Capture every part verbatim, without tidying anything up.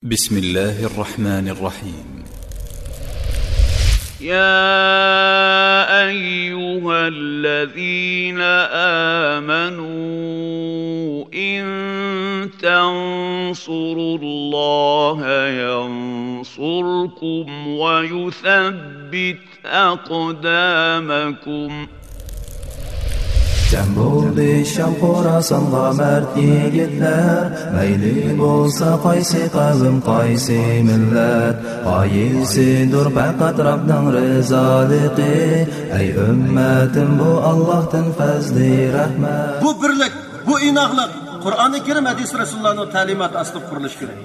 بسم الله الرحمن الرحيم. يا أيها الذين آمنوا إن تنصروا الله ينصركم ويثبت أقدامكم. جەم بولدى شام خوراسانغا مەرد يىگىتلەر، مەيلى بولسا قايسى قەۋم، قايسى مىللەت، غايىسىدۇر پەقەت رەبنىڭ رىزالىقى. ئەي ئۈممەتىم، بۇ ئاللاھتىن پەزلى رەھمەت. بۇ بىرلىك، بۇ ئىناقلىق قۇرئانى كەرىم، ھەدىس رەسۇلۇللانىڭ تەلىماتى ئاستىدا قۇرۇلۇشى كېرەك.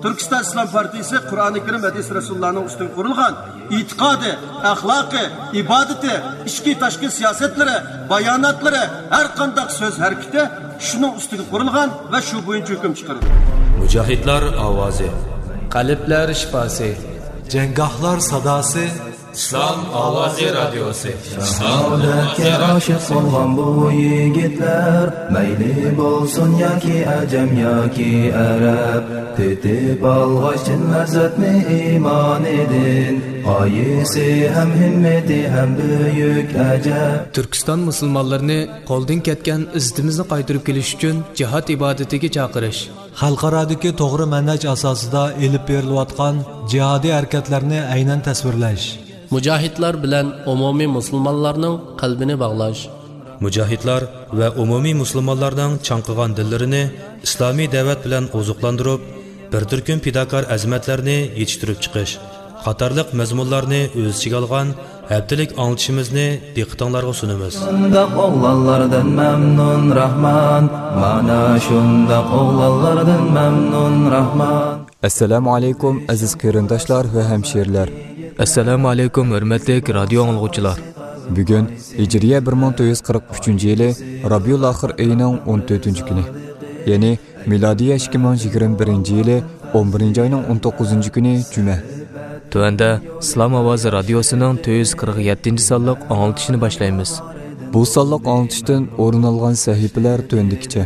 تۈركىستان ئىسلام پارتىيىسى قۇرئانى كەرىم، ھەدىس رەسۇلۇللانىڭ ئۈستىگە قۇرۇلغان ئېتىقادى، ئەخلاقى، ئىبادىتى، ئىچكى تاشقى سىياسەتلىرى، باياناتلىرى، ھەر قانداق سۆز ھەرىكىتى شۇنىڭ ئۈستىگە قۇرۇلغان ۋە شۇ بويىچە ھۆكۈم چىقىرىدۇ. مۇجاھىدلار ئاۋازى. قەلبلەر شىپاسى. جەڭگاھلار ساداسى. ئىسلام ئاۋازى رادىيوسى. شاھادەتكە ئاشىق بولغان بۇ يىگىتلەر، مەيلى بولسۇن ياكى ئەجەم ياكى ئەرەب، تېتىپ ئالغاچ چىن لەززەتنى ئىمانىدىن، غايىسى ھەم ھىممىتى ھەم بۈيۈك ئەجەب. تۈركىستان مۇسۇلمانلىرىنى قولدىن كەتكەن ئىززىتىمىزنى قايتۇرۇپ كېلىش ئۈچۈن جىھاد ئىبادىتىگە چاقىرىش. خەلقئارادىكى توغرا مەنھەج ئاساسىدا ئېلىپ بېرىلىۋاتقان جىھادىي ھەرىكەتلەرنى ئەينەن تەسۋىرلەش. مۇجاھىدلار بىلەن ئومۇمىي مۇسۇلمانلارنىڭ قەلبىنى باغلاش. مۇجاھىدلار ۋە ئومۇمىي مۇسۇلمانلارنىڭ چاڭقىغان دىللىرىنى ئىسلامىي دەۋەت بىلەن ئوزۇقلاندۇرۇپ، بىر تۈركۈم پىداكار ئەزىمەتلەرنى يېتىشتۈرۈپ چىقىش قاتارلىق مەزمۇنلارنى ئۆز ئىچىگە ئالغان ھەپتىلىك ئاڭلىتىشىمىزنى دىققىتىڭلارغا سۇنىمىز. شۇنداق ئوغلانلاردىن مەمنۇن راھمان، مانا شۇنداق ئوغلانلاردىن مەمنۇن راھمان. ئەسسالامۇ ئەلەيكۇم، ئەزىز قېرىنداشلار ۋە ھەمشىرىلەر. ئەسسالامۇ ئەلەيكۇم، ھۆرمەتلىك رادىيو ئاڭلىغۇچىلار. بۈگۈن ھىجرىيە بىر مىڭ تۆت يۈز قىرىق ئۈچىنچى يىلى رابىئۇل ئاخىر ئېيىنىڭ ئون تۆتىنچى كۈنى، يەنى مىلادىيە ئىككى مىڭ يىگىرمە بىرىنچى يىلى ئون بىرىنچى ئاينىڭ ئون توققۇزىنچى كۈنى جۈمە. تۆۋەندە ئىسلام ئاۋازى رادىيوسىنىڭ تۆت يۈز قىرىق يەتتىنچى سانلىق ئاڭلىتىشىنى باشلايمىز. بۇ سانلىق ئاڭلىتىشتىن ئورۇن ئالغان سەھىپىلەر تۆۋەندىكىچە.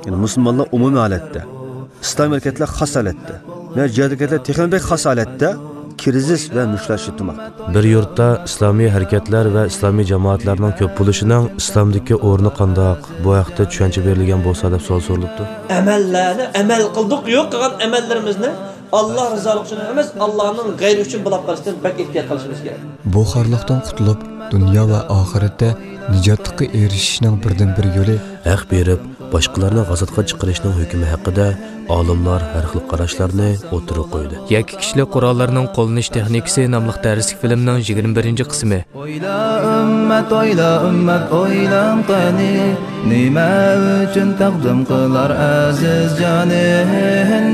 يەنى مۇسۇلمانلار ئومۇمىي ھالەتتە، ئىسلام ھەرىكەتلەر خاس ھالەتتە ۋە جىھاد ھەرىكەتلەر تېخىمۇ بەك خاس ھالەتتە كىرىزىس ۋە مۈشكۈللەر ئىچىدە تۇرماقتا. بىر يۇرتتا ئىسلامىي ھەرىكەتلەر ۋە ئىسلامىي جامائەتلەرنىڭ كۆپ بولۇشىنىڭ ئىسلامدىكى ئورنى قانداق؟ بۇ ھەقتە چۈشەنچە بېرىلگەن بولسا، دەپ سوئال سورىلىپتۇ. ئەمەللەرنى ئەمەل قىلدۇق، يوق، قىلغان ئەمەللىرىمىزنى ئاللا رىزالىقى ئۈچۈن ئەمەس، ئاللانىڭ غەيرى ئۈچۈن بۇلاپ بېرىشتىن بەك ئېھتىيات قىلىشىمىز كېرەك. بۇ خارلىقتىن قۇتۇلۇپ، دۇنيا ۋە ئاخىرەتتە نىجاتلىققا ئېرىشىشنىڭ بىردىنبىر يولى. ھەق بېرىپ، باشقىلارنى غازاتقا چىقىرىشنىڭ ھۆكمى ھەققىدە ئالىملار ھەر خىل قاراشلارنى ئوتتۇرىغا قويدى. يەككە كىشىلىك قوراللارنىڭ قوللىنىش تېخنىكىسى ناملىق دەرسلىك فىلىمنىڭ يىگىرمە بىرىنچى قىسمى. ئويلا ئۈممەت، ئويلا ئۈممەت، ئويلاڭ قېنى، نېمە ئۈچۈن تەقدىم قىلار ئەزىز جانى؟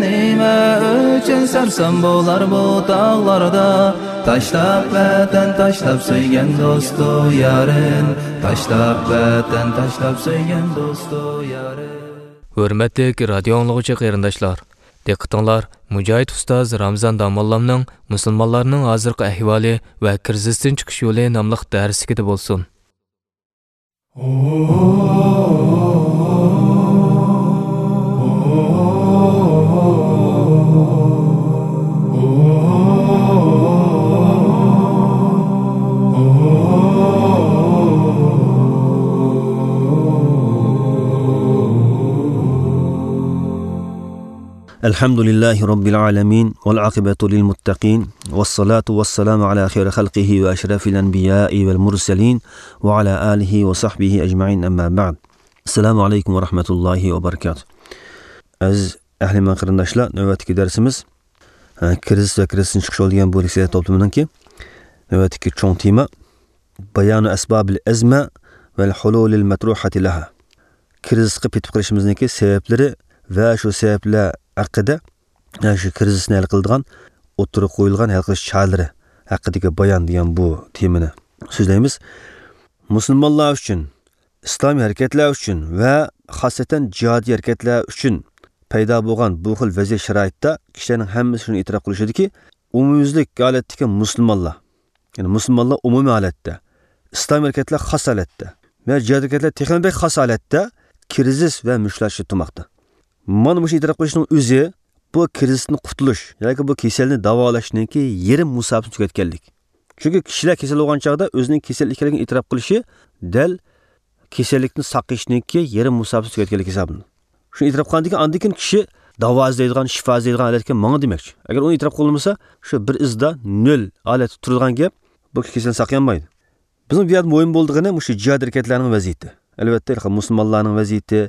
نېمە ئۈچۈن سەرسان بولار بۇ تاغلاردا؟ تاشلاپ ۋەتەن، تاشلاپ سۆيگەن دوستۇ يارىن، تاشلاپ ۋەتەن، تاشلاپ سۆيگەن دوستۇ يارىن. ھۆرمەتلىك رادىيو ئاڭلىغۇچى قېرىنداشلار، دىققىتىڭلار مۇجاھىد ئۇستاز رامزان داموللامنىڭ مۇسۇلمانلارنىڭ ھازىرقى ئەھۋالى ۋە كىرىزىستىن چىقىش يولى ناملىق دەرسلىكىدە بولسۇن. الحمد لله رب العالمين، والعاقبة للمتقين، والصلاة والسلام على خير خلقه وأشرف الأنبياء والمرسلين، وعلى آله وصحبه أجمعين، أما بعد. السلام عليكم ورحمة الله وبركاته. ئەزىز ئەھلى ئىمان قېرىنداشلار، نۆۋەتتىكى دەرسىمىز، ھە، كىرىزىس ۋە كىرىزىستىن چىقىش يولى دېگەن بۇ لېكسىيە توپلىمىنىڭكى نۆۋەتتىكى چوڭ تېما، بيان أسباب الأزمة والحلول المطروحة لها. كىرىزىسقا پېتىپ قېلىشىمىزنىڭكى سەۋەبلىرى ۋە شۇ سەۋەبلەر ھەققىدە، ھە، شۇ كىرىزىسنى ھەل قىلىدىغان ئوتتۇرىغا قويۇلغان ھەل قىلىش چارىلىرى ھەققىدىكى بايان دېگەن بۇ تېمىنى سۆزلەيمىز. مۇسۇلمانلار ئۈچۈن، ئىسلامىي ھەرىكەتلەر ئۈچۈن ۋە خاسسەتەن جىھادىي ھەرىكەتلەر ئۈچۈن پەيدا بولغان بۇ خىل ۋەزىيەت شارائىتتا كىشىلەرنىڭ ھەممىسى شۇنى ئېتىراپ قىلىشىدىكى، ئومۇميۈزلۈك ھالەتتىكى مۇسۇلمانلار، يەنى مۇسۇلمانلار ئومۇمىي ھالەتتە، ئىسلامىي ھەرىكەتلەر خاس ھالەتتە ۋە جىھاد ھەرىكەتلەر تېخىمۇ بەك خاس ھالەتتە كىرىزىس ۋە مۈشكۈللەر ئىچىدە تۇرماقتا. مانا مۇشۇ ئېتىراپ قىلىشنىڭ ئۆزى بۇ كىرىزىستىن قۇتۇلۇش ياكى بۇ كېسەلنى داۋالاشنىڭكى يېرىم مۇساپىسىنى تۈگەتكەنلىك. چۈنكى كىشىلەر كېسەل بولغان چاغدا ئۆزىنىڭ كېسەل ئىكەنلىكىنى ئېتىراپ قىلىشى دەل كېسەللىكتىن ساقىيىشنىڭكى يېرىم مۇساپىسى تۈگەتكەنلىك ھېسابلىنىدۇ. شۇنى ئېتىراپ قىلغاندىن كېيىن، ئاندىن كېيىن كىشى داۋا ئىزدەيدىغان، شىپا ئىزدەيدىغان ھالەتكە ماڭىدۇ دېمەكچى. ئەگەر ئۇنى ئېتىراپ قىلمىسا، شۇ بىر ئىزدا نۆل ھالەتتە تۇرىدىغان گەپ، بۇ كىشى كېسەلدىن ساقىيالمايدۇ. بىزنىڭ بۇ يەردە مۇھىم بولىدىغىنى مۇشۇ جىھاد ھەرىكەتلەرنىڭ ۋەزىيىتى. ئەلۋەتتە، مۇسۇلمانلارنىڭ ۋەزىيىتى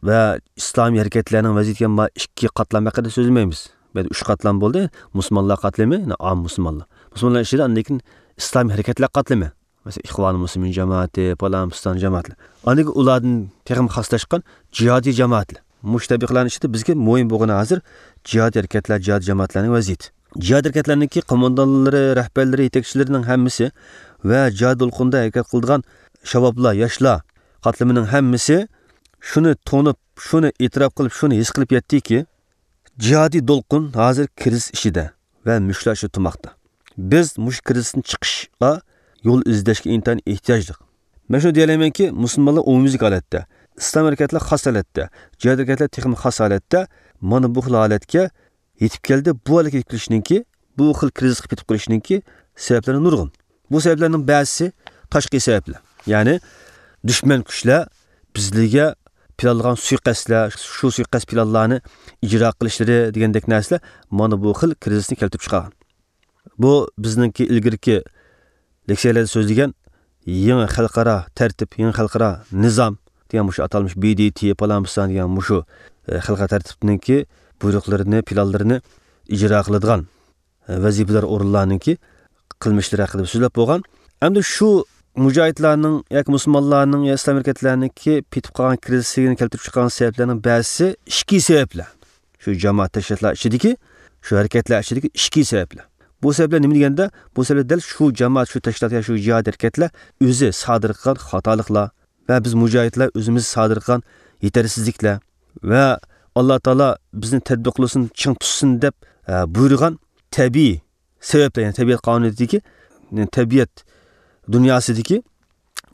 ۋە ئىسلامىي ھەرىكەتلەرنىڭ ۋەزىيىتى دېگەن بۇ ئىككى قاتلام ھەققىدە سۆزلىمەيمىز. بۇ يەردە ئۈچ قاتلام بولدى. مۇسۇلمانلار قاتلىمى، يەنى ئام مۇسۇلمانلار. مۇسۇلمانلار ئىچىدە ئاندىن كېيىن ئىسلامىي ھەرىكەتلەر قاتلىمى. مەسىلەن، ئىخۋانۇل مۇسلىمىن جامائىتى، پالان پۇستان جامائەتلەر. ئاندىن كېيىن ئۇلاردىن تېخىمۇ خاسلاشقان جىھادىي جامائەتلەر. مۇشۇ تەبىقىلەرنىڭ ئىچىدە بىزگە مۇھىم بولغىنى ھازىر جىھادىي ھەرىكەتلەر، جىھادىي جامائەتلەرنىڭ ۋەزىيىتى. جىھاد ھەرىكەتلەرنىڭكى قوماندانلىرى، رەھبەرلىرى، يېتەكچىلىرىنىڭ ھەممىسى ۋە جىھاد دولقۇنىدا ھەرىكەت قىلىدىغان شابابلار، ياشلار قاتلىمىنىڭ ھەممىسى شۇنى تونۇپ، شۇنى ئېتىراپ قىلىپ، شۇنى ھېس قىلىپ يەتتىكى، جىھادىي دولقۇن ھازىر كىرىزىس ئىچىدە ۋە مۈشكۈلات ئىچىدە تۇرماقتا. بىز مۇشۇ كىرىزىستىن چىقىشقا يول ئىزدەشكە ئىنتايىن ئېھتىياجلىق. مەن شۇنى دېيەلەيمەنكى، مۇسۇلمانلار ئومۇميۈزلۈك ھالەتتە، ئىسلام ھەرىكەتلەر خاس ھالەتتە، جىھاد ھەرىكەتلەر تېخىمۇ خاس ھالەتتە مانا بۇ خىل ھالەتكە يېتىپ كەلدى. بۇ ھالەتكە يېتىپ كېلىشنىڭكى، بۇ خىل كىرىزىسقا پېتىپ قېلىشنىڭكى سەۋەبلىرى نۇرغۇن. بۇ سەۋەبلەرنىڭ بەزىسى تاشقى سەۋەبلەر. يەنى دۈشمەن كۈچلەر بىزلەرگە پىلانلىغان سۇيىقەستلەر، شۇ سۇيىقەست پىلانلارنى ئىجرا قىلىشلىرى دېگەندەك نەرسىلەر مانا بۇ خىل كىرىزىسنى كەلتۈرۈپ چىقارغان. بۇ بىزنىڭكى ئىلگىرىكى لېكسىيەلەردە سۆزلىگەن يېڭى خەلقئارا تەرتىپ، يېڭى خەلقئارا نىزام دېگەن مۇشۇ ئاتالمىش بى دى تى، پالان پۇستان دېگەن مۇشۇ، ئە، خەلقئارا تەرتىپنىڭكى بۇيرۇقلىرىنى، پىلانلىرىنى ئىجرا قىلىدىغان، ئە، ۋەزىپىدار ئورۇنلارنىڭكى قىلمىشلىرى ھەققىدە سۆزلەپ بولغان. ئەمدى شۇ مۇجاھىدلارنىڭ ياكى مۇسۇلمانلارنىڭ يا ئىسلام ھەرىكەتلەرنىڭكى پېتىپ قالغان كىرىزىسىنى كەلتۈرۈپ چىقارغان سەۋەبلەرنىڭ بەزىسى ئىچكى سەۋەبلەر. شۇ جامائەت تەشكىلاتلار ئىچىدىكى، شۇ ھەرىكەتلەر ئىچىدىكى ئىچكى سەۋەبلەر. بۇ سەۋەبلەر نېمە دېگەندە، بۇ سەۋەبلەر دەل شۇ جامائەت، شۇ تەشكىلات يا شۇ جىھاد ھەرىكەتلەر ئۆزى سادىر قىلغان خاتالىقلار ۋە بىز مۇجاھىدلار ئۆزىمىز سادىر قىلغان يېتەرسىزلىكلەر ۋە ئاللا تائالا بىزنى تەدبىر قىلسۇن، چىڭ تۇتسۇن دەپ، ئە، بۇيرۇغان تەبىئىي سەۋەبلەر، يەنى تەبىئەت قانۇنىيىتىدىكى، يەنى تەبىئەت دۇنياسىدىكى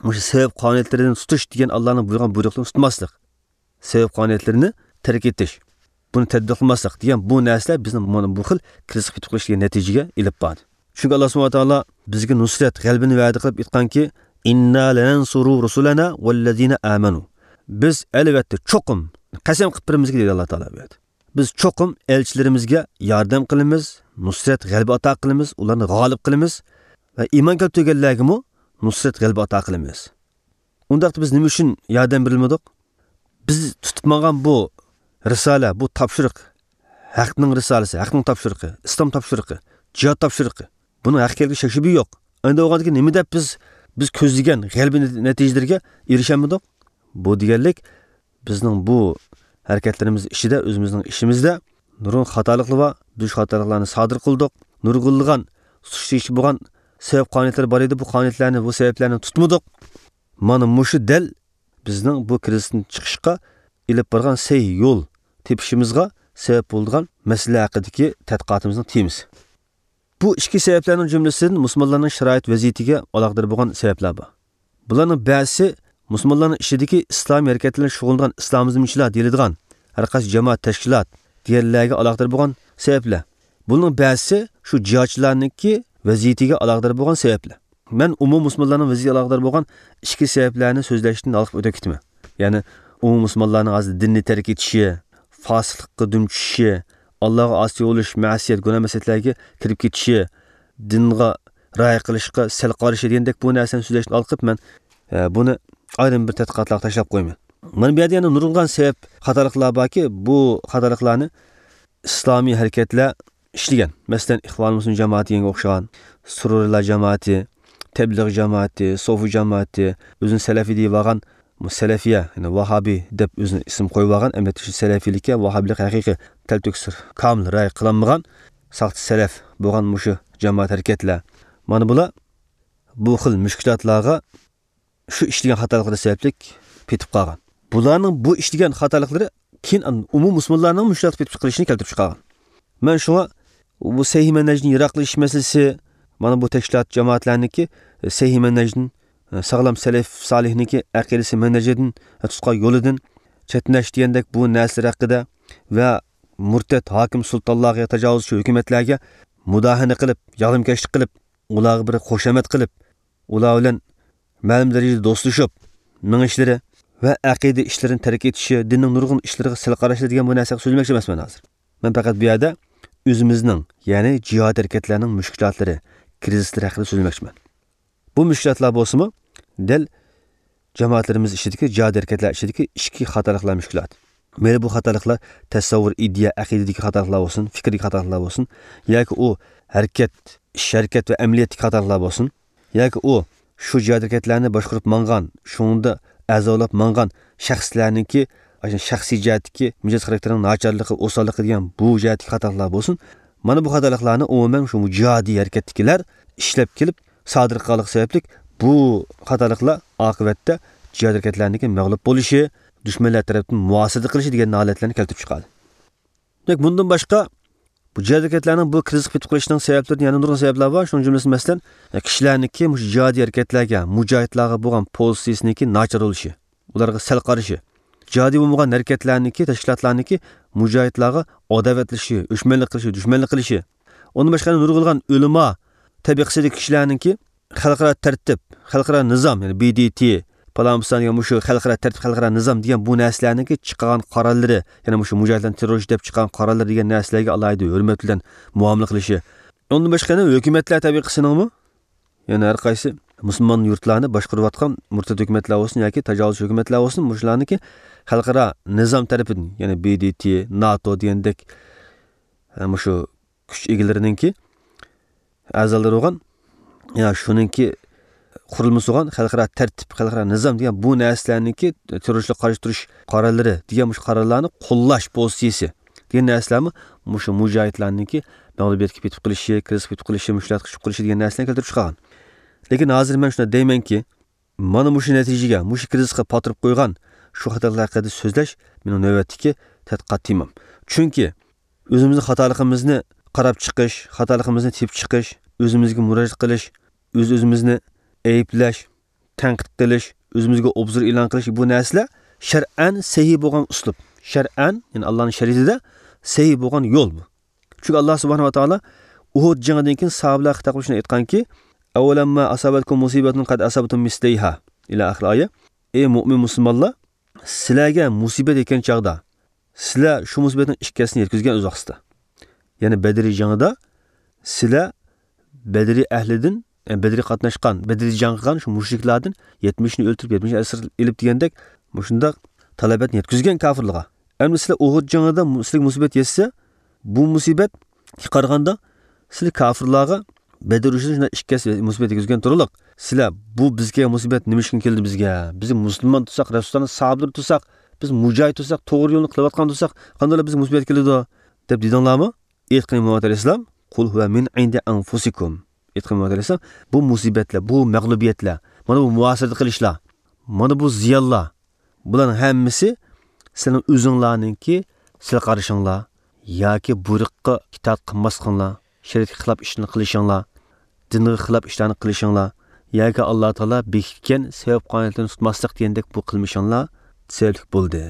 مۇشۇ سەۋەب قانۇنىيەتلىرىنى تۇتۇش دېگەن ئاللانىڭ بۇيرۇغان بۇيرۇقلىرىنى تۇتماسلىق. سەۋەب قانۇنىيەتلىرىنى تەرك ئېتىش، بۇنى تەتبىقلىماسلىق دېگەن بۇ نەرسىلەر بىزنى مانا بۇ خىل كىرىزىسقا پېتىپ قېلىش دېگەن نەتىجىگە ئېلىپ باردى. چۈنكى ئاللا سۇبھانەھۇ ۋە تائالا بىزگە نۇسرەت، غەلىبىنى ۋەدە قىلىپ ئېيتقانكى، «ئىننا لەنەنسۇرۇ رۇسۇلەنا ۋەللەزىنە ئامەنۇ.» بىز ئەلۋەتتە چوقۇم، قەسەم قىلىپ بېرىمىزكى دېدى ئاللا تائالا بۇ يەردە. بىز چوقۇم ئەلچىلىرىمىزگە ياردەم قىلىمىز، نۇسرەت، غەلىبە ئاتا قىلىمىز، ئۇلارنى غالىب قىلىمىز ۋە ئىمان كەلتۈرگەنلەرگىمۇ نۇسرەت، غەلىبە ئاتا قىلىمىز. ئۇنداقتا بىز نېمە ئۈچۈن ياردەم بېرەلمىدۇق؟ بىز تۇتۇپ ماڭغان بۇ رىسالە، بۇ تاپشۇرۇق، ھەقنىڭ رىسالىسى، ھەقنىڭ تاپشۇرۇقى، ئىسلام تاپشۇرۇقى، جىھاد تاپشۇرۇقى. بۇنىڭ ھەققىيەتلىكى شەك-شۈبھە يوق. ئەمدى بولغاندىكىن نېمە دەپ بىز، بىز كۆزلىگەن غەلىبە نەتىجىلىرىگە ئېرىشەلمىدۇق؟ بۇ دېگەنلىك، بىزنىڭ بۇ ھەرىكەتلىرىمىز ئىچىدە، ئۆزىمىزنىڭ ئىشىمىزدە نۇرغۇن خاتالىقلار بار. بىز شۇ خاتالىقلارنى سادىر قىلدۇق. نۇرغۇنلىغان تۇتۇش تېگىشلىك بولغان سەۋەب قانۇنىيەتلىرى بار ئىدى. بۇ قانۇنىيەتلەرنى، بۇ سەۋەبلەرنى تۇتمىدۇق. مانا مۇشۇ دەل بىزنىڭ بۇ كىرىزىستىن چىقىشقا ئېلىپ بارغان سەي يول تېپىشىمىزغا سەۋەب بولىدىغان مەسىلە ھەققىدىكى تەتقىقاتىمىزنىڭ تېمىسى. بۇ ئىچكى سەۋەبلەرنىڭ جۈملىسىدىن مۇسۇلمانلارنىڭ شارائىت ۋەزىيىتىگە ئالاقىدار بولغان سەۋەبلەر بار. بۇلارنىڭ بەزىسى مۇسۇلمانلارنىڭ ئىچىدىكى ئىسلامىي ھەرىكەتلەر شۇغۇللىنىدىغان ئىسلامىزمچىلار دېيىلىدىغان ھەر قايسى جامائەت، تەشكىلات دېگەنلەرگە ئالاقىدار بولغان سەۋەبلەر. بۇنىڭ بەزىسى شۇ جىھادچىلارنىڭكى ۋەزىيىتىگە ئالاقىدار بولغان سەۋەبلەر. مەن ئومۇمىي مۇسۇلمانلارنىڭ ۋەزىيىتىگە ئالاقىدار بولغان ئىچكى سەۋەبلەرنى سۆزلەشتىن ھالقىپ ئۆتۈپ كېتىمەن. يەنى ئومۇمىي مۇسۇلمانلارنىڭ ھازىر دىننى تەرك ئېتىشى، فاسىقلىققا دۈم چۈشۈشى، ئاللاغا ئاسىي بولۇش، مەسىيەت، گۇناھ مەسىيەتلەرگە كىرىپ كېتىشى، دىنغا رىئايە قىلىشقا سەل قارشى دېگەندەك بۇ نەرسىنى سۆزلەشتىن ھالقىپ مەن، ئە، بۇنى ئايرىم بىر تەتقىقاتلارغا تاشلاپ قويىمەن. مانا بۇ يەردە يەنە نۇرغۇنلىغان سەۋەب خاتالىقلار باركى، بۇ خاتالىقلارنى ئىسلامىي ھەرىكەتلەر ئىشلىگەن. مەسىلەن، ئىخۋانۇل مۇسلىمىن جامائىتىگە ئوخشىغان، سۇرۇرىلار جامائىتى، تەبلىغ جامائىتى، سوفى جامائىتى، ئۆزىنى سەلەفىي دېيىۋالغان، بۇ سەلەفىيە، يەنى ۋاھابىي دەپ ئۆزىنى ئىسىم قويۇۋالغان، ئەمەلىيەتتە شۇ سەلەفىيلىككە، ۋاھابىيلىققا ھەقىقىي تەلتۆكۈس، كامىل رىئايە قىلالمىغان، ساختا سەلەف بولغان مۇشۇ جامائەت ھەرىكەتلەر. مانا بۇلار بۇ خىل مۈشكۈلاتلارغا شۇ ئىشلىگەن خاتالىقلىرى سەۋەبلىك پېتىپ قالغان. بۇلارنىڭ بۇ ئىشلىگەن خاتالىقلىرى كېيىن ئومۇم مۇسۇلمانلارنىڭ مۇشۇنداق پېتىپ قېلىشىنى كەلتۈرۈپ چىقارغان. مەن شۇڭا بۇ سەھىي مەنھەجدىن يىراقلىشىش مەسىلىسى، مانا بۇ تەشكىلات جامائەتلەرنىڭكى سەھىي مەنھەجدىن، ساغلام سەلەف سالىھنىڭكى ئەقىدىسى مەنھەجىدىن، تۇتقان يولىدىن چەتنەش دېگەندەك بۇ نەرسىلەر ھەققىدە ۋە مۇرتەت ھاكىم سۇلتانلارغا، تاجاۋۇزچى ھۆكۈمەتلەرگە مۇداھىنە قىلىپ، ياردەمكەشلىك قىلىپ، ئۇلارغا بىر خۇشامەت قىلىپ، ئۇلار بىلەن مەلۇم دەرىجىدە دوستلىشىپ مېڭىشلىرى ۋە ئەقىدە ئىشلىرىنى تەرك ئېتىشى، دىننىڭ نۇرغۇن ئىشلىرىغا سەل قاراشلىرى دېگەن بۇ نەرسىگە سۆزلىمەكچى ئەمەسمەن ھازىر. مەن پەقەت بۇ يەردە ئۆزىمىزنىڭ، يەنى جىھاد ھەرىكەتلەرنىڭ مۈشكۈلاتلىرى، كىرىزىسلىرى ھەققىدە سۆزلىمەكچىمەن. بۇ مۈشكۈلاتلار بولسىمۇ، دەل جامائەتلىرىمىز ئىچىدىكى، جىھاد ھەرىكەتلەر ئىچىدىكى ئىچكى خاتالىقلار مۈشكۈلات. مەيلى بۇ خاتالىقلار تەسەۋۋۇر، ئىدىيە، ئەقىدىدىكى خاتالىقلار بولسۇن، پىكىردىكى خاتالىقلار بولسۇن، ياكى ئۇ ھەرىكەت، ئىش ھەرىكەت ۋە ئەمەلىيەتتىكى خاتالىقلار بولسۇن، ياكى ئۇ شۇ جىھاد ھەرىكەتلەرنى باشقۇرۇپ ماڭغان، شۇنىڭدا ئەزا بولۇپ ماڭغان شەخسلەرنىڭكى، ئاشۇ شەخسىي جەھەتتىكى مىجەز خاراكتېرىنىڭ ناچارلىقى، ئوساللىقى دېگەن بۇ جەھەتتىكى خاتالىقلار بولسۇن، مانا بۇ خاتالىقلارنى ئومۇمەن شۇ جىھادىي ھەرىكەتتىكىلەر ئىشلەپ كېلىپ سادىر قىلغانلىقى سەۋەبلىك، بۇ خاتالىقلار ئاقىۋەتتە جىھاد ھەرىكەتلەرنىڭكى مەغلۇپ بولۇشى، دۈشمەنلەر تەرەپتىن مۇھاسىرە قىلىشى دېگەن ھالەتلەرنى كەلتۈرۈپ چىقارىدۇ. دېمەك، بۇندىن باشقا، بۇ جىھاد ھەرىكەتلەرنىڭ بۇ كىرىزىسقا پېتىپ قېلىشىنىڭ سەۋەبلىرىدىن يەنە نۇرغۇن سەۋەبلەر بار. شۇنىڭ جۈملىسىدىن، مەسىلەن، كىشىلەرنىڭكى مۇشۇ جىھادىي ھەرىكەتلەرگە، مۇجاھىدلارغا بولغان پوزىتسىيىسىنىڭكى ناچار بولۇشى، ئۇلارغا سەل قارىشى، جىھادىي بولمىغان ھەرىكەتلەرنىڭكى، تەشكىلاتلارنىڭكى مۇجاھىدلارغا ئاداۋەتلىشى، ئۆچمەنلىك قىلىشى، دۈشمەنلىك قىلىشى، ئۇندىن باشقا يەنە نۇرغۇنلىغان ئۆلىما تەبىقىسىدىكى كىشىلەرنىڭكى خەلقئارا تەرتىپ، خەلقئارا نىزام، يەنى بى دى تى، پالان پۇسان دېگەن مۇشۇ خەلقئارا تەرتىپ، خەلقئارا نىزام دېگەن بۇ نەرسىلەرنىڭكى چىقارغان قارارلىرى، يەنى مۇشۇ مۇجاھىدلارنى تېررورچى دەپ چىقارغان قارارلىرى دېگەن نەرسىلەرگە ئالاھىدە ھۆرمەت بىلەن مۇئامىلە قىلىشى. ئۇندىن باشقا يەنە ھۆكۈمەتلەر تەبىقىسىنىڭمۇ، يەنى ھەر قايسى مۇسۇلمان يۇرتلارنى باشقۇرۇۋاتقان مۇرتەت ھۆكۈمەتلەر بولسۇن ياكى تاجاۋۇزچى ھۆكۈمەتلەر بولسۇن، مۇشۇلارنىڭكى خەلقئارا نىزام تەرىپىدىن، يەنى بى دى تى، ناتو دېگەندەك، ھە، مۇشۇ كۈچ ئىگىلىرىنىڭكى ئەزالىرى بولغان، يا شۇنىڭكى قۇرۇلمىسى بولغان خەلقئارا تەرتىپ، خەلقئارا نىزام دېگەن بۇ نەرسىلەرنىڭكى تېررورچىلىققا قارشى تۇرۇش قارارلىرى دېگەن مۇشۇ قارارلارنى قوللاش پوزىتسىيىسى دېگەن نەرسىلەرمۇ مۇشۇ مۇجاھىدلارنىڭكى مەغلۇبىيەتكە پېتىپ قېلىشى، كىرىزىسقا پېتىپ قېلىشى، مۇشۇلارغا چۈشۈپ قېلىشى دېگەن نەرسىلەرنى كەلتۈرۈپ چىقارغان. لېكىن ھازىر مەن شۇنداق دەيمەنكى، مانا مۇشۇ نەتىجىگە، مۇشۇ كىرىزىسقا پاتۇرۇپ قويغان شۇ خاتالىقلار ھەققىدە سۆزلەش مېنىڭ نۆۋەتتىكى تەتقىقات تېمام. چۈنكى ئۆزىمىزنىڭ خاتالىقىمىزنى قاراپ چىقىش، خاتالىقىمىزنى تېپىپ چىقىش، ئۆزىمىزگە مۇراجىئەت قىلىش، ئۆز-ئۆزىمىزنى ئەيىبلەش، تەنقىد قىلىش، ئۆزىمىزگە ئوبزور ئېلان قىلىش، بۇ نەرسىلەر شەرئەن سەھىھ بولغان ئۇسلۇب. شەرئەن، يەنى ئاللانىڭ شەرىئىتىدە سەھىھ بولغان يول بۇ. چۈنكى ئاللا سۇبھانەھۇ ۋە تائالا ئۇھۇد جېڭىدىن كېيىن ساھابىلەرگە خىتاب قىلىپ شۇنداق ئيتقانكى، «أولما أصابتكم مصيبة قد أصبتم مثليها» إلى آخر الآية. ئەي مۇئمىن مۇسۇلمانلار، سىلەرگە مۇسىبەت يەتكەن چاغدا، سىلەر شۇ مۇسىبەتنىڭ ئىككىسىنى يەتكۈزگەن ئۆز ۋاقتىدا. يەنى بەدرىي جېڭىدا سىلەر بەدرىي ئەھلىدىن، يەنى بەدرىي قاتناشقان، بەدرىي جەڭ قىلغان شۇ مۇشرىكلاردىن يەتمىشىنى ئۆلتۈرۈپ، يەتمىشىنى ئەسىر ئېلىپ دېگەندەك مۇشۇنداق تالاپەتنى يەتكۈزگەن كاپىرلارغا. ئەمدى سىلەر ئۇھۇد جېڭىدا مۇ-، سىلەرگە مۇسىبەت يەتسە، بۇ مۇسىبەتكە قارىغاندا سىلەر كاپىرلارغا بەدر ئۇرۇشىدا شۇنداق ئىككى ھەسسە مۇسىبەت يەتكۈزگەن تۇرۇقلۇق. سىلەر، بۇ بىزگە مۇسىبەت نېمە ئۈچۈن كەلدى بىزگە؟ بىز مۇسۇلمان تۇرساق، رەسۇلۇللانىڭ ساھابىلىرى تۇرساق، بىز مۇجاھىد تۇرساق، توغرا يولنى قىلىۋاتقان تۇرساق، قانداقلا بىزگە مۇسىبەت كېلىدۇ؟ دەپ دېدىڭلارمۇ؟ ئېيتقىن مۇھەممەد ئەلەيھىسسالام، «قۇل ھۇۋە مىن ئىندى ئەنفۇسىكۇم». ئېيتقىن مۇھەممەد ئەلەيھىسسالام، بۇ مۇسىبەتلەر، بۇ مەغلۇبىيەتلەر، مانا بۇ مۇھاسىرە قىلىشلار، مانا بۇ زىيانلار، بۇلارنىڭ ھەممىسى سىلەرنىڭ ئۆزۈڭلارنىڭكى سەل قارىشىڭلار ياكى بۇيرۇققا ئىتائەت قىلماسلىقىڭلار، شەرىئەتكە خىلاپ ئىشلارنى قىلىشىڭلار، دىنغا خىلاپ ئىشلارنى قىلىشىڭلار ياكى ئاللا تائالا بېكىتكەن سەۋەب قانۇنلىرىنى تۇتماسلىق دېگەندەك بۇ قىلمىشىڭلار سەۋەبلىك بولدى.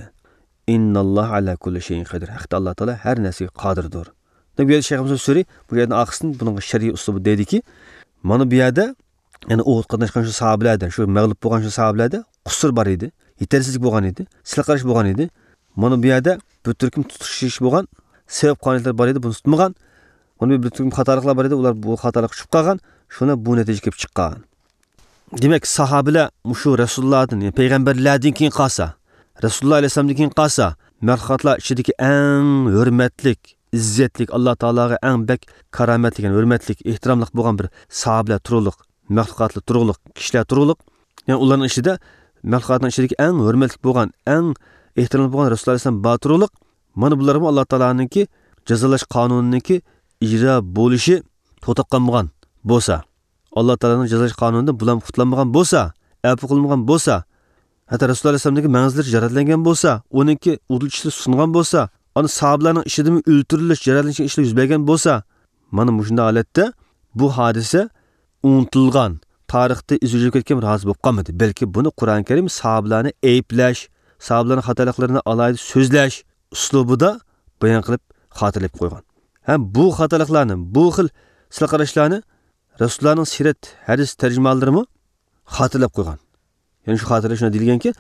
«ئىنناللاھە ئەلا كۇللى شەيئىن قەدىر». ھەقىقەتەن ئاللا تائالا ھەر نەرسىگە قادىردۇر. دەپ بۇ يەردە شەيخ مۇسلىم سۈرى بۇ يەردىن ئارقىسىدىن بۇنىڭغا شەرھىي ئۇسلۇبىدا دەيدىكى، مانا بۇ يەردە يەنى ئۇھۇد قاتناشقان شۇ ساھابىلەردە، شۇ مەغلۇپ بولغان شۇ ساھابىلەردە قۇسۇر بار ئىدى، يېتەرسىزلىك بولغان ئىدى، سەل قارىش بولغان ئىدى. مانا بۇ يەردە بىر تۈركۈم تۇتۇشۇش بولغان، سەۋەب قانۇنىيەتلەر بار ئىدى، بۇنى تۇتمىغان. مانا بۇ بىر تۈركۈم خاتالىقلار بار ئىدى، ئۇلار بۇ خاتالىققا چۈشۈپ قالغان، شۇنى بۇ نەتىجىگە كېلىپ چىققان. دېمەك، ساھابىلەر مۇشۇ رەسۇلۇللاھدىن، يەنى پەيغەمبەرلەردىن كېيىن قالسا، رەسۇلۇللاھ ئەلەيھىسسالامدىن كېيىن قالسا، مەخلۇقاتلار ئىچىدىكى ئەڭ ھۆرمەتلىك، ئىززەتلىك، ئاللا تائالاغا ئەڭ بەك كارامەتلىك، يەنى ھۆرمەتلىك، ئېھتىراملىق بولغان بىر ساھابىلەر تۇرۇقلۇق، مەخلۇقاتلار تۇرۇقلۇق، كىشىلەر تۇرۇقلۇق. يەنى ئۇلارنىڭ ئىچىدە، مەخلۇقاتنىڭ ئىچىدىكى ئەڭ ھۆرمەتلىك بولغان، ئەڭ ئېھتىراملىق بولغان رەسۇلۇللاھ ئەلەيھىسسالام بار تۇرۇقلۇق. مانا بۇلارمۇ ئاللا تائالانىڭكى جازالاش قانۇنىنىڭكى ئىجرا بولۇشى توختاپ قالمىغان بولسا، ئاللا تائالانىڭ جازالاش قانۇنىدىن بۇلارمۇ قۇتۇلالمىغان بولسا، ئەپۇ قىلمىغان بولسا، ھەتتا رەسۇلۇللاھ ئەلەيھىسسالامنىڭكى مەنزىلى جارائەتلەنگەن بولسا، ئۇنىڭكى ئۇدۇل ئىشلىرى سۇنغان بولسا، ئانا ساھابىلەرنىڭ ئىچىدىمۇ ئۆلتۈرۈلۈش، جارائەتلىنىش ئىشلار يۈز بەرگەن بولسا، مانا مۇشۇنداق ھالەتتە بۇ ھادىسە ئۇنتۇلغان، تارىختا ئىزى ئۆچۈپ كەتكەن بىر ھادىسە بولۇپ قالمىدى. بەلكى بۇنى قۇرئان كەرىم ساھابىلەرنى ئەيىبلەش، ساھابىلەرنىڭ خاتالىقلىرىنى ئالاھىدە سۆزلەش ئۇسلۇبىدا بايان قىلىپ خاتىرىلەپ قويغان. ھەم بۇ خاتالىقلارنى، بۇ خىل سىلەر قاراشلارنى رەسۇلۇللانىڭ سىرەت، ھەدىس تەرجىمانلىرىمۇ خاتىرىلەپ قويغان. يەنى شۇ خاتىرىلەش شۇنداق دېيىلگەنكى،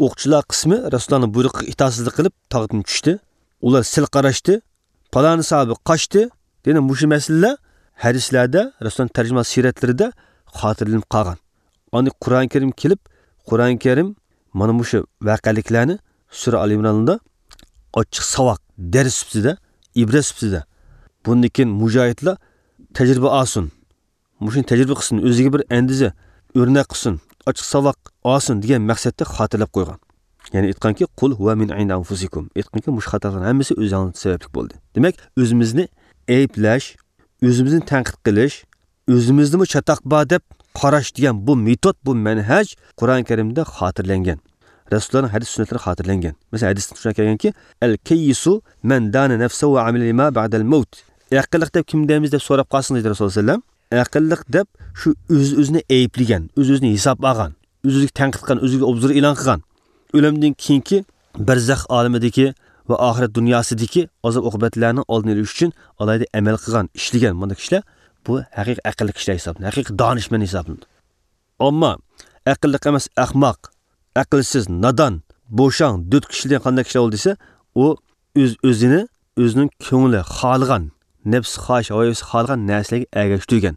ئوقچىلار قىسمى رەسۇلۇللانىڭ بۇيرۇقىغا ئىتائەتسىزلىك قىلىپ، تاغدىن چۈشتى. ئۇلار سىل قاراشتى. پالانى ساھابە قاچتى. دېگەن مۇشۇ مەسىلىلەر ھەدىسلەردە، رەسۇلۇللانىڭ تەرجىمان سىرەتلىرىدە خاتىرىلىنىپ قالغان. ئاندىن قۇرئان كەرىم كېلىپ، قۇرئان كەرىم مانا مۇشۇ ۋەقەلىكلەرنى سۈرە ئال ئىمراندا ئاچچىق ساۋاق، دەرس سۈپىتىدە، ئىبرەت سۈپىتىدە، بۇندىن كېيىن مۇجاھىدلار تەجرىبە ئالسۇن، مۇشۇنى تەجرىبە قىلسۇن، ئۆزىگە بىر ئەندىزە، ئۆرنەك قىلسۇن، ئاچچىق ساۋاق ئالسۇن دېگەن مەقسەتتە خاتىرىلەپ قويغان. يەنى ئېيتقانكى، قۇل ھۇۋە مىن ئىندى ئەنفۇسىكۇم. ئېيتقانكى، مۇشۇ خاتالىقلارنىڭ ھەممىسى ئۆزىڭىز سەۋەبلىك بولدى. دېمەك، ئۆزىمىزنى ئەيىبلەش، ئۆزىمىزنى تەنقىد قىلىش، ئۆزىمىزدىمۇ چاتاق بار دەپ قاراش دېگەن بۇ مېتود، بۇ مەنھەج قۇرئان كەرىمدە خاتىرىلەنگەن. رەسۇلۇللانىڭ ھەدىس سۈننەتلىرىدە خاتىرىلەنگەن. مەسىلەن، ھەدىستە شۇنداق كەلگەنكى، ئەل كەييىسۇ مەن دانە نەفسەھۇ ۋە ئەمىلە لىما بەئدەل مەۋت. ئەقىللىق دەپ كىم دەيمىز دەپ سوراپ قالسىڭىز، دېدى رەسۇلۇللا سەللەم. ئەقىللىق دەپ شۇ ئۆز-ئۆزىنى ئەيىبلىگەن، ئۆز-ئۆزىنى ھېسابقا ئالغان، ئۆز-ئۆزىگە تەنقىد قىلغان، ئۆزىگە ئوبزور ئېلان قىلغان، ئۆلۈمدىن كېيىنكى بەرزەخ ئالىمىدىكى ۋە ئاخىرەت دۇنياسىدىكى ئازاب-ئوقۇبەتلەرنىڭ ئالدىنى ئېلىش ئۈچۈن ئالاھىدە ئەمەل قىلغان، ئىشلىگەن مۇنداق كىشىلەر، بۇ ھەقىقىي ئەقىللىك كىشىلەر ھېسابلىنىدۇ، ھەقىقىي دانىشمەن ھېسابلىنىدۇ. ئەمما ئەقىللىق ئەمەس، ئەخمەق، ئەقىلسىز، نادان، بوشاڭ، دۆت كىشىلەر قانداق كىشىلەر بولدى دېسە، ئۇ ئۆز-ئۆزىنى، ئۆزىنىڭ كۆڭلى خالىغان، نەپسى خاھىش، ھاۋا-ھەۋىسى خالىغان نەرسىلەرگە ئەگەشتۈرگەن،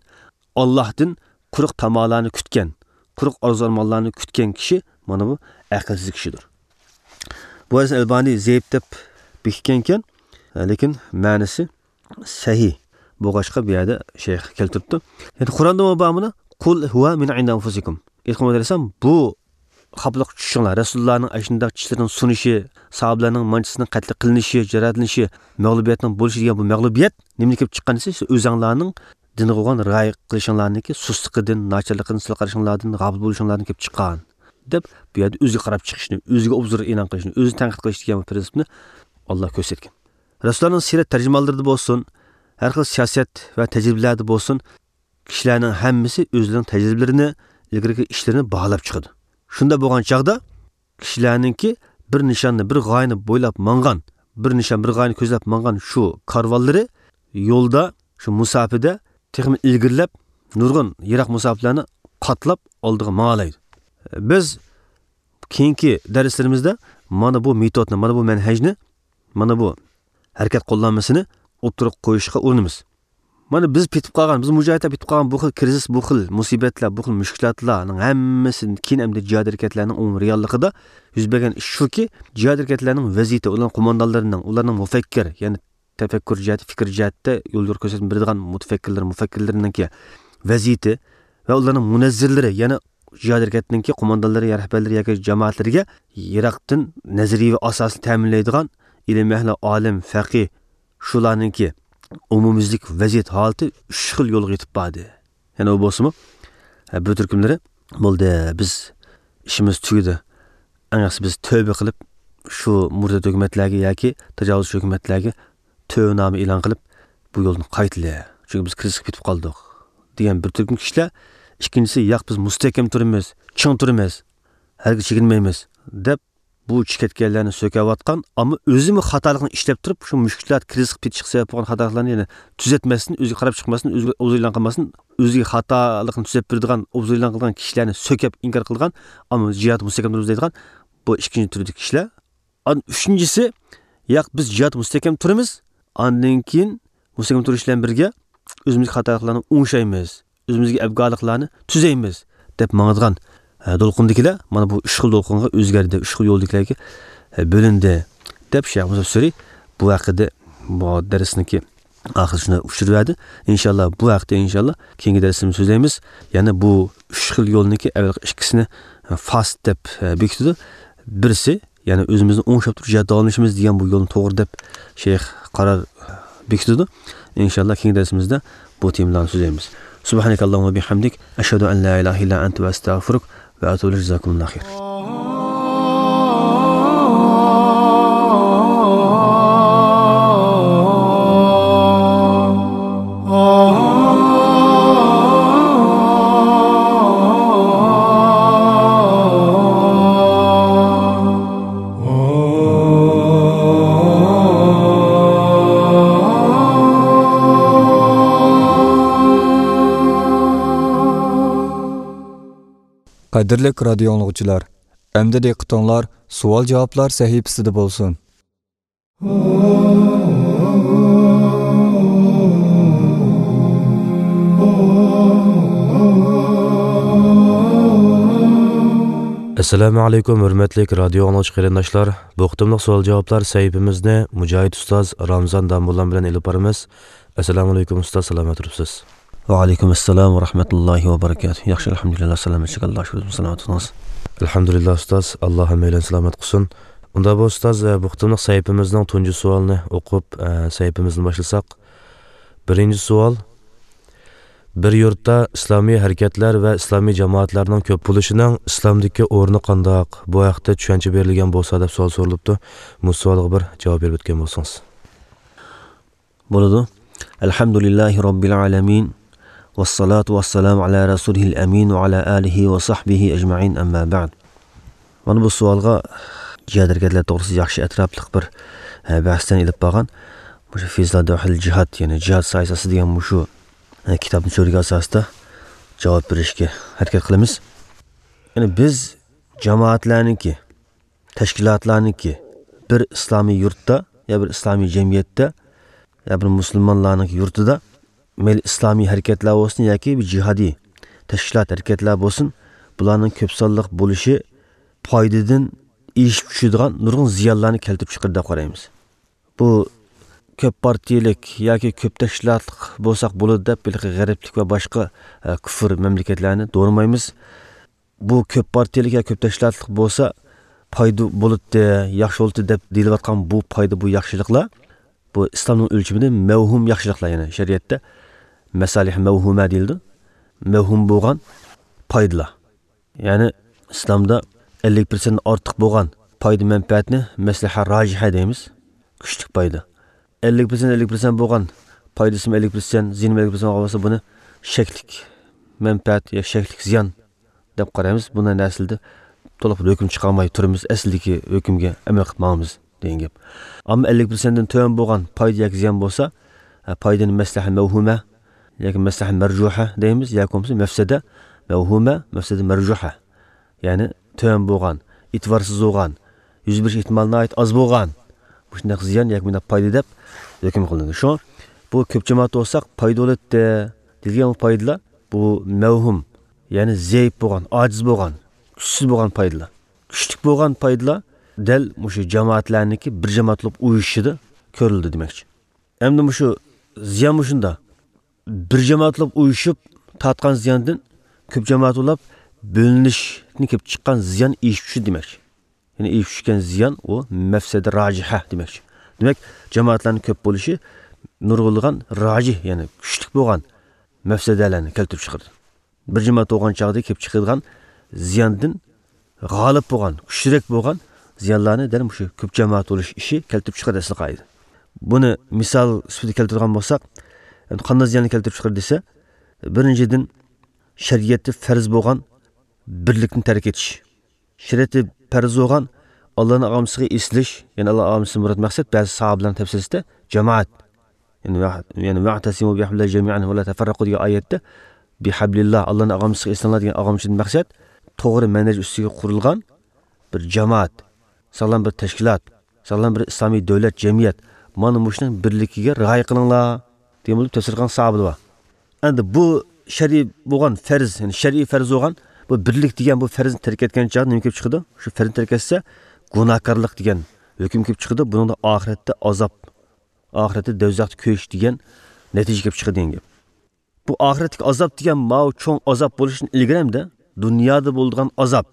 ئاللاھتىن قۇرۇق تامالارنى كۈتكەن، قۇرۇق ئارزۇ-ئارمانلارنى كۈتكەن كىشى مانا بۇ ئەقىلسىز كىشىدۇر. بۇ ھەدىسنى ئەلبانى زەئىپ دەپ بېكىتكەنكەن، لېكىن مەنىسى سەھىھ بولغاچقا، بۇ يەردە شەيخ كەلتۈرۈپتۇ. يەنى قۇرئاندىمۇ بار مانا، قۇل ھۇۋە مىن ئىندى ئەنفۇسىكۇم. ئېيتقىنىمدەك دېسەم، بۇ خاپىلىق چۈشۈشۈڭلار، رەسۇلۇللانىڭ ئاشۇنداق چىشلىرىنىڭ سۇنۇشى، ساھابىلەرنىڭ مانچىسىنىڭ قەتل قىلىنىشى، جاراھەتلىنىشى، مەغلۇبىيەتنىڭ بولۇشى دېگەن بۇ مەغلۇبىيەت نېمىدىن كېلىپ چىققان دېسە، شۇ ئۆزەڭلارنىڭ دىنغا بولغان رىئايە قىلىشىڭلارنىڭكى سۇسلۇقىدىن، ناچارلىقىدىن، سىلەر قارىشىڭلاردىن، غاپىل بولۇشۇڭلاردىن كېلىپ چىققان، دەپ بۇ يەردە ئۆزىگە قاراپ چىقىشنى، ئۆزىگە ئوبزور ئېلان قىلىشنى، ئۆزىنى تەنقىد قىلىش دېگەن بۇ پىرىنسىپنى ئاللا كۆرسەتكەن. رەسۇلۇللانىڭ سىرەت تەرجىمانلىرىدا بولسۇن، ھەر خىل سىياسەت ۋە تەجرىبىلەردە بولسۇن، كىشىلەرنىڭ ھەممىسى ئۆزلىرىنىڭ تەجرىبىلىرىنى، ئىلگىرىكى ئىشلىرىنى باھالاپ چىقىدۇ. شۇنداق بولغان چاغدا كىشىلەرنىڭكى بىر نىشاننى، بىر غايىنى بويلاپ ماڭغان، بىر نىشان، بىر غايىنى كۆزلەپ ماڭغان شۇ كارۋانلىرى يولدا، شۇ مۇساپىدە تېخىمۇ ئىلگىرىلەپ، نۇرغۇن يىراق مۇساپىلەرنى قاتلاپ ئالدىغا ماڭالايدۇ. بىز كېيىنكى دەرسلىرىمىزدە مانا بۇ مېتودنى، مانا بۇ مەنھەجنى، مانا بۇ ھەرىكەت قوللانمىسىنى ئوتتۇرىغا قويۇشقا ئۇرۇنىمىز. مانا بىز پېتىپ قالغان، بىز مۇجاھىدلار پېتىپ قالغان بۇ خىل كىرىزىس، بۇ خىل مۇسىبەتلەر، بۇ خىل مۈشكۈلاتلارنىڭ ھەممىسىدىن كېيىن ئەمدى جىھاد ھەرىكەتلەرنىڭ ئومۇمىي رېئاللىقىدا يۈز بەرگەن ئىش شۇكى، جىھاد ھەرىكەتلەرنىڭ ۋەزىيىتى، ئۇلارنىڭ قوماندانلىرىنىڭ، ئۇلارنىڭ مۇفەككىر، يەنى تەپەككۇر جەھەتتە، پىكىر جەھەتتە يول يورۇق كۆرسەتمە بېرىدىغان مۇتەپەككىرلىرى، مۇفەككىرلىرىنىڭكى ۋەزىيىتى ۋە ئۇلارنىڭ مۇنەززىرلىرى، يەنى جىھاد ھەرىكەتنىڭكى قوماندانلىرى، رەھبەرلىرى ياكى جامائەتلىرىگە يىراقتىن نەزەرىيەۋى ئاساسنى تەمىنلەيدىغان ئىلىم ئەھلى، ئالىم، فەقىھ، شۇلارنىڭكى ئومۇميۈزلۈك ۋەزىيەت ھالىتى ئۈچ خىل يولغا يېتىپ باردى. يەنە ئۇ بولسىمۇ، ھە، بىر تۈركۈملىرى، بولدى، بىز ئىشىمىز تۈگىدى. ئەڭ ياخشىسى بىز تۆبە قىلىپ، شۇ مۇرتەت ھۆكۈمەتلەرگە ياكى تاجاۋۇزچى ھۆكۈمەتلەرگە تۆۋەنامە ئېلان قىلىپ، بۇ يولدىن قايتىلى. چۈنكى بىز كىرىزىسقا پېتىپ قالدۇق، دېگەن بىر تۈركۈم كىشىلەر، ئىككىنچىسى، ياق، بىز مۇستەھكەم تۇرىمىز، چىڭ تۇرىمىز، ھەرگىز چېكىنمەيمىز، دەپ بۇ چىقىپ كەتكەنلەرنى سۆكەۋاتقان، ئەمما ئۆزىمۇ خاتالىقنى ئىشلەپ تۇرۇپ، شۇ مۈشكۈلات، كىرىزىسقا پېتىشقا سەۋەب بولغان خاتالىقلارنى يەنە تۈزەتمەستىن، ئۆزىگە قاراپ چىقماستىن، ئۆزىگە ئوبزور ئېلان قىلماستىن، ئۆزىگە خاتالىقنى تۈزەپ بېرىدىغان، ئوبزور ئېلان قىلىدىغان كىشىلەرنى سۆكەپ ئىنكار قىلىدىغان، ئەمما جىھاد مۇستەھكەم تۇرىمىز دەيدىغان، بۇ ئىككىنچى تۈردىكى كىشىلەر. ئان-، ئۈچىنچىسى، ياق، بىز جىھاد مۇستەھكەم تۇرىمىز. ئاندىن كېيىن مۇستەھكەم تۇرۇش بىلەن بىرگە ئۆزىمىزگە خاتالىقلارنى ئوڭشايمىز، ئۆزىمىزگە ئەپگالىقلارنى تۈزەيمىز، دەپ ماڭىدىغان، ئە، دولقۇندىكىلەر مانا بۇ ئۈچ خىل دولقۇنغا ئۆزگەردى، ئۈچ خىل يولدىكىلەرگە، ئە، بۆلۈندى، دەپ شەيخ مۇسەففىرى بۇ ھەققىدە بۇ دەرسنىڭكى ئاخىرى شۇنى ئۇچۇر بەردى. ئىنشاللا بۇ ھەقتە، ئىنشاللا، كېيىنكى دەرسىمىزدە سۆزلەيمىز. يەنى بۇ ئۈچ خىل يولنىڭكى ئەۋۋەلقى ئىككىسىنى، ئە، فاسىد دەپ، ئە، بېكىتىدۇ. بىرسى، يەنى ئۆزىمىزنى ئوڭشاپ تۇرۇپ جىھاد داۋاملىشىمىز دېگەن بۇ يولنى توغرا دەپ شەيخ قارار بېكىتىدۇ. ئىنشاللا كېيىنكى دەرسىمىزدە بۇ تېمىلارنى سۆزلەيمىز. سۇبھانەكاللاھۇممە ۋە بىھەمدىك، ئەشھەدۇ ئەن لا ئىلاھە ئىللا ئەنتە ۋە ئەستەغفىرۇك ۋە ئەتۇبۇ ئىلەيك. جازاكۇمۇللاھۇ خەير. قەدىرلىك رادىيو ئاڭلىغۇچىلار، ئەمدى دىققىتىڭلار سوئال-جاۋابلار سەھىپىسىدە بولسۇن. ئەسسالامۇ ئەلەيكۇم، ھۆرمەتلىك رادىيو ئاڭلىغۇچى قېرىنداشلار. بۇ قېتىملىق سوئال-جاۋابلار سەھىپىمىزنى مۇجاھىد ئۇستاز رامزان داموللام بىلەن ئېلىپ بارىمىز. ئەسسالامۇ ئەلەيكۇم ئۇستاز، سالامەت تۇرۇپسىز؟ ۋەئەلەيكۇم ئەسسالام ۋە رەھمەتۇللاھى ۋە بەرىكاتۇھ. ياخشى، ئەلھەمدۇلىللا، سالامەتلىك، ئاللاغا شۈكۈر، سالامەت تۇرۇڭىز. ئەلھەمدۇلىللا ئۇستاز، ئاللا ھەممەيلەننى سالامەت قىلسۇن. ئۇنداق بولسا ئۇستاز، بۇ قېتىملىق سەھىپىمىزنىڭ تۇنجى سوئالىنى ئوقۇپ، سەھىپىمىزنى باشلىساق. بىرىنچى سوئال، بىر يۇرتتا ئىسلامىي ھەرىكەتلەر ۋە ئىسلامىي جامائەتلەرنىڭ كۆپ بولۇشىنىڭ ئىسلامدىكى ئورنى قانداق؟ بۇ ھەقتە چۈشەنچە بېرىلگەن بولسا، دەپ سوئال سورىلىپتۇ. بۇ سوئالغا بىر جاۋاب بېرىپ ئۆتكەن بولسىڭىز. بولىدۇ. ئەلھەمدۇلىللاھى رەببىل ئالەمىن. ۋەسسالاتۇ ۋەسسالامۇ ئالا رەسۇلىھىل ئەمىن ۋە ئالا ئالىھى ۋە سەھبىھى ئەجمەئىن، ئەمما بەئد. مانا بۇ سوئالغا جىھاد ھەرىكەتلەر توغرىسىدا ياخشى ئەتراپلىق بىر، ھە، بەھستىن ئېلىپ بارغان مۇشۇ فىزلا دەۋھىل جىھاد، يەنى جىھاد ساھىسى دېگەن مۇشۇ، ھە، كىتابنى سۆرىگەن ئاساستا جاۋاب بېرىشكە ھەرىكەت قىلىمىز. يەنى بىز جامائەتلەرنىڭكى، تەشكىلاتلارنىڭكى بىر ئىسلامىي يۇرتتا يا بىر ئىسلامىي جەمئىيەتتە يا بىر مۇسۇلمانلارنىڭ يۇرتىدا، مەيلى ئىسلامىي ھەرىكەتلەر بولسۇن ياكى بىر جىھادىي تەشكىلات، ھەرىكەتلەر بولسۇن، بۇلارنىڭ كۆپ سانلىق بولۇشى پايدىدىن ئېشىپ چۈشىدىغان نۇرغۇن زىيانلارنى كەلتۈرۈپ چىقىرىدۇ دەپ قارايمىز. بۇ كۆپ پارتىيىلىك ياكى كۆپ تەشكىلاتلىق بولساق بولىدۇ دەپ، ھېلىقى غەربلىك ۋە باشقا، ئە، كۇفر مەملىكەتلەرنى دورىمايمىز. بۇ كۆپ پارتىيىلىك يا كۆپ تەشكىلاتلىق بولسا پايدا بولاتتى، ياخشى بولاتتى دەپ دېيىلىۋاتقان بۇ پايدا، بۇ ياخشىلىقلار، بۇ ئىسلامنىڭ ئۆلچىمىدە مەۋھۇم ياخشىلىقلار، يەنى شەرىئەتتە مەسالىھ مەۋھۇمە دېيىلىدۇ. مەۋھۇم بولغان پايدىلار. يەنى ئىسلامدا ئەللىك پىرسەنت ئارتۇق بولغان پايدا مەنپەئەتنى مەسلىھە راجىھە دەيمىز. كۈچلۈك پايدا. ئەللىك پىرسەنت، ئەللىك پىرسەنت بولغان پايدىسىمۇ ئەللىك پىرسەنت، زىيىنىمۇ ئەللىك پىرسەنت بولغان بولسا، بۇنى شەكلىك مەنپەئەت يا شەكلىك زىيان دەپ قارايمىز. بۇنى ئەسلىدە تولا بىر ھۆكۈم چىقارماي تۇرىمىز، ئەسلىدىكى ھۆكۈمگە ئەمەل قىلىپ ماڭىمىز دېگەن گەپ. ئەمما ئەللىك پىرسەنتتىن تۆۋەن بولغان پايدا ياكى زىيان بولسا، ھە، پايدىنى مەسلىھە مەۋھۇمە ياكى مەسلىھە مەرجۇھە دەيمىز، ياكى بولمىسا مەفسەدە مەۋھۇمە، مەفسەدە مەرجۇھە. يەنى تۆۋەن بولغان، ئېتىبارسىز بولغان، يۈز بېرىش ئېھتىمالى ناھايىتى ئاز بولغان مۇشۇنداق زىيان ياكى مۇنداق پايدا دەپ ھۆكۈم قىلىنىدۇ. شۇڭا بۇ كۆپ جامائەت بولساق پايدا بولاتتى دېگەن بۇ پايدىلار، بۇ مەۋھۇم، يەنى زەئىپ بولغان، ئاجىز بولغان، كۈچسىز بولغان پايدىلار. كۈچلۈك بولغان پايدىلار دەل مۇشۇ جامائەتلەرنىڭكى بىر جامائەت بولۇپ ئۇيۇشۇشىدا كۆرۈلىدۇ دېمەكچى. ئەمدى مۇشۇ زىيان مۇشۇنداق. بىر جامائەت بولۇپ ئۇيۇشۇپ تارتقان زىياندىن كۆپ جامائەت بولۇپ بۆلۈنۈشتىن كېلىپ چىققان زىيان ئېشىپ چۈشىدۇ دېمەكچى. يەنى ئېشىپ چۈشكەن زىيان ئۇ مەفسەدە راجىھە دېمەكچى. دېمەك، جامائەتلەرنىڭ كۆپ بولۇشى نۇرغۇنلىغان راجىھ، يەنى كۈچلۈك بولغان مەفسەدەلەرنى كەلتۈرۈپ چىقىرىدۇ. بىر جامائەت بولغان چاغدا كېلىپ چىقىدىغان زىياندىن غالىب بولغان، كۈچلۈك بولغان زىيانلارنى دەل مۇشۇ كۆپ جامائەت بولۇش ئىشى كەلتۈرۈپ چىقىرىدۇ ئەسلى قائىدە. بۇنى مىسال سۈپىتىدە كەلتۈرىدىغان بولساق، قانداق زىياننى كەلتۈرۈپ چىقىرىدۇ دېسە، بىرىنچىدىن، شەرىئەتتە پەرز بولغان بىرلىكنى تەرك ئېتىش. شەرىئەتتە پەرز بولغان ئاللانىڭ ئاغامچىسىغا ئېسىلىش، يەنى ئاللا ئاغامچىسى مۇراد مەقسەت، بەزى ساھابىلەرنىڭ تەپسىرىسىدە جامائەت. يەنى ۋە-، يەنى «ۋەئتەسىمۇ بىھەبلىللاھى جەمىئەن ۋە لا تەفەررەقۇ» دېگەن ئايەتتە «بىھەبلىللا»، ئاللانىڭ ئاغامچىسىغا ئېسىلىڭلار دېگەن ئاغامچىدىن مەقسەت توغرا مەنھەج ئۈستىگە قۇرۇلغان بىر جامائەت، ساغلام بىر تەشكىلات، ساغلام بىر ئىسلامىي دۆلەت، جەمئىيەت. مانا مۇشۇنىڭ بىرلىكىگە رىئايە قىلىڭلار دېگەن بولۇپ تەپسىر قىلغان ساھابىلەر بار. ئەمدى بۇ شەرئىي بولغان پەرز، يەنى شەرئىي پەرز بولغان بۇ بىرلىك دېگەن بۇ پەرزنى تەرك ئەتكەن چاغدا نېمە كېلىپ چىقىدۇ؟ شۇ پەرزنى تەرك ئەتسە، گۇناھكارلىق دېگەن ھۆكۈم كېلىپ چىقىدۇ. بۇنىڭدا ئاخىرەتتە ئازاب، ئاخىرەتتە دوزاختا كۆيۈش دېگەن نەتىجە كېلىپ چىقىدۇ دېگەن گەپ. بۇ ئاخىرەتتىكى ئازاب دېگەن ماۋۇ چوڭ ئازاب بولۇشتىن ئىلگىرى ھەمدە دۇنيادا بولىدىغان ئازاب،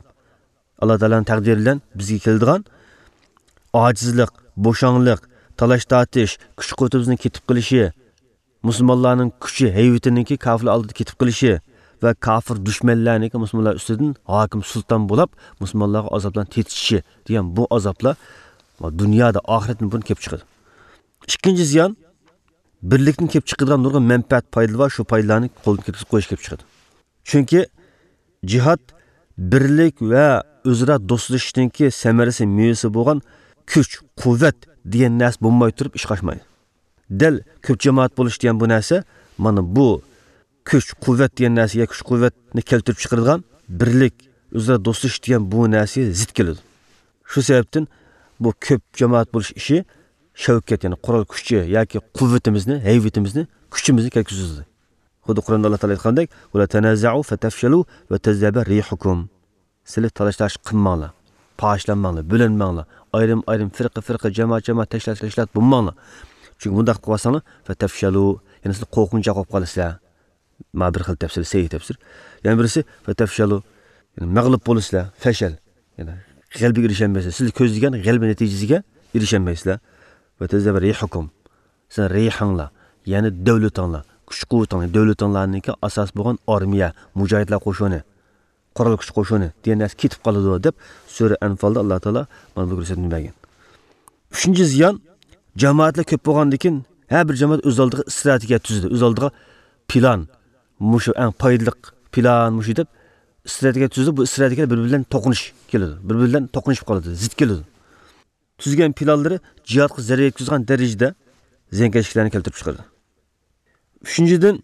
ئاللا تائالانىڭ تەقدىرى بىلەن بىزگە كېلىدىغان ئاجىزلىق، بوشاڭلىق، تالاش-تارتىش، كۈچ-قۇۋۋىتىمىزنىڭ كېتىپ قېلىشى، مۇسۇلمانلارنىڭ كۈچى، ھەيۋىتىنىڭكى كاپىرلار ئالدىدا كېتىپ قېلىشى ۋە كاپىر دۈشمەنلەرنىڭكى مۇسۇلمانلار ئۈستىدىن ھاكىم سۇلتان بولاپ، مۇسۇلمانلارغا ئازابلارنى تېتىتىشى دېگەن بۇ ئازابلار دۇنيادا، ئاخىرەتتىن بۇرۇن كېلىپ چىقىدۇ. ئىككىنچى زىيان، بىرلىكتىن كېلىپ چىقىدىغان نۇرغۇن مەنپەئەت پايدىلىرى بار، شۇ پايدىلارنى قولدىن كەتكۈزۈپ قويۇش كېلىپ چىقىدۇ. چۈنكى جىھاد بىرلىك ۋە ئۆزئارا دوستلىشىشنىڭكى سەمەرىسى، مېۋىسى بولغان كۈچ، قۇۋۋەت دېگەن نەرسە بولماي تۇرۇپ ئىشقا ئاشمايدۇ. دەل كۆپ جامائەت بولۇش دېگەن بۇ نەرسە، مانا بۇ كۈچ، قۇۋۋەت دېگەن نەرسىگە، كۈچ، قۇۋۋەتنى كەلتۈرۈپ چىقىرىدىغان، بىرلىك، ئۆزئارا دوستلىشىش دېگەن بۇ نەرسىگە زىت كېلىدۇ. شۇ سەۋەبتىن بۇ كۆپ جامائەت بولۇش ئىشى شەۋكەت، يەنى قورال كۈچى ياكى قۇۋۋىتىمىزنى، ھەيۋىتىمىزنى، كۈچىمىزنى كەلكۈزىدۇ. خۇددى قۇرئاندا ئاللا تائالا ئېيتقاندەك، «ولا تنازعوا فتفشلوا وتذهب ريحكم». سىلى تالاش-تارتىش قىلماڭلار، پارچىلانماڭلار، بۆلۈنمەڭلار، ئايرىم-ئايرىم، فىرقە-فىرقە، جامائەت-جامائەت، تەشكىلات-تەشكىلات بولماڭلار. چۈنكى مۇنداق قىلىۋالساڭلار، فتفشلوا، يەنى سىلەر قورقۇنچاق بولۇپ قالىسىلەر. ما بىر خىل تەپسىر، سەھىھ تەپسىر. يەنە بىرسى، فتفشلوا، يەنى مەغلۇپ بولىسىلەر، فەشەل. يەنى غەلىبىگە ئېرىشەلمەيسىلەر. سىلەر كۆزلىگەن غەلىبە نەتىجىسىگە ئېرىشەلمەيسىلەر. فتذهب ريحكم. سىلەر رىھىڭلار، يەنى دۆلىتىڭلار، كۈچ-قۇۋۋىتىڭلار، دۆلىتىڭلارنىڭكى ئاساسى بولغان ئارمىيە، مۇجاھىدلار قوشۇنى، قورال كۈچ قوشۇنى دېگەن نەرسە كېتىپ قالىدۇ دەپ سۈرە ئەنفالدا ئاللا تائالا مانا بۇ كۆرسەتمىنى بەرگەن. ئۈچىنچى زىيان، جامائەتلەر كۆپ بولغاندىن كېيىن ھەر بىر جامائەت ئۆز ئالدىغا ئىستراتېگىيە تۈزىدۇ، ئۆز ئالدىغا پىلان، مۇشۇ ئەڭ پايدىلىق پىلان مۇشۇ دەپ ئىستراتېگىيە تۈزىدۇ. بۇ ئىستراتېگىيەلەر بىر-بىرى بىلەن توقۇنۇش كېلىدۇ، بىر-بىرى بىلەن توقۇنۇشۇپ قالىدۇ، زىت كېلىدۇ. تۈزگەن پىلانلىرى جىھادقا زەرەر يەتكۈزىدىغان دەرىجىدە زىيانكەشلىكلەرنى كەلتۈرۈپ چىقىرىدۇ. ئۈچىنچىدىن،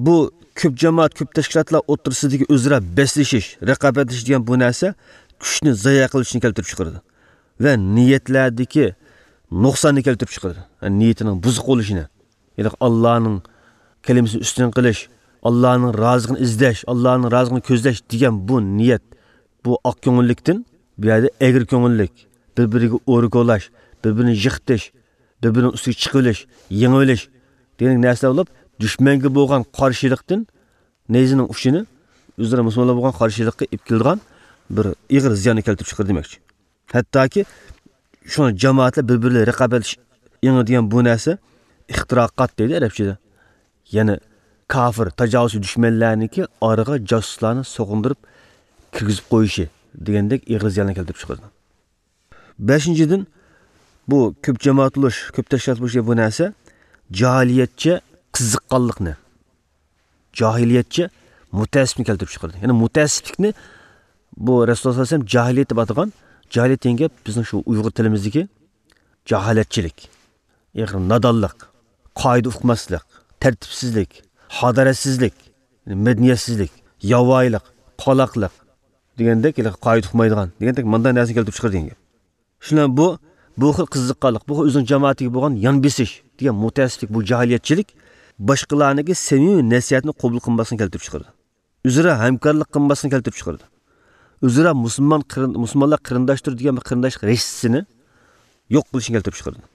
بۇ كۆپ جامائەت، كۆپ تەشكىلاتلار ئوتتۇرىسىدىكى ئۆزئارا بەسلىشىش، رىقابەتلىشىش دېگەن بۇ نەرسە كۈچنى زايە قىلىشنى كەلتۈرۈپ چىقىرىدۇ ۋە نىيەتلەردىكى نۇقساننى كەلتۈرۈپ چىقىرىدۇ. يەنى نىيىتىنىڭ بۇزۇق بولۇشىنى، يەنى ئاللانىڭ كەلىمىسىنى ئۈستۈن قىلىش، ئاللانىڭ رازىلىقىنى ئىزدەش، ئاللانىڭ رازىلىقىنى كۆزلەش دېگەن بۇ نىيەت، بۇ ئاق كۆڭۈللۈكتىن بۇ يەردە ئەگرى كۆڭۈللۈك، بىر-بىرىگە ئورا كولاش، بىر-بىرىنى يىقىتىش، بىر-بىرىنىڭ ئۈستىگە چىقىۋېلىش، يېڭىۋېلىش دېگەن نەرسىلەر بولۇپ، دۈشمەنگە بولغان قارشىلىقتىن نەيزىنىڭ ئۇچىنى ئۆزئارا مۇسۇلمانلار بولغان قارشىلىققا ئېلىپ كېلىدىغان بىر ئېغىر زىياننى كەلتۈرۈپ چىقىرىدۇ دېمەكچى. ھەتتاكى شۇڭا جامائەتلەر بىر-بىرلىرى رىقابەتلىشىش ئېڭى دېگەن بۇ نەرسە ئىختىراقات دەيدۇ ئەرەبچىدە. يەنى كافىر، تاجاۋۇزچى دۈشمەنلەرنىڭكى ئارىغا جاسۇسلارنى سوقۇندۇرۇپ كىرگۈزۈپ قويۇشى دېگەندەك ئېغىر زىياننى كەلتۈرۈپ چىقىرىدۇ. بەشىنچىدىن، بۇ كۆپ جامائەت بولۇش، كۆپ تەشكىلات بولۇش بۇ نەرسە جاھىلىيەتچە قىزىققانلىقنى، جاھىلىيەتچە مۇتەئەسسىپنى كەلتۈرۈپ چىقىرىدۇ. يەنى مۇتەئەسسىپلىكنى بۇ رەسۇلۇللا سەللەللاھۇ ئەلەيھى ۋەسەللەم جاھىلىيەت دەپ ئاتىغان، جاھىلىيەت دېگەن گەپ بىزنىڭ شۇ ئۇيغۇر تىلىمىزدىكى جاھالەتچىلىك، ئېغىر نادانلىق، قائىدە ئۇقماسلىق، تەرتىپسىزلىك، ھادارەتسىزلىك، مەدەنىيەتسىزلىك، ياۋايىلىق، قالاقلىق دېگەندەك، ھېلىقى قائىدە ئۇقمايدىغان دېگەندەك مانداق نەرسىنى كەلتۈرۈپ چىقىرىدۇ دېگەن گەپ. شۇنىڭ بۇ، بۇ خىل قىزىققانلىق، بۇ خىل ئۆزىنىڭ جامائىتىگە بولغان يان بېسىش دېگەن مۇتەئەسسىپلىك، بۇ جاھىلىيەتچىلىك باشقىلارنىڭكى سەمىمىي نەسىھەتنى قوبۇل قىلماسلىقنى كەلتۈرۈپ چىقىرىدۇ. ئۆزئارا ھەمكارلىق قىلماسلىقنى كەلتۈرۈپ چىقىرىدۇ. ئۆزئارا مۇسۇلمان قېرىن-، مۇسۇلمانلار قېرىنداشتۇر دېگەن بىر قېرىنداشلىق رىشتىسىنى يوق قىلىشنى كەلتۈرۈپ چىقىرىدۇ.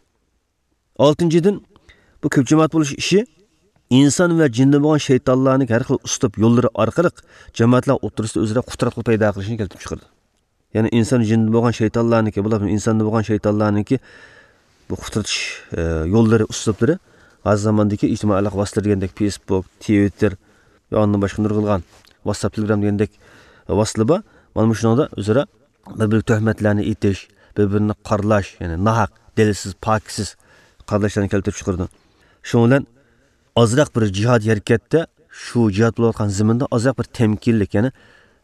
ئالتىنچىدىن، بۇ كۆپ جامائەت بولۇش ئىشى ئىنسان ۋە جىندىن بولغان شەيتانلارنىڭ ھەر خىل ئۇسلۇب يوللىرى ئارقىلىق جامائەتلەر ئوتتۇرىسىدا ئۆزئارا قۇتراتقۇلۇق پەيدا قىلىشنى كەلتۈرۈپ چىقىرىدۇ. يەنى ئىنسان جىندىن بولغان شەيتانلارنىڭكى، بۇلار ئىنساندا بولغان شەيتانلارنىڭكى بۇ قۇترىتىش، ئە، يوللىرى، ئۇسلۇبلىرى ھازىر زاماندىكى ئىجتىمائىي ئالاقە ۋاسىتىلىرى دېگەندەك فېيسبۇك، تىۋىتتېر ۋە ئاندىن باشقا نۇرغۇنلىغان ۋاتساپ، تېلېگرام دېگەندەك ۋاسىتىلەر بار. مانا مۇشۇنىڭدا ئۆزئارا بىر-بىرىگە تۆھمەتلەرنى ئېتىش، بىر-بىرىنى قارىلاش، يەنى ناھەق، دەلىلسىز، پاكىتسىز قارىلاشلارنى كەلتۈرۈپ چىقىرىدۇ. شۇنىڭ بىلەن ئازراق بىر جىھاد ھەرىكەتتە، شۇ جىھاد بولۇۋاتقان زېمىندا ئازراق بىر تەمكىنلىك، يەنى،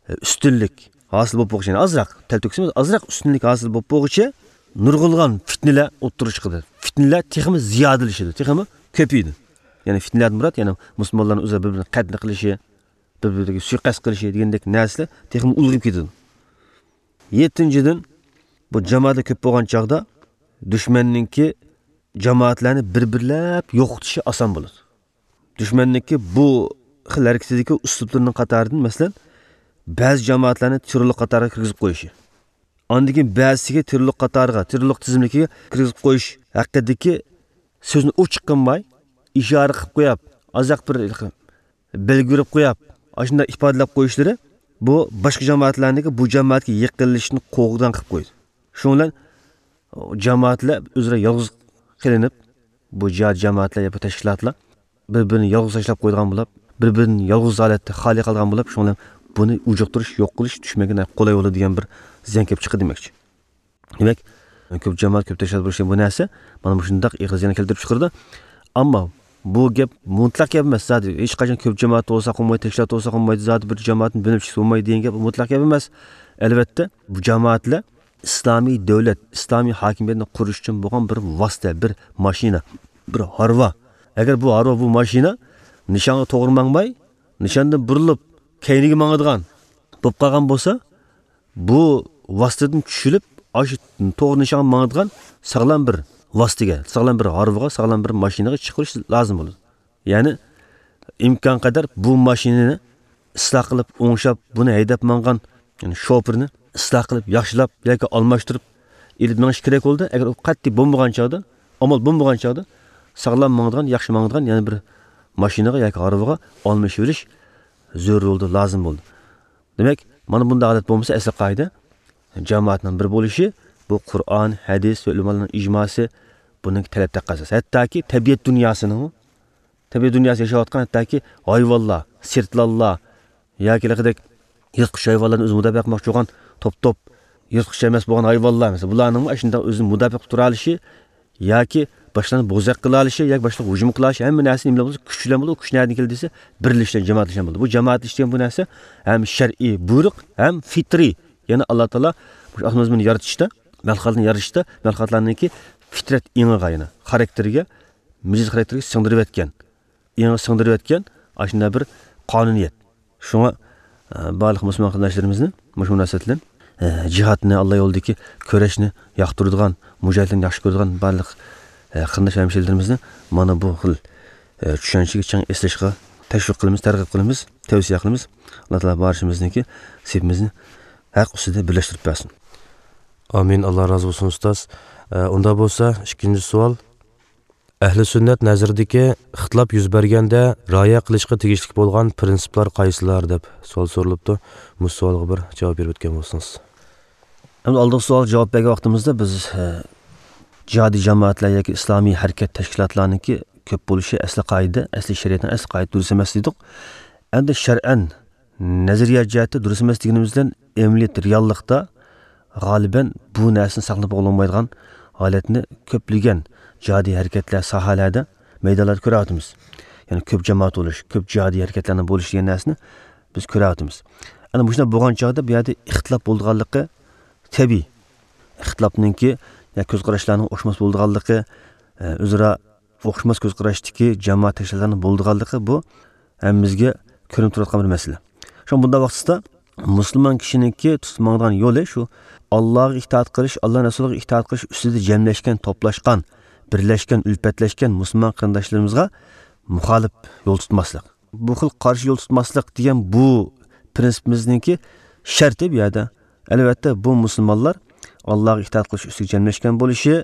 ئە، ئۈستۈنلۈك ھاسىل بولۇپ بولغۇچە، يەنى ئازراق، تەلتۆكۈسىمىز ئازراق ئۈستۈنلۈك ھاسىل بولۇپ بولغۇچە نۇرغۇنلىغان پىتنىلەر ئوتتۇرىغا چىقىدۇ. پىتنىلەر تېخىمۇ زىيادىلىشىدۇ، تېخىمۇ كۆپىيىدۇ. يەنى پىتنىلەردىن مۇراد، يەنى مۇسۇلمانلارنىڭ ئۆزئارا بىر-بىرىنى قەتل قىلىشى، بىر-بىرىگە سۇيىقەست قىلىشى دېگەندەك نەرسىلەر تېخىمۇ ئۇلغىيىپ كېتىدۇ. يەتتىنچىدىن، بۇ جامائەتلەر كۆپ بولغان چاغدا دۈشمەننىڭكى جامائەتلەرنى بىر-بىرلەپ يوقىتىشى ئاسان بولىدۇ. دۈشمەننىڭكى بۇ خىل ھەرىكىتىدىكى ئۇسلۇبلىرىنىڭ قاتارىدىن، مەسىلەن، بەزى جامائەتلەرنى تېررورلۇق قاتارىغا كىرگۈزۈپ قويۇشى، ئاندىن كېيىن بەزىسىگە تېررورلۇق قاتارىغا، تېررورلۇق تىزىملىكىگە كىرگۈزۈپ قويۇش ھەققىدىكى سۆزنى ئوچۇق قىلماي، ئىشارە قىلىپ قويۇپ، ئازراق بىر بەلگە بېرىپ قويۇپ، ئاشۇنداق ئىپادىلەپ قويۇشلىرى بۇ باشقا جامائەتلەرنىڭكى بۇ جامائەتكە يېقىنلىشىشنى قوغدان قىلىپ قويىدۇ. شۇنىڭ بىلەن جامائەتلەر ئۆزئارا يالغۇز قىلىنىپ، بۇ جىھاد جامائەتلەر يا بۇ تەشكىلاتلار بىر-بىرىنى يالغۇز تاشلاپ قويىدىغان بولۇپ، بىر-بىرىنى يالغۇز ھالەتتە خالىي قالىدىغان بولۇپ، شۇنىڭ بىلەن بۇنى ئۇجۇقتۇرۇش، يوق قىلىش دۈشمەنگە ناھايىتى قولاي بولىدۇ دېگەن بىر زىيان كېلىپ چىقىدۇ دېمەكچى. دېمەك، كۆپ جامائەت، كۆپ تەشكىلات بولۇشى بۇ نەرسە مانا مۇشۇنداق ئېغىر زىيان كەلتۈرۈپ چىقىرىدۇ. ئەمما بۇ گەپ مۇتلەق گەپ ئەمەس. زادى ھېچقاچان كۆپ جامائەت بولساق بولمايدۇ، تەشكىلات بولساق بولمايدۇ، زادى بىر جامائەتنى بۆلۈپ چىقسا بولمايدۇ دېگەن گەپ مۇتلەق گەپ ئەمەس. ئەلۋەتتە، بۇ جامائەتلەر ئىسلامىي دۆلەت، ئىسلامىي ھاكىمىيەتنى قۇرۇش ئۈچۈن بولغان بىر ۋاسىتە، بىر ماشىنا، بىر ھارۋا. ئەگەر بۇ ھارۋا، بۇ ماشىنا نىشانغا توغرا ماڭماي، نىشاندىن بۇرۇلۇپ، كەينىگە ماڭىدىغان بولۇپ قالغان بولسا، بۇ ۋاسىتىدىن چۈشۈلۈپ، ئاشۇ توغرا نىشانغا ماڭىدىغان ساغلام بىر ۋاسىتىگە، ساغلام بىر ھارۋىغا، ساغلام بىر ماشىنىغا چىقىرىش لازىم بولىدۇ. يەنى ئىمكان قەدەر بۇ ماشىنىنى ئىسلاھ قىلىپ، ئوڭشاپ، بۇنى ھەيدەپ ماڭغان، يەنى شوپۇرنى ئىسلاھ قىلىپ، ياخشىلاپ ياكى ئالماشتۇرۇپ ئېلىپ مېڭىش كېرەك بولىدۇ. ئەگەر ئۇ قەتئىي بولمىغان چاغدا، ئامال بولمىغان چاغدا ساغلام ماڭىدىغان، ياخشى ماڭىدىغان يەنە بىر ماشىنىغا ياكى ھارۋىغا ئالمىشىۋېلىش زۆرۈر بولىدۇ، لازىم بولىدۇ. دېمەك، مانا بۇنداق ھالەت بولمىسا، ئەسلى قائىدە، جامائەتنىڭ بىر بولۇشى، بۇ قۇرئان، ھەدىس ۋە ئۆلىمالارنىڭ ئىجماسى، بۇنىڭكى تەلەپ تەقەززاسى. ھەتتاكى تەبىئەت دۇنياسىنىڭمۇ، تەبىئەت دۇنياسى ياشاۋاتقان ھەتتاكى ھايۋانلار، سىرتلانلار ياكى لەقىدەك يىرتقۇچ ھايۋانلارنى ئۆزى مۇداپىئە قىلماقچى بولغان توپ-توپ يىرتقۇچ ئەمەس بولغان ھايۋانلار، مەسىلەن، بۇلارنىڭمۇ ئاشۇنداق ئۆزىنى مۇداپىئە قىلىپ تۇرالىشى ياكى باشقىلارنى بوزەك قىلالىشى ياكى باشقىلارغا ھۇجۇم قىلالىشى، ھەممە نەرسە نېمە بىلەن بولسا، كۈچ بىلەن بولىدۇ. كۈچ نەدىن كېلىدى دېسە، بىرلىشىش بىلەن، جامائەتلىشىش بىلەن بولىدۇ. بۇ جامائەتلىشىش دېگەن بۇ نەرسە ھەم شەرئىي بۇيرۇق، ھەم فىترىي. يەنى ئاللا تائالا مۇشۇ ئاسمان زېمىننى يارىتىشتا، مەخلۇقاتنى يارىتىشتا، مەخلۇقاتلارنىڭكى فىترەت ئېڭىغا، يەنى خاراكتېرىگە، مىجەز خاراكتېرىگە سىڭدۈرۈۋەتكەن. ئېڭىغا سىڭدۈرۈۋەتكەن ئاشۇنداق بىر قانۇنىيەت. شۇڭا، ئە، بارلىق مۇسۇلمان قېرىنداشلىرىمىزنى مۇشۇ مۇناسىۋەت بىلەن، ئە، جىھادنى، ئاللا يولىدىكى كۈرەشنى ياقتۇرىدىغان، مۇجاھىدلارنى ياخشى كۆرىدىغان بارلىق، ئە، قېرىنداش ھەمشىرىلىرىمىزنى مانا بۇ خىل، ئە، چۈشەنچىگە چىڭ ئېسىلىشقا تەشۋىق قىلىمىز، تەرغىب قىلىمىز، تەۋسىيە قىلىمىز. ئاللا تائالا بارچىمىزنىڭكى سېپىمىزنى ھەق ئۈستىدە بىرلەشتۈرۈپ بەرسۇن. ئامىن، ئاللا رازى بولسۇن ئۇستاز. ئە، ئۇنداق بولسا، ئىككىنچى سوئال. ئەھلى سۈننەت نەزىرىدىكى ئىختىلاپ يۈز بەرگەندە رايە قىلىشقا تېگىشلىك بولغان پىرىنسىپلار قايسىلار، دەپ سوئال سورىلىپتۇ. مۇشۇ سوئالغا بىر جاۋاب بېرىپ ئۆتكەن بولسىڭىز. ئەمدى ئالدىنقى سوئالغا جاۋاب بەرگەن ۋاقتىمىزدا بىز، ئە، جىھادىي جامائەتلەر ياكى ئىسلامىي ھەرىكەت تەشكىلاتلارنىڭكى كۆپ بولۇشى ئەسلى قائىدە، ئەسلى شەرىئەتنىڭ ئەسلى قائىدە دۇرۇس ئەمەس دېدۇق. ئەمدى شەرئەن نەزەرىيە جەھەتتە دۇرۇس ئەمەس دېگىنىمىز بىلەن ئەمەلىيەت رېئاللىقتا غالىبەن بۇ نەرسىنى ساقلىنىپ بولمايدىغان ھالەتنى كۆپلىگەن جىھادىي ھەرىكەتلەر، ساھەلەردە، مەيدانلاردا كۆرۈۋاتىمىز. يەنى كۆپ جامائەت بولۇش، كۆپ جىھادىي ھەرىكەتلەرنىڭ بولۇشى دېگەن نەرسىنى بىز كۆرۈۋاتىمىز. ئەنە مۇشۇنداق بولغان چاغدا بۇ يەردە ئىختىلاپ بولىدىغانلىقى تەبىئىي. ئىختىلاپنىڭكى، يا كۆز قاراشلارنىڭ ئوخشىماس بولىدىغانلىقى، ئە، ئۆزئارا ئوخشىماس كۆز قاراشتىكى جامائەت تەشكىلاتلارنىڭ بولىدىغانلىقى بۇ ھەممىمىزگە كۆرۈنۈپ تۇرۇۋاتقان بىر مەسىلە. شۇڭا بۇنداق ۋاقىتتا مۇسۇلمان كىشىنىڭكى تۇتۇپ ماڭىدىغان يولى شۇ، ئاللاغا ئىتائەت قىلىش، ئاللا رەسۇلىغا ئىتائەت قىلىش ئۈستىدە جەملەشكەن، توپلاشقان، بىرلەشكەن، ئۈلپەتلەشكەن مۇسۇلمان قېرىنداشلىرىمىزغا مۇخالىپ يول تۇتماسلىق. بۇ خىل قارشى يول تۇتماسلىق دېگەن بۇ پىرىنسىپىمىزنىڭكى شەرتى بۇ يەردە. ئەلۋەتتە، بۇ مۇسۇلمانلار ئاللاغا ئىتائەت قىلىش ئۈستىگە جەملەشكەن بولۇشى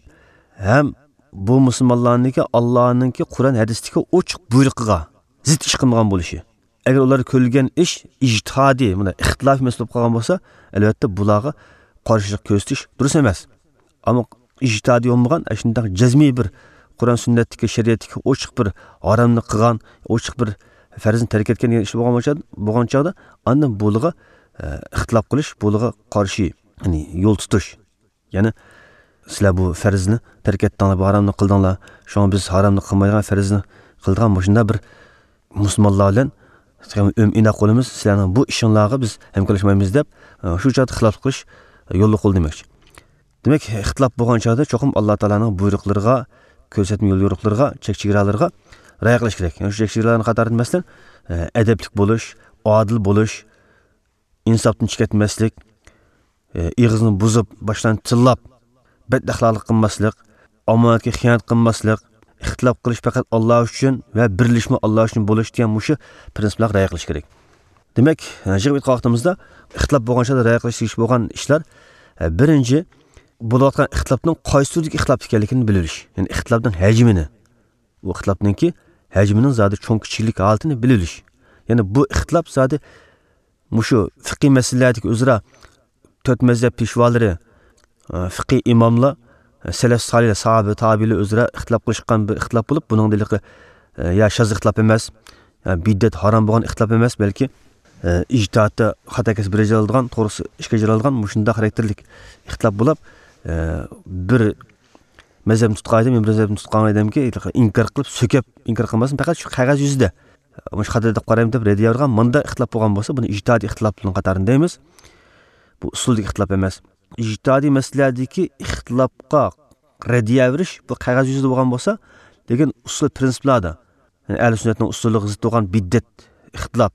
ھەم بۇ مۇسۇلمانلارنىڭكى ئاللانىڭكى قۇرئان ھەدىستىكى ئوچۇق بۇيرۇقىغا زىت ئىش قىلمىغان بولۇشى. ئەگەر ئۇلار كۆرگەن ئىش ئىجتىھادىي، مۇنداق ئىختىلاپىي مەسىلە بولۇپ قالغان بولسا، ئەلۋەتتە، بۇلارغا قارشىلىق كۆرسىتىش دۇرۇس ئەمەس. ئەمما ئىجتىھادىي بولمىغان، ئاشۇنداق جەزمىي بىر قۇرئان سۈننەتتىكى، شەرىئەتتىكى ئوچۇق بىر ھارامنى قىلغان، ئوچۇق بىر پەرزنى تەرك ئەتكەن دېگەن ئىش بولغان بولسا، بولغان چاغدا ئاندىن بۇلىغا، ئە، ئىختىلاپ قىلىش، بۇلىغا قارشى، يەنى يول تۇتۇش. يەنى سىلەر بۇ پەرزنى تەرك ئەتتىڭلار، بۇ ھارامنى قىلدىڭلار. شۇڭا بىز ھارامنى قىلمايدىغان، پەرزنى قىلىدىغان مۇشۇنداق بىر مۇسۇلمانلار بىلەن ئۆم ئىناق بولىمىز، سىلەرنىڭ بۇ ئىشىڭلارغا بىز ھەمكارلاشمايمىز دەپ، شۇ چاغدا ئىختىلاپ قىلىش يوللۇق بولىدۇ دېمەكچى. دېمەك، ئىختىلاپ بولغان چاغدا چوقۇم ئاللا تائالانىڭ بۇيرۇقلىرىغا، كۆرسەتمە يول يورۇقلىرىغا، چەك چېگرالىرىغا رىئايە قىلىش كېرەك. يەنى شۇ چەك چېگرالارنىڭ قاتارىدا، مەسىلەن، ئەدەپلىك بولۇش، ئادىل بولۇش، ئىنساپتىن چىقىۋەتمەسلىك، ئېغىزنى بۇزۇپ، باشقىلارنى تىللاپ، بەتئەخلاقلىق قىلماسلىق، ئامانەتكە خىيانەت قىلماسلىق، ئىختىلاپ قىلىش پەقەت ئاللا ئۈچۈن ۋە بىرلىشىشمۇ ئاللا ئۈچۈن بولۇش دېگەن مۇشۇ پىرىنسىپلارغا رىئايە قىلىش كېرەك. دېمەك، يىغىپ ئېيتقان ۋاقتىمىزدا ئىختىلاپ بولغان چاغدا رىئايە قىلىش تېگىشلىك بولغان ئىشلار، بىرىنچى، بولۇۋاتقان ئىختىلاپنىڭ قايسى تۈردىكى ئىختىلاپ ئىكەنلىكىنى بىلىۋېلىش. يەنى ئىختىلاپنىڭ ھەجمىنى، ئۇ ئىختىلاپنىڭكى ھەجمىنىڭ زادى چوڭ كىچىكلىك ھالىتىنى بىلىۋېلىش. يەنى بۇ ئىختىلاپ زادى مۇشۇ فىقھىي مەسىلىلەردىكى ئۆزئارا تۆت مەزھەپ پېشۋالىرى، ئە، فىقھىي ئىماملار، ئە، سەلەف سالىھ، ساھابە تابىئىنلار ئۆزئارا ئىختىلاپ قىلىشقان بىر ئىختىلاپ بولۇپ، بۇنىڭدا ھېلىقى، ئە، يا شاز ئىختىلاپ ئەمەس، يا بىدئەت ھارام بولغان ئىختىلاپ ئەمەس، بەلكى، ئە، ئىجتىھادتا خاتا كەلسە بىر ئىجرا ئالىدىغان، توغرىسى ئىككى ئىجرا ئالىدىغان مۇشۇنداق خاراكتېرلىك ئىختىلاپ بولۇپ، ئە، بىر مەزھەپنى تۇتقان ئادەم، يەنە بىر مەزھەپنى تۇتقان ئادەمگە ئىنكار قىلىپ، سۆكۈپ، ئىنكار قىلماستىن، پەقەت شۇ قەغەز يۈزىدە، مۇشۇ خاتا دەپ قارايمەن دەپ رەددىيە بەرگەن، مۇنداق ئىختىلاپ بولغان بولسا، بۇنى ئىجتىھادىي ئىختىلاپنىڭ قاتارىدا دەيمىز. بۇ ئۇسۇلدىكى ئىختىلاپ ئەمەس. ئىجتىھادىي مەسىلىلەردىكى ئىختىلاپقا رەددىيە بېرىش، بۇ قەغەز يۈزىدە بولغان بولسا، لېكىن ئۇسۇل پىرىنسىپلاردا، يەنى ئەھلى سۈننەتنىڭ ئۇسۇلىغا زىت بولغان بىدئەت ئىختىلاپ،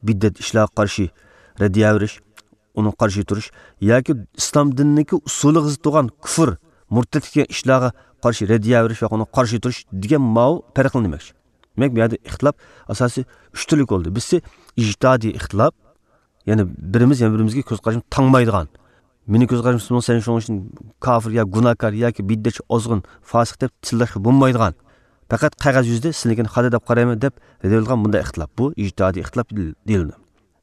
بىدئەت ئىشلارغا قارشى رەددىيە بېرىش، ئۇنىڭ قارشى تۇرۇش ياكى ئىسلام دىنىنىڭكى ئۇسۇلىغا زىت بولغان كۇفر، مۇرتەت دېگەن ئىشلارغا قارشى رەددىيە بېرىش ۋە ئۇنىڭغا قارشى تۇرۇش دېگەن ماۋۇ پەرقلىنىش دېمەكچى. دېمەك، بۇ يەردە ئىختىلاپ ئاساسىي ئۈچ تۈرلۈك بولدى. بىرسى ئىجتىھادىي ئىختىلاپ، يەنى بىرىمىز يەنە بىرىمىزگە كۆز قارىشىنى تاڭمايدىغان. مېنىڭ كۆز قارىشىمدا سەن شۇنىڭ ئۈچۈن كافىر يا گۇناھكار ياكى بىدئەتچى، ئازغۇن، فاسىق دەپ تىللاشقا بولمايدىغان. پەقەت قەغەز يۈزىدە سىلىنىڭكىنى خاتا دەپ قارايمەن دەپ دەۋرىلغان بۇنداق ئىختىلاپ. بۇ ئىجتىھادىي ئىختىلاپ دېيىلىدۇ.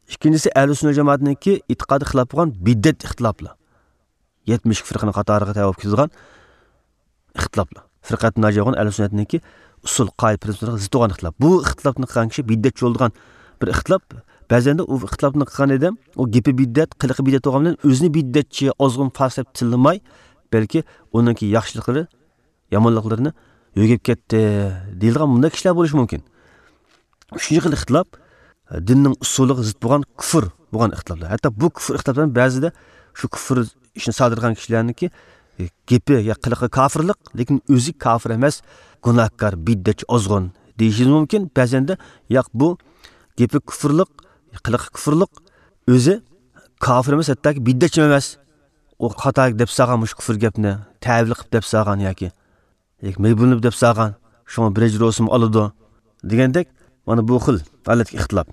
ئىككىنچىسى، ئەھلى سۈننە جامائەتنىڭكى ئېتىقادىي ئىختىلاپ بولغان بىدئەت ئىختىلاپلار. يەتمىش ئىككى فىرقىنىڭ قاتارىغا تەۋە بولۇپ كېتىدىغان ئىختىلاپلار. فىرقەتۇن ناجىيە بولغان ئەھلى سۈننەتنىڭكى ئۇسۇل، قائىدە، پىرىنسىپلىرىغا زىت بولغان ئىختىلاپ. بۇ ئىختىلاپنى قىلغان كىشى بىدئەتچى بولىدىغان بىر ئىختىلاپ. بەزەندە ئۇ ئىختىلاپنى قىلغان ئادەم ئۇ گېپى بىدئەت، قىلىقى بىدئەت بولغان بىلەن ئۆزىنى بىدئەتچى، ئازغۇن، فاسىق دەپ تىللىماي، بەلكى ئۇنىڭكى ياخشىلىقلىرى، يامانلىقلىرىنى يۆگەپ كەتتى دېيىلغان مۇنداق كىشىلەر بولۇشى مۇمكىن. ئۈچىنچى خىل ئىختىلاپ، دىننىڭ ئۇسۇلىغا زىت بولغان كۇفر بولغان ئىختىلاپلار. ھەتتا بۇ كۇفر ئىختىلاپلارنىڭ بەزىدە شۇ كۇفر ئىشنى سادىر قىلغان كىشىلەرنىڭكى، ئى، گېپى يا قىلىقى كافىرلىق، لېكىن ئۆزى كافىر ئەمەس، گۇناھكار، بىدئەتچى، ئازغۇن دېيىشىمىز مۇمكىن. بەزەندە ياق، بۇ گېپى كۇفرلۇق، قىلىقى كۇفرلۇق، ئۆزى كافىر ئەمەس، ھەتتاكى بىدئەتچى ئەمەس. ئۇ خاتا دەپ سالغان مۇشۇ كۇفر گەپنى، تەۋىل قىلىپ دەپ سالغان ياكى ياكى مەيبۇلنى دەپ سالغان، شۇڭا بىرەر رۇسۇم ئالىدۇ دېگەندەك، مانا بۇ خىل ھالەتتىكى ئىختىلاپ.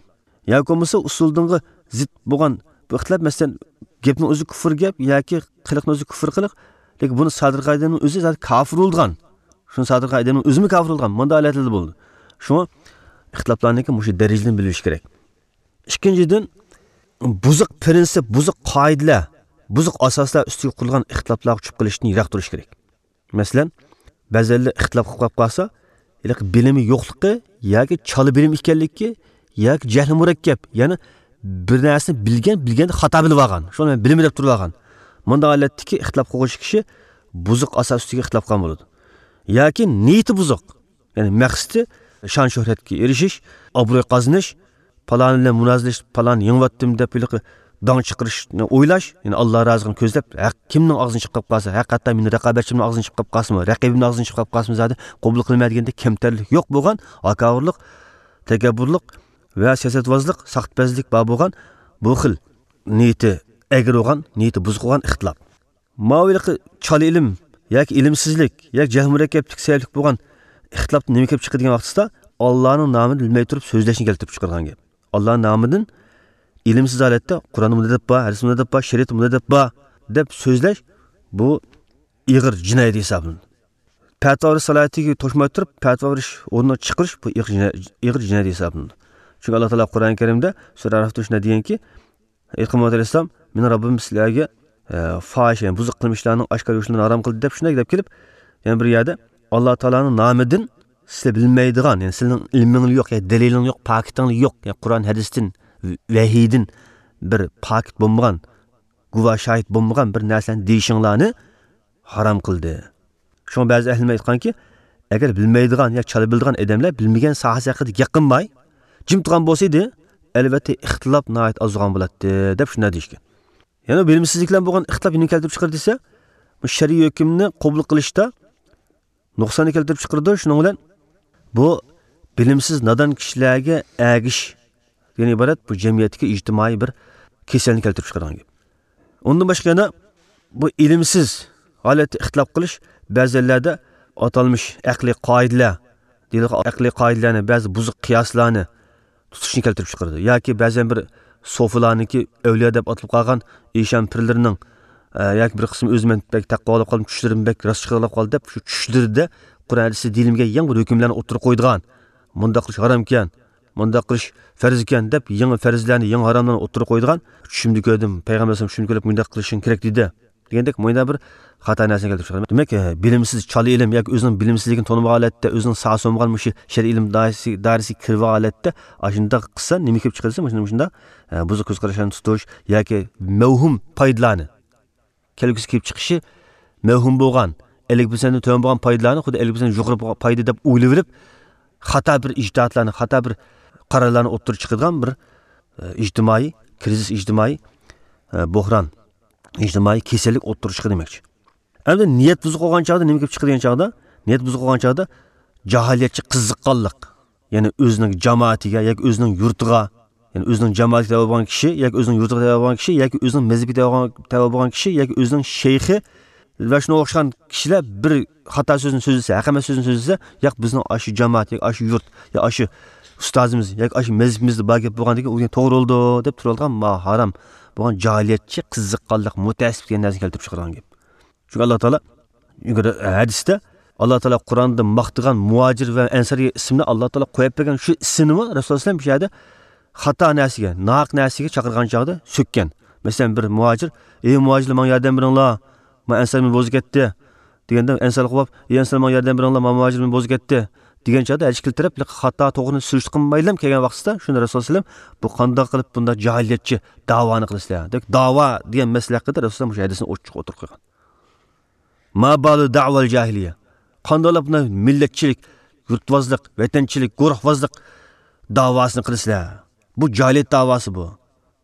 ياكى بولمىسا ئۇسۇل دىنغا زىت بولغان بۇ ئىختىلاپ، مەسىلەن، گەپنىڭ ئۆزى كۇفر گەپ ياكى قىلىقنىڭ ئۆزى كۇفر قىلىق، لېكىن بۇنى سادىر قىلغان ئادەمنىڭ ئۆزى زادى كافىر بولىدىغان. شۇنى سادىر قىلغان ئادەمنىڭ ئۆزىمۇ كافىر بولىدىغان. مۇنداق ھالەتلەردە بولىدۇ. شۇڭا ئىختىلاپلارنىڭكى مۇشۇ دەرىجىلىرىنى بىلىش كېرەك. ئىككىنچىدىن، بۇزۇق پىرىنسىپ، بۇزۇق قائىدىلەر، بۇزۇق ئاساسلار ئۈستىگە قۇرۇلغان ئىختىلاپلارغا چۈشۈپ قېلىشتىن يىراق تۇرۇش كېرەك. مەسىلەن، بەزەنلەر ئىختىلاپ قىلىپ قالسا، ھېلىقى بىلىمى يوقلۇقى ياكى چالا بىلىم ئىكەنلىكى ياكى جەھلى مۇرەككەپ، يەنى بىر نەرسىنى بىلگەن، بىلگەندە خاتا بىلىپ ئالغان، شۇنى مەن بىلىمەن دەپ تۇرۇپ ئالغان. مۇنداق ھالەتتىكى ئىختىلاپ قىلغۇچى كىشى بۇزۇق ئاساس ئۈستىگە ئىختىلاپ قىلغان بولىدۇ. ياكى نىيىتى بۇزۇق، يەنى مەقسىتى شان شۆھرەتكە ئېرىشىش، ئابروي قازىنىش، پالان بىلەن مۇنازىرىلىشىپ، پالان يېڭىۋاتتىم دەپ ھېلىقى داڭ چىقىرىشنى ئويلاش، يەنى ئاللا رازىلىقىنى كۆزلەپ، ھەق كىمنىڭ ئاغزىدىن چىقىپ قالسا، ھەقىقەتەن مېنىڭ رىقابەتچىمنىڭ ئاغزىدىن چىقىپ قالسىمۇ، رەقىبىمنىڭ ئاغزىدىن چىقىپ قالسىمۇ، زادى قوبۇل قىلىمەن دېگەندەك كەمتەرلىك يوق بولغان، ھاكاۋۇرلۇق، تەكەببۇرلۇق ۋە سىياسەتۋازلىق، ساختىپەزلىك بار بولغان بۇ خىل نىيىتى ئەگرى بولغان، نىيىتى بۇزۇق بولغان ئىختىلاپ. ماۋۇ ھېلىقى چالا ئىلىم ياكى ئىلىمسىزلىك ياكى جەھل مۇرەككەپلىك سەۋەبلىك بولغان ئىختىلاپتا نېمە كېلىپ چىقىدۇ دېگەن ۋاقتىدا، ئاللانىڭ نامىنى بىلمەي تۇرۇپ سۆزلەشنى كەلتۈرۈپ چىقىرىدىغان گەپ. ئاللانىڭ نامىدىن ئىلىمسىز ھالەتتە قۇرئاندا مۇنداق دەپ بار، ھەدىستە مۇنداق دەپ بار، شەرىئەتتە مۇنداق دەپ بار دەپ سۆزلەش، بۇ ئېغىر جىنايەت ھېسابلىنىدۇ. پەتىۋا بېرىش سالاھىيىتىگە توشماي تۇرۇپ، پەتىۋا بېرىش ئورنىنى چىقىرىش، بۇ ئېغىر جىنايەت، ئېغىر جىنايەت ھېسابلىنىدۇ. چۈنكى ئاللا تائالا قۇرئانى كەرىمدە سۈرە ئەرافتە شۇنداق دېگەنكى، ئېيتقان مۇھەممەد ئەلەيھىسسالام، مېنىڭ رەببىم سىلەرگە، ئە، فاھىشە، يەنى بۇزۇق قىلمىش ئىشلارنىڭ ئاشكارا يوشۇنلىرىنى ھارام قىلدى دەپ شۇنداق دەپ كېلىپ، يەنە بىر يەردە ئاللا تائالانىڭ نامىدىن سىلەر بىلمەيدىغان، يەنى سىلىنىڭ ئىلمىڭلار يوق، يا دەلىلىڭلار يوق، پاكىتىڭلار يوق، يا قۇرئان ھەدىستىن، ۋەھىيدىن بىر پاكىت بولمىغان، گۇۋاھ شاھىت بولمىغان بىر نەرسىلەرنى دېيىشىڭلارنى ھارام قىلدى. شۇڭا بەزى ئەھلى ئىلىم ئېيتقانكى، ئەگەر بىلمەيدىغان يا چالا بىلىدىغان ئادەملەر بىلمىگەن ساھەسى ھەققىدە گەپ قىلماي، جىم تۇرغان بولسا ئىدى، ئەلۋەتتە ئىختىلاپ ناھايىتى ئازلىغان بولاتتى، دەپ شۇنداق دېيىشكەن. يەنە بىلىمسىزلىك بىلەن بولغان ئىختىلاپ نېمە كەلتۈرۈپ چىقىرىدۇ دېسە، بۇ شەرئىي ھۆكۈمنى قوبۇل قىلىشتا نۇقساننى كەلتۈرۈپ چىقىرىدۇ. شۇنىڭ بىلەن بۇ بىلىمسىز، نادان كىشىلەرگە ئەگىشىش دېگەن ئىبارەت بۇ جەمئىيەتتىكى ئىجتىمائىي بىر كېسەلنى كەلتۈرۈپ چىقىرىدىغان گەپ. ئۇندىن باشقا يەنە بۇ ئىلىمسىز ھالەتتە ئىختىلاپ قىلىش بەزى يەرلەردە ئاتالمىش ئەقلىي قائىدىلەر، دېيىلغان ئەقلىي قائىدىلەرنى، بەزى بۇزۇق قىياسلارنى تۇتۇشنى كەلتۈرۈپ چىقىرىدۇ. ياكى بەزەن بىر سوفىلارنىڭكى ئەۋلىيا دەپ ئاتىلىپ قالغان ئىشان پىرلىرىنىڭ، ئە، ياكى بىر قىسمى ئۆزى مەن بەك تەقۋالىق قالدىم، چۈشلىرىم بەك راست چىقىدىغان قالدى دەپ، شۇ چۈشلىرىدە قۇرئان ھەدىستە دېيىلمىگەن يېڭى بىر ھۆكۈملەرنى ئوتتۇرىغا قويىدىغان، مۇنداق قىلىش ھارامكەن، مۇنداق قىلىش پەرزكەن دەپ يېڭى پەرزلەرنى، يېڭى ھاراملارنى ئوتتۇرىغا قويىدىغان، چۈشۈمدە كۆردۈم، پەيغەمبەر ئەلەيھىسسالام چۈشىمدە كۆرۈپ مۇنداق قىلىشىڭ كېرەك دېدى دېگەندەك مۇنداق بىر خاتا نەرسىنى كەلتۈرۈپ چىقىرىدۇ. دېمەك، ئە، بىلىمسىز، چالا ئىلىم ياكى ئۆزىنىڭ بىلىمسىزلىكىنى تونۇمىغان ھالەتتە، ئۆزىنىڭ ساھەسى بولمىغان مۇشۇ شەرئىي ئىلىم دائىرىسى، دائىرىسىگە كىرىۋالغان ھالەتتە ئاشۇنداق قىلسا نېمە كېلىپ چىقىدۇ دېسە، مۇشۇنداق، مۇشۇنداق، ئە، بۇزۇق كۆز قاراشلارنى تۇتۇش ياكى مەۋھۇم پايدىلارنى، كەلگۈسى كېلىپ چىقىشى مەۋھۇم بولغان، ئەللىك پىرسەنتتىن تۆۋەن بولغان پايدىلارنى خۇددى ئەللىك پىرسەنت يۇقىرى پايدا دەپ ئويلىۋېلىپ، خاتا بىر ئىجتىھاتلارنى، خاتا بىر قارارلارنى ئوتتۇرىغا چىقىدىغان بىر، ئە، ئىجتىمائىي كىرىزىس، ئىجتىمائىي، ئە، بوھران، ئىجتىمائىي كېسەللىك ئوتتۇرىغا چىقىدۇ دېمەكچى. ئەمدى نىيەت بۇزۇق بولغان چاغدا نېمە كېلىپ چىقىدۇ دېگەن چاغدا، نىيەت بۇزۇق بولغان چاغدا جاھىلىيەتچە قىزىققانلىق، يەنى ئۆزىنىڭ جامائىتىگە ياكى ئۆزىنىڭ يۇرتىغا، يەنى ئۆزىنىڭ جامائىتىگە تەۋە بولغان كىشى ياكى ئۆزىنىڭ يۇرتىغا تەۋە بولغان كىشى ياكى ئۆزىنىڭ مەزھىپىگە تەۋە بولغان، تەۋە بولغان كىشى ياكى ئۆزىنىڭ شەيخى ۋە شۇنىڭغا ئوخشىغان كىشىلەر بىر خاتا سۆزنى سۆزلىسە، ھەق ئەمەس سۆزنى سۆزلىسە، ياق، بىزنىڭ ئاشۇ جامائەت ياكى ئاشۇ يۇرت يا ئاشۇ ئۇستازىمىز ياكى ئاشۇ مەزھىپىمىزدە بار گەپ بولغاندىكىن ئۇ توغرا بولىدۇ دەپ تۇرۇۋالغان، ما ھارام بولغان جاھىلىيەتچى، قىزىققانلىق، مۇتەئەسسىپ دېگەن نەرسىنى كەلتۈرۈپ چىقىرغان گەپ. چۈنكى ئاللا تائالا، يۇقىرى ھەدىستە ئاللا تائالا قۇرئاندا ماختىغان مۇھاجىر ۋە ئەنسار دېگەن ئىسىمنى ئاللا تائالا قويۇپ بەرگەن، شۇ ئىسىمنىمۇ رەسۇلۇللا ئەلەيھىسسالام شۇ يەردە خاتا نەرسىگە، ناھەق نەرسىگە چاقىرغان چاغدا سۆككەن. مەسىلەن، بىر مۇھاجىر، ئەي مۇھاجىرلار، ماڭا ياردەم بېرىڭلار، ما ئەنسار مېنى بوزۇپ كەتتى، دېگەندە، ئەنسارلار قوۋاپ، ئەي ئەنسار، ماڭا ياردەم بېرىڭلار، ما مۇھاجىر مېنى بوزۇپ كەتتى، دېگەن چاغدا ھەر ئىككىلا تەرەپ خاتا توغرىنى سۈرۈشتە قىلمايلا كەلگەن ۋاقتىدا، شۇندا رەسۇلۇللا ئەلەيھىسسالام، بۇ قانداق قىلىپ بۇنداق جاھىلىيەتچى داۋانى قىلىسىلەر؟ دەپ، داۋا دېگەن مەسىلە ھەققىدە رەسۇلۇللا مۇشۇ ھەدىسنى ئوچۇق ئوتتۇرىغا قويغان. ما بالۇ دەۋەل جاھىلىيە. قانداقلا بۇنداق مىللەتچىلىك، يۇرتۋازلىق، ۋەتەنچىلىك، گۇرۇھۋازلىق داۋاسىنى قىلىسىلەر؟ بۇ جاھىلىيەت داۋاسى بۇ.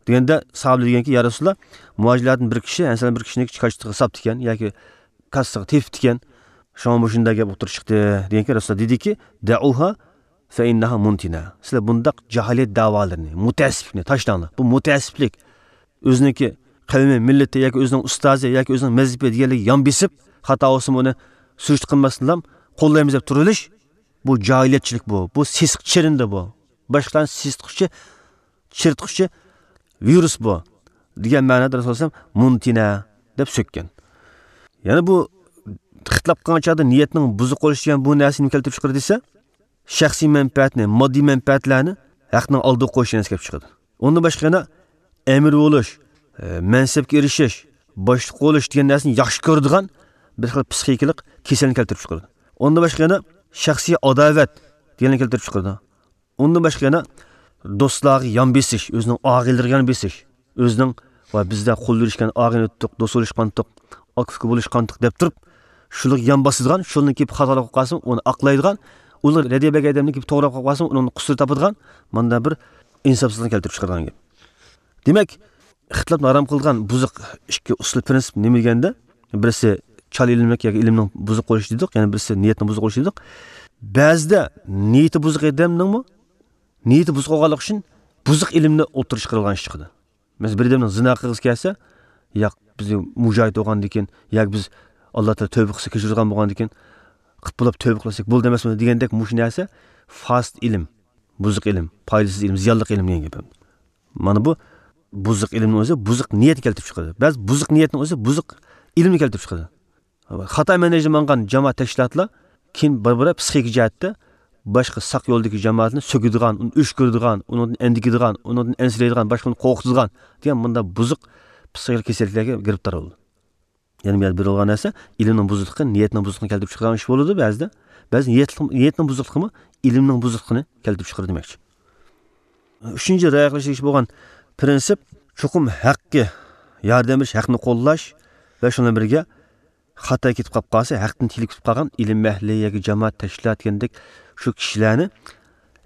دېگەندە ساھابىلەر دېگەنكى، يا رەسۇلاللا، مۇھاجىرلاردىن بىر كىشى ئەنسارنىڭ بىر كىشىنى كاچىتىغا ساپتىكەن ياكى كاسسىغا تېپىپتىكەن. شۇڭا مۇشۇنداق گەپ ئوتتۇرىغا چىقتى، دېگەنكى رەسۇلاللا دېدىكى، دەئۇھا فەئىننەھا مۇنتىنە. سىلەر بۇنداق جاھىلىيەت داۋالىرىنى، مۇتەئەسسىپلىكنى تاشلاڭلار. بۇ مۇتەئەسسىپلىك. ئۆزىنىڭكى قەۋمى، مىللىتى ياكى ئۆزىنىڭ ئۇستازى ياكى ئۆزىنىڭ مەزھىپى دېگەنلىككە يان بېسىپ، خاتا بولسىمۇ ئۇنى سۈرۈشتە قىلماستىنلا قوللايمىز دەپ تۇرۇۋېلىش، بۇ جاھىلىيەتچىلىك بۇ. بۇ سېسىق چىرىندە بۇ. باشقىلارنى سېسىتقۇچى، چىرىتقۇچى ۋىرۇس بۇ، دېگەن مەنىدە رەسۇلۇللا ئەلەيھىسسالام مۇنتىنە دەپ سۆككەن. يەنە بۇ خىتاب قىلغان چاغدا نىيەتنىڭ بۇزۇق بولۇشى دېگەن بۇ نەرسە نېمە كەلتۈرۈپ چىقىرىدۇ دېسە، شەخسىي مەنپەئەتنى، ماددىي مەنپەئەتلەرنى ھەقنىڭ ئالدىغا قويۇش نەرسە كەلتۈرۈپ چىقىدۇ. ئۇندىن باشقا يەنە ئەمىر بولۇش، ئە، مەنسەپكە ئېرىشىش، باشلىق بولۇش دېگەن نەرسىنى ياخشى كۆرىدىغان بىر خىل پسىخىكىلىق كېسەلنى كەلتۈرۈپ چىقىرىدۇ. ئۇندىن باشقا يەنە شەخسىي ئاداۋەت دېگەننى كەلتۈرۈپ چىقىرىدۇ. ئۇندىن باشقا يەنە دوستلارغا يان بېسىش، ئۆزىنىڭ ئاغىنىلىرىغا يان بېسىش، ئۆزىنىڭ ۋە بىزدە قول بېرىشكەن، ئاغىنە ئۆتتۇق، دوست بولۇشقانتۇق، ئاكا-ئۇكا بولۇشقانتۇق دەپ تۇرۇپ، شۇلارغا يان باسىدىغان، شۇلارنىڭ كېلىپ خاتالىق قىلىپ قالسىمۇ، ئۇنى ئاقلايدىغان، ئۇلار رەددىيە بەرگەن ئادەمنىڭ كېلىپ توغرا قىلىپ قالسىمۇ، ئۇنىڭ قۇسۇرى تاپىدىغان، مانداق بىر ئىنساپسىزلىقنى كەلتۈرۈپ چىقىرىدىغان گەپ. دېمەك، ئىختىلاپنى ھارام قىلىدىغان بۇزۇق ئىككى ئۇسۇل پىرىنسىپ نېمە دېگەندە، بىرسى چالا ئىلىملىك ياكى ئىلىمنىڭ بۇزۇق بولۇشى دېدۇق، يەنە بىرسى نىيەتنىڭ بۇزۇق بولۇشى دېدۇق. بەزىدە نىيىتى بۇزۇق ئادەمنىڭمۇ، نىيىتى بۇزۇق بولغانلىقى ئۈچۈن بۇزۇق ئىلىمنى ئوتتۇرىغا چىقىرىدىغان ئىش چىقىدۇ. مەسىلەن، بىر ئادەمنىڭ زىنا قىلغۇسى كەلسە، ياق، بىز مۇجاھىد بولغاندىكىن ياكى بىز ئاللا تائالا تەۋبە قىلسا كەچۈرىدىغان بولغاندىكىن، قىپ بولاپ تەۋبە قىلساك بولدى ئەمەسمۇ دېگەندەك مۇشۇ نەرسە فاسىد ئىلىم، بۇزۇق ئىلىم، پايدىسىز ئىلىم، زىيانلىق ئىلىم دېگەن گەپ. مانا بۇ بۇزۇق ئىلىمنىڭ ئۆزى بۇزۇق نىيەتنى كەلتۈرۈپ چىقىرىدۇ. بەزى بۇزۇق نىيەتنىڭ ئۆزى بۇزۇق ئىلىمنى كەلتۈرۈپ چىقىرىدۇ. خاتا مەنھەجدە ماڭغان جامائەت تەشكىلاتلار كېيىن بارا-بارا پسىخىكا جەھەتتە باشقا ساق يولدىكى جامائەتنى سۆكىدىغان، ئۇنى ئۆچ كۆرىدىغان، ئۇنىڭدىن ئەندىكىدىغان، ئۇنىڭدىن ئەنسىرەيدىغان، باشقىنى قورقۇتىدىغان دېگەن مۇنداق بۇزۇق پسىخىكىلىق كېسەللىكلەرگە گىرىپتار بولىدۇ. يەنە بۇ يەردە بىر بولغان نەرسە، ئىلىمنىڭ بۇزۇقلۇقى نىيەتنىڭ بۇزۇقلۇقىنى كەلتۈرۈپ چىقىرىدىغان ئىش بولىدۇ بەزىدە. بەزى نىيەتلىق-، نىيەتنىڭ بۇزۇقلۇقىمۇ ئىلىمنىڭ بۇزۇقلۇقىنى كەلتۈرۈپ چىقىرىدۇ دېمەكچى. ئۈچىنچى، رىئايە قىلىشقا تېگىشلىك بولغان پىرىنسىپ، چوقۇم ھەققە ياردەم بېرىش، ھەقنى قوللاش ۋە شۇنىڭ بىلەن بىرگە خاتا كېتىپ قاپ قالسا، ھەقتىن تىلكىپ قالغان ئىلىم ئەھلى ياكى جامائەت تەشكىلات دېگەندەك شۇ كىشىلەرنى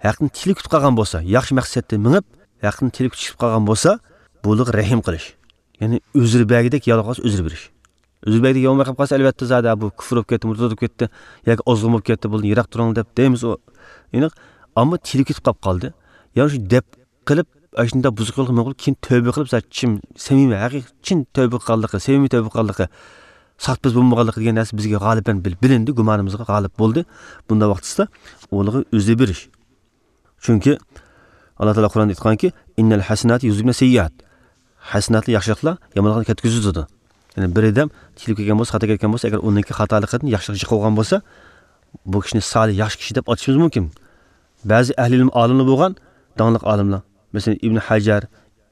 ھەقتىن تىلكىپ قالغان بولسا، ياخشى مەقسەتتە مېڭىپ، ھەقتىن تىلكىپ چىقىپ قالغان بولسا، بۇلارغا رەھىم قىلىش. يەنى ئۆزرە بەرگۈدەك يالغۇز ئۆزرە بېرىش. ئۆزرە بەرگۈدەك يالغۇز قېلىپ قالسا، ئەلۋەتتە، زادى بۇ كۇفر بولۇپ كەتتى، مۇرتەد بولۇپ كەتتى ياكى ئازغۇن بولۇپ كەتتى، بۇلىدىن يىراق تۇرۇڭ دەپ دەيمىز ئۇ. ئېنىق. ئەمما تىلكىپ قاپ قالدى. يەنى شۇ دەپ قىلىپ، ئاشۇنداق بۇزۇق يولغا مېڭىپ، كېيىن تەۋبە قىلىپ، زادى چىن، سەمىمىي، ھەقىقىي چىن تەۋبە قىلغانلىقى، سەمىمىي تەۋبە قىلغانلىقى، ساختىپەز بولمىغانلىقى دېگەن نەرسە بىزگە غالىبەن بىل-، بىلىندى، گۇمانىمىزغا غالىب بولدى. بۇنداق ۋاقىتتا ئۇلارغا ئۆزرە بېرىش. چۈنكى ئاللا تائالا قۇرئاندا ئېيتقانكى، «ئىننەل ھەسەناتى يۇزھىبنەس سەييىئات.» ھەسەناتلار، ياخشىلىقلار يامانلىقنى كەتكۈزۈۋېتىدۇ. يەنى بىر ئادەم تىلىپ كەتكەن بولسا، خاتا كەتكەن بولسا، ئەگەر ئۇنىڭكى خاتالىقىدىن ياخشىلىق چىقىپ قالغان بولسا، بۇ كىشىنى سالىھ، ياخشى كىشى دەپ ئاتىشىمىز مۇمكىن. بەزى ئەھلى ئىلىم ئالىملار بولغان، داڭلىق ئالىملار. مەسىلەن، ئىبن ھەجەر،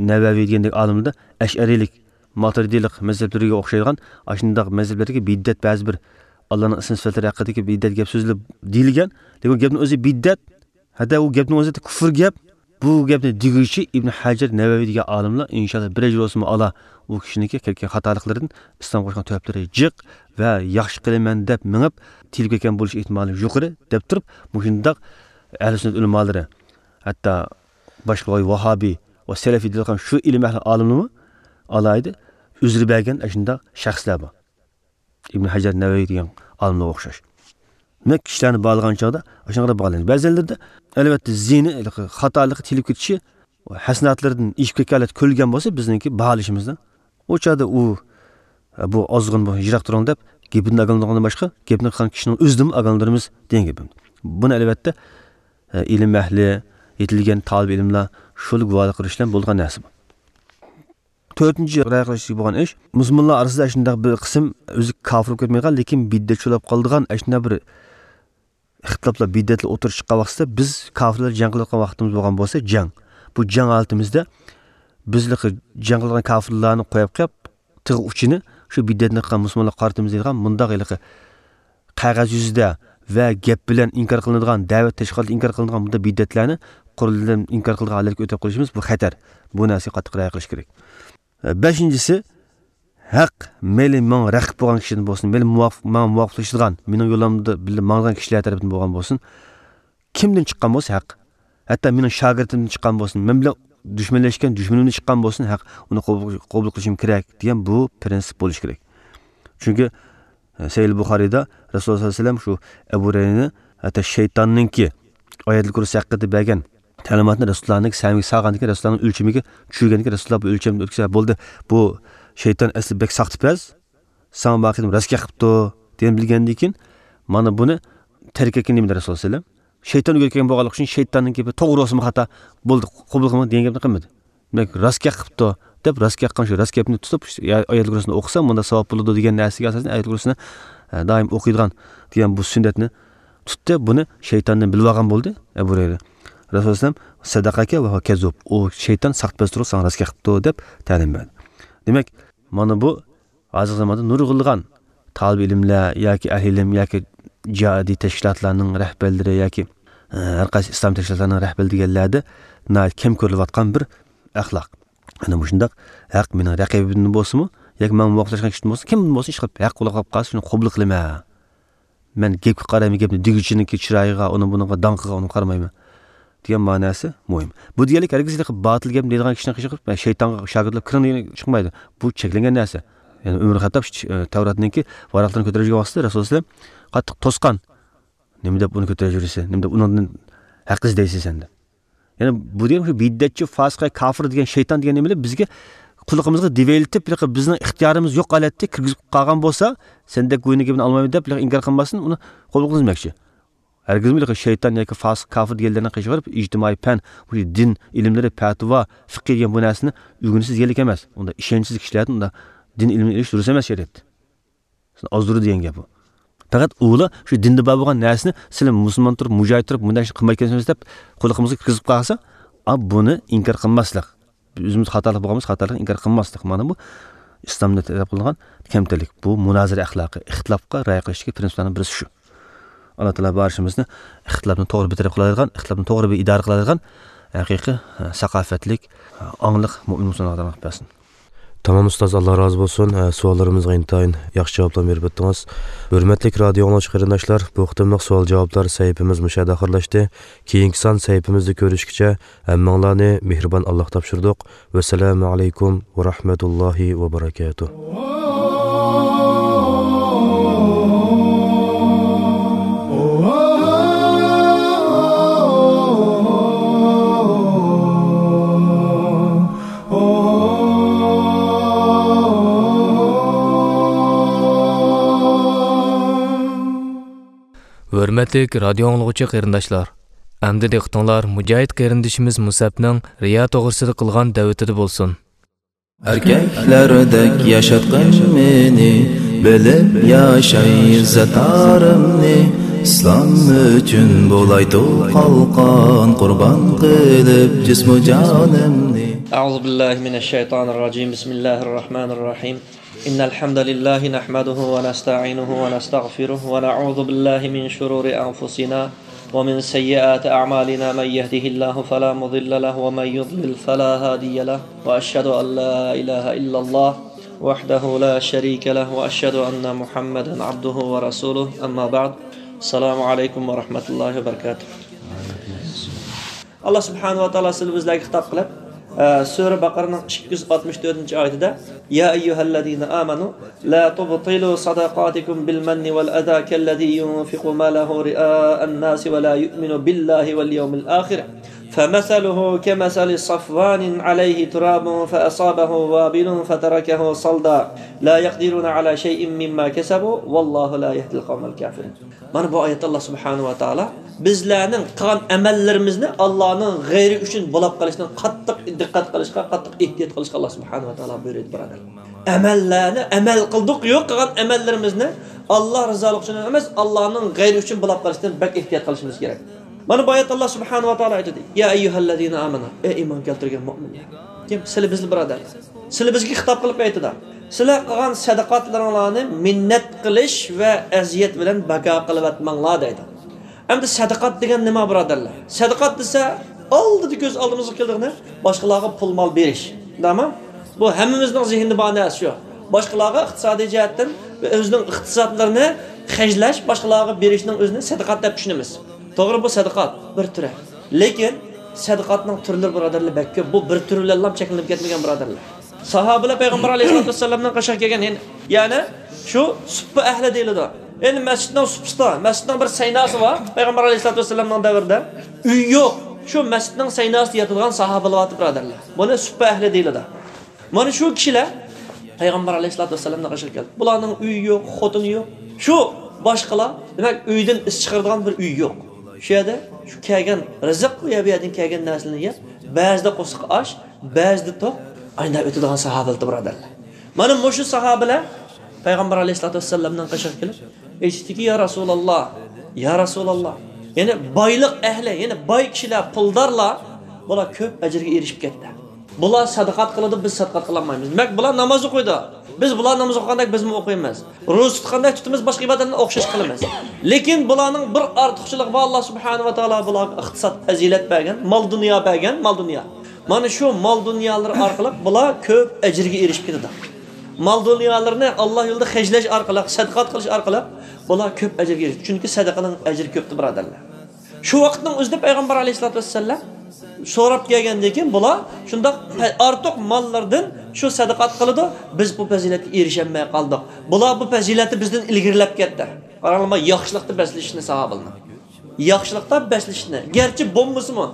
نەۋەۋى دېگەندەك ئالىملار ئەشئەرىيلىك، ماتۇرىدىيلىق مەزھەپلىرىگە ئوخشايدىغان ئاشۇنداق مەزھەپلەردىكى بىدئەت، بەزى بىر ئاللانىڭ ئىسىم سۈپەتلىرى ھەققىدىكى بىدئەت گەپ سۆزلەر دېيىلگەن. لېكىن گەپنىڭ ئۆزى بىدئەت، ھەتتا ئۇ گەپنىڭ ئۆزى كۇفر گەپ. بۇ گەپنى دېگۈچى ئىبن ھەجەر نەۋەۋى دېگەن ئالىملار، ئىنشائاللا، بىر ئەجىر بولسىمۇ ئالا، ئۇ كىشىنىڭكى كەلگەن خاتالىقلىرىدىن ئىسلامغا قوشقان تۆھپىلىرى جىق ۋە ياخشى قىلىمەن دەپ مېڭىپ، تىلىپ كەتكەن بولۇش ئېھتىمالى يۇقىرى دەپ تۇرۇپ، مۇشۇنداق ئەھلى سۈننەت ئۆلىمالىرى، ھەتتا باشقا ۋاھابىي ۋە سەلەفىي دېيىلغان شۇ ئىلىم ئەھلى ئالىملىرىمۇ ئالاھىدە ئۆزرە بەرگەن ئاشۇنداق شەخسلەر بار. ئىبن ھەجەر نەۋەۋى دېگەن ئالىملارغا ئوخشاش. دېمەك، كىشىلەرنى باھالىغان چاغدا ئاشۇنىڭغا قاراپ باھالايمىز. بەزىلىرىدە، ئەلۋەتتە، زىيىنى، خاتالىقى تىلىپ كېتىشى، ھەسەناتلىرىدىن ئېشىپ كەتكەن ھالەتتە كۆرۈلگەن بولسا، بىزنىڭكى باھالىشىمىزدا، ئۇ چاغدا ئۇ، بۇ ئازغىن، بۇ يىراق تۇرۇڭ دەپ، گېپىدىن ئاگاھلاندۇرغاندىن باشقا، گەپنى قىلغان كىشىنىڭ ئۆزىدىنمۇ ئاگاھلاندۇرىمىز دېگەن گېپىم. بۇنى، ئەلۋەتتە، ئىلىم ئەھلى، يېتىلگەن تالىب ئىلىملار شۇلا گۇۋاھلىق بېرىش بىلەن بولىدىغان نەرسە بۇ. تۆتىنچى رەھبەرلىك بولغان ئىش، مۇسۇلمانلار ئارىسىدا شۇنداق بىر قىسىم ئۆزى كاپىر بولۇپ كەتمەيدىغان، لېكىن بىدئەتچى بولۇپ قالىدىغان، ئاشۇنداق بىر ئىختىلاپلار، بىدئەتلەر ئوتتۇرىغا چىققان ۋاقتىدا، بىز كاپىرلار جەڭ قىلىۋاتقان ۋاقتىمىز بولغان بولسا، جەڭ. بۇ جەڭ ھالىتىمىزدە بىز ھېلىقى جەڭ قىلىدىغان كاپىرلارنى قويۇپ قويۇپ، تىغ ئۇچىنى شۇ بىدئەتنى قىلغان مۇسۇلمانلارغا قارىتىمىز دەيدىغان مۇنداق ھېلىقى قەغەز يۈزىدە ۋە گەپ بىلەن ئىنكار قىلىنىدىغان، دەۋەت تەشۋىقاتى ئىنكار قىلىنىدىغان بۇنداق بىدئەتلەرنى قولىدىن ئىنكار قىلىدىغان ھالەتكە ئۆتۈپ قېلىشىمىز، بۇ خەتەر. بۇ نەرسىگە قاتتىق رىئايە قىلىش كېرەك. بەشىنچىسى، ھەق مەيلى ماڭا رەقىب بولغان كىشىدىن بولسۇن، مەيلى مۇۋاپىق، ماڭا مۇۋاپىقلىشىدىغان، مېنىڭ يولۇمدا بىللە ماڭىدىغان كىشىلەر تەرىپىدىن بولغان بولسۇن، كىمدىن چىققان بولسا ھەق، ھەتتا مېنىڭ شاگىرتىمدىن چىققان بولسۇن، مەن بىلەن دۈشمەنلەشكەن دۈشمىنىمدىن چىققان بولسۇن، ھەق، ئۇنى قوبۇل، قوبۇل قىلىشىم كېرەك دېگەن بۇ پىرىنسىپ بولۇشى كېرەك. چۈنكى، ئە، سەھىھ بۇخارىيدا رەسۇلۇللاھ سەللەللاھۇ ئەلەيھى ۋەسەللەم شۇ ئەبۇ ھۇرەيرىنى ھەتتا شەيتاننىڭكى ئايەتۇل كۇرسى ھەققىدە بەرگەن تەلىماتنى رەسۇلۇللاھنىڭ سەھنىگە سالغاندىكىن، رەسۇلۇللاھنىڭ ئۆلچىمىگە چۈشۈرگەندىكىن، رەسۇلۇللاھ بۇ ئۆلچەمدىن ئۆتكۈزسە بولدى. بۇ شەيتان ئەسلى بەك ساختىپەز، ساڭا بۇ قېتىم راست گەپ قىپتۇ دېگەن بىلگەندىن كېيىن، مانا بۇنى تەرك ئەتكەن دېمىدى رەسۇلۇللاھ سەللەم. شەيتان ئۆگەتكەن بولغانلىقى ئۈچۈن، شەيتاننىڭ گېپى توغرا بولسىمۇ خاتا، بولدى، قوبۇل قىلماڭ دېگەن گەپنى قىلمىدى. دېمەك، راست گەپ قىپتۇ دەپ، راست گەپ قىلغان شۇ راست گەپنى تۇتۇپ، ئايەتۇل كۇرسىنى ئوقۇسا، مۇندا ساۋاب بولىدۇ دېگەن نەرسىگە ئاساسەن ئايەتۇل كۇرسىنى، ئە، دائىم ئوقۇيدىغان دېگەن بۇ سۈننەتنى تۇتتى. بۇنى شەيتاندىن بىلىپ ئالغان بولدى ئەبۇ ھۇرەيرە. رەسۇلۇللاھ سەللەم، سەدەقەكە ۋە كەززۇب. ئۇ شەيتان ساختىپەز تۇرۇپ ساڭا راست گەپ قىپتۇ دەپ تەلىم بەردى. دېمەك، مانا بۇ ھازىرقى زاماندا نۇرغۇنلىغان تالىب ئىلىملەر ياكى ئەھلى ئىلىم ياكى جىھادىي تەشكىلاتلارنىڭ رەھبەرلىرى ياكى، ئە، ھەر قايسى ئىسلام تەشكىلاتلارنىڭ رەھبەرلىرى دېگەنلەردە ناھايىتى كەم كۆرۈلۈۋاتقان بىر ئەخلاق. ئەنە مۇشۇنداق ھەق مېنىڭ رەقىبىمدىن بولسىمۇ ياكى ماڭا مۇۋاپىقلاشقان كىشىدىن بولسۇن، كىمدىن بولسۇن، ئىشقىلىپ ھەق قۇلاق قاپ قالسا، شۇنى قوبۇل قىلىمەن. مەن گەپكە قارايمەن، گەپنى دېگۈچىنىڭكى چىرايىغا، ئۇنىڭ بۇنىڭغا، داڭقىغا ئۇنى قارىمايمەن دېگەن ماناسى مۇھىم. بۇ دېگەنلىك ھەرگىز ھېلىقى باتىل گەپنى دەيدىغان كىشىنىڭ قېشىغا، مەن شەيتانغا شاگىرتلەپ كىرىڭ دېگەن چىقمايدۇ. بۇ چەكلەنگەن نەرسە. يەنى ئۆمەر خەتتاب، ئە، تەۋراتنىڭكى ۋاراقلىرىنى كۆتۈرۈپ يۈرگەن ۋاقتىدا رەسۇلۇللاھ سەللەم قاتتىق توسقان. نېمە دەپ ئۇنى كۆتۈرۈپ يۈرىسەن؟ نېمە دەپ ئۇنىڭدىن ھەق ئىزدەيسەن سەن دەپ. يەنى بۇ دېگەن شۇ بىدئەتچى، فاسىق، كاپىر دېگەن شەيتان دېگەن نېمىلەر بىزگە قۇلىقىمىزغا دېۋەيلىتىپ، ھېلىقى بىزنىڭ ئىختىيارىمىز يوق ھالەتتە كىرگۈزۈپ قالغان بولسا، سەندەك گۇينىڭ گېپىنى ئاڭلىمايمەن دەپ ھېلىقى ئىنكار قىلماستىن، ئۇنى قوبۇل قىلىمىز دېمەكچى. ھەرگىزمۇ ھېلىقى شەيتان ياكى فاسىق، كاپىر دېگەنلەرنىڭ قېشىغا بېرىپ، ئىجتىمائىي پەن، مۇشۇ دىن ئىلىملىرى، پەتىۋا، فىقھى دېگەن بۇ نەرسىنى ئۆگىنىسىز دېگەنلىك ئەمەس. ئۇنداق ئىشەنچسىز كىشىلەردىن ئۇنداق دىن ئىلمىنى ئېلىش دۇرۇس ئەمەس شەرىئەتتە. سىلەرنى ئازدۇرىدۇ دېگەن گەپ بۇ. پەقەت ئۇلار شۇ دىندا بار بولغان نەرسىنى سىلەر مۇسۇلمان تۇرۇپ، مۇجاھىد تۇرۇپ، مۇنداق ئىشنى قىلمايدىكەنسىز دەپ قۇلىقىمىزغا كىرگۈزۈپ قالسا، ئا، بۇنى ئىنكار قىلماسلىق. ئۆزىمىز خاتالىق بولغان بولسا، خاتالىقنى ئىنكار قىلماسلىق. مانا بۇ ئىسلامدا تەلەپ قىلىنغان كەمتەرلىك. بۇ مۇنازىرە ئەخلاقى، ئىختىلاپقا رىئايە قىلىشتىكى پىرىنسىپلارنىڭ بىرسى شۇ. ئاللا تائالا بارشىمىزنى ئىختىلاپنى توغرا بىر تەرەپ قىلالايدىغان، ئىختىلاپنى توغرا بىر ئىدارە قىلالايدىغان ھەقىقىي، ھە، ساقاپەتلىك، ھە، ئاڭلىق مۆمىن مۇسۇلمانلاردىن قىلىپ بەرسۇن. تامام ئۇستاز، ئاللا رازى بولسۇن. ھە، سوئاللىرىمىزغا ئىنتايىن ياخشى جاۋابلارنى بېرىپ ئۆتتىڭىز. ھۆرمەتلىك رادىئو ئاڭلىغۇچى قېرىنداشلار، بۇ قېتىملىق سوئال جاۋابلار سەھىپىمىز مۇشۇ يەردە ئاخىرلاشتى. كېيىنكى سان سەھىپىمىزدە كۆرۈشكىچە ھەممىڭلارنى مېھرىبان ئاللاغا تاپشۇردۇق. ۋەسسالامۇ ئەلەيكۇم ۋە رەھمەتۇللاھى ۋە بەرەكاتۇھ. ھۆرمەتلىك رادىئو ئاڭلىغۇچى قېرىنداشلار، ئەمدى دىققىتىڭلار مۇجاھىد قېرىندىشىمىز مۇسەپنىڭ رىيا توغرىسىدا قىلغان دەۋىتىدە بولسۇن. ئەركەكلەردەك ياشاتقىن مېنى، بىلىپ ياشاي ئىززەت-ئارىمنى، ئىسلام ئۈچۈن بولايتۇ قالقان، قۇربان قىلىپ جىسمۇ جانىمنى. أعوذ بالله من الشيطان الرجيم. بسم الله الرحمن الرحيم. إن الحمد لله نحمده ونستعينه ونستغفره ونعوذ بالله من شرور أنفسنا ومن سيئات أعمالنا. من يهده الله فلا مضل له ومن يضلل فلا هادي له. وأشهد أن لا إله إلا الله وحده لا شريك له وأشهد أن محمدا عبده ورسوله. أما بعد. السلام عليكم ورحمة الله وبركاته. ئاللا سۇبھانەھۇ ۋە تائالا سىلى بىزلەرگە خىتاب قىلىپ، ئە، سۈرە بەقەرىنىڭ ئىككى يۈز ئاتمىش تۆتىنچى ئايىتىدە، يا أيها الذين آمنوا لا تبطلوا صدقاتكم بالمن والأذى كالذي ينفق ماله رئاء الناس ولا يؤمن بالله واليوم الآخر فمثله كمثل صفوان عليه تراب فأصابه وابل فتركه صلدا لا يقدرون على شيء مما كسبوا والله لا يهدي القوم الكافرين. مانا بۇ ئايەتتە ئاللا سۇبھانەھۇ ۋە تائالا بىزلەرنىڭ قىلغان ئەمەللىرىمىزنى ئاللانىڭ غەيرى ئۈچۈن بۇلاپ قېلىشتىن قاتتىق دىققەت قىلىشقا، قاتتىق ئېھتىيات قىلىشقا ئاللا سۇبھانەھۇ ۋە تائالا بۇيرۇيدۇ، بۇرادەر. ئەمەللەرنى ئەمەل قىلدۇق، يوق، قىلغان ئەمەللىرىمىزنى ئاللا رىزالىقى ئۈچۈن ئەمەس، ئاللانىڭ غەيرى ئۈچۈن بۇلاپ قېلىشتىن بەك ئېھتىيات قىلىشىمىز كېرەك. مانا بۇ ئايەتتە ئاللا سۇبھانەھۇ ۋە تائالا ئېيتىدۇ: يا ئەييۇھەللەزىنە ئامەنۇ، ئەي ئىمان كەلتۈرگەن مۆمىنلەر. كىم؟ سىلى بىزلى، بۇرادەرلەر. سىلى بىزگە خىتاب قىلىپ ئېيتىدۇ. سىلەر قىلغان سەدىقاتلىرىڭلارنى مىننەت قىلىش ۋە ئەزىيەت بىلەن بەكا قىلىۋەتمەڭلار دەيدۇ. ئەمدى سەدىقات دېگەن نېمە، بۇرادەرلەر؟ سەدىقات دېسە، ئالدىدا كۆز ئالدىمىزغا كېلىدىغىنى باشقىلارغا پۇل مال بېرىش. شۇنداقمۇ؟ بۇ ھەممىمىزنىڭ زېھنىدە بار نەرسە شۇ. باشقىلارغا ئىقتىسادىي جەھەتتىن ۋە ئۆزىنىڭ ئىقتىسادلىرىنى خەجلەش، باشقىلارغا بېرىشنىڭ ئۆزىنى سەدىقات دەپ چۈشىنىمىز. توغرا، بۇ سەدىقات بىر تۈرى. لېكىن سەدىقاتنىڭ تۈرلىرى، بۇرادەرلەر، بەك كۆپ. بۇ بىر تۈر بىلەنلا چەكلىنىپ كەتمىگەن، بۇرادەرلەر. ساھابىلەر پەيغەمبەر ئەلەيھىسسالاتۇ ۋەسسالامنىڭ قېشىغا كەلگەن، يەنى، يەنى شۇ سۇپپا ئەھلى دېيىلىدۇ. يەنى مەسچىتنىڭ سۇپىسىدا، مەسچىتنىڭ بىر سەيناسى بار. پەيغەمبەر ئەلەيھىسسالاتۇ ۋەسسالامنىڭ دەۋرىدە ئۆي يوق. شۇ مەسچىتنىڭ سەيناسىدا ياتىدىغان ساھابىلەر بار، بۇرادەرلەر. بۇنى سۇپپا ئەھلى دېيىلىدۇ. مانا شۇ كىشىلەر پەيغەمبەر ئەلەيھىسسالاتۇ ۋەسسالامنىڭ قېشىغا كەلدى. بۇلارنىڭ ئۆيى يوق، خوتۇنى يوق. شۇ باشقىلار، دېمەك، ئۆيدىن ئىس چىقىرىدىغان بىر ئۆي يوق. شۇ يەردە شۇ كەلگەن رىزىق، بۇ يەردىن كەلگەن نەرسىلەرنى يەپ، بەزىدە قورسىقى ئاچ، بەزىدە توق، ئايلاپ ئۆتىدىغان ساھابىلەر، بۇرادەرلەر. مانا مۇشۇ ساھابىلەر پەيغەمبەر ئەلەيھىسسالاتۇ ۋەسسالامنىڭ قېشىغا كېلىپ ئېيتىشتىكى: يا رەسۇلاللا، يا رەسۇلاللا، يەنى بايلىق ئەھلى، يەنى باي كىشىلەر، پۇلدارلار، بۇلار كۆپ ئەجىرگە ئېرىشىپ كەتتى. بۇلار سەدىقات قىلىدۇ، بىز سەدىقات قىلالمايمىز. دېمەك، بۇلار ناماز ئوقۇيدۇ. بىز بۇلار ناماز ئوقۇغاندەك بىزمۇ ئوقۇيمىز. روزا تۇتقاندەك تۇتىمىز، باشقا ئىبادەتلەرنى ئوخشاش قىلىمىز. لېكىن بۇلارنىڭ بىر ئارتۇقچىلىقى بار، ئاللا سۇبھانەھۇ ۋە تائالا بۇلارغا ئىقتىساد، پەزىلەت بەرگەن، مال دۇنيا بەرگەن، مال دۇنيا. مانا شۇ مال دۇنيالىرى ئارقىلىق بۇلار كۆپ ئەجىرگە ئېرىشىپ كېتىدۇ. مال دۇنيالىرىنى ئاللا يولىدا خەجلەش ئارقىلىق، سەدىقات قىلىش ئارقىلىق بۇلار كۆپ ئەجىرگە ئېرىشىدۇ. چۈنكى سەدىقىنىڭ ئەجرى كۆپتۇ، بۇرادەرلەر. شۇ ۋاقىتنىڭ ئۆزىدە پەيغەمبەر ئەلەيھىسسالاتۇ ۋەسسالام سوراپ كەلگەندىن كېيىن، بۇلار شۇنداق پە-، ئارتۇق ماللىرىدىن شۇ سەدىقات قىلىدۇ، بىز بۇ پەزىلەتكە ئېرىشەلمەي قالدۇق. بۇلار بۇ پەزىلەتتە بىزدىن ئىلگىرىلەپ كەتتى. قاراڭلار، ياخشىلىقتا بەسلىشىشنى ساھابىلەرنىڭ. ياخشىلىقتا بەسلىشىشنى. گەرچە بولمىسىمۇ،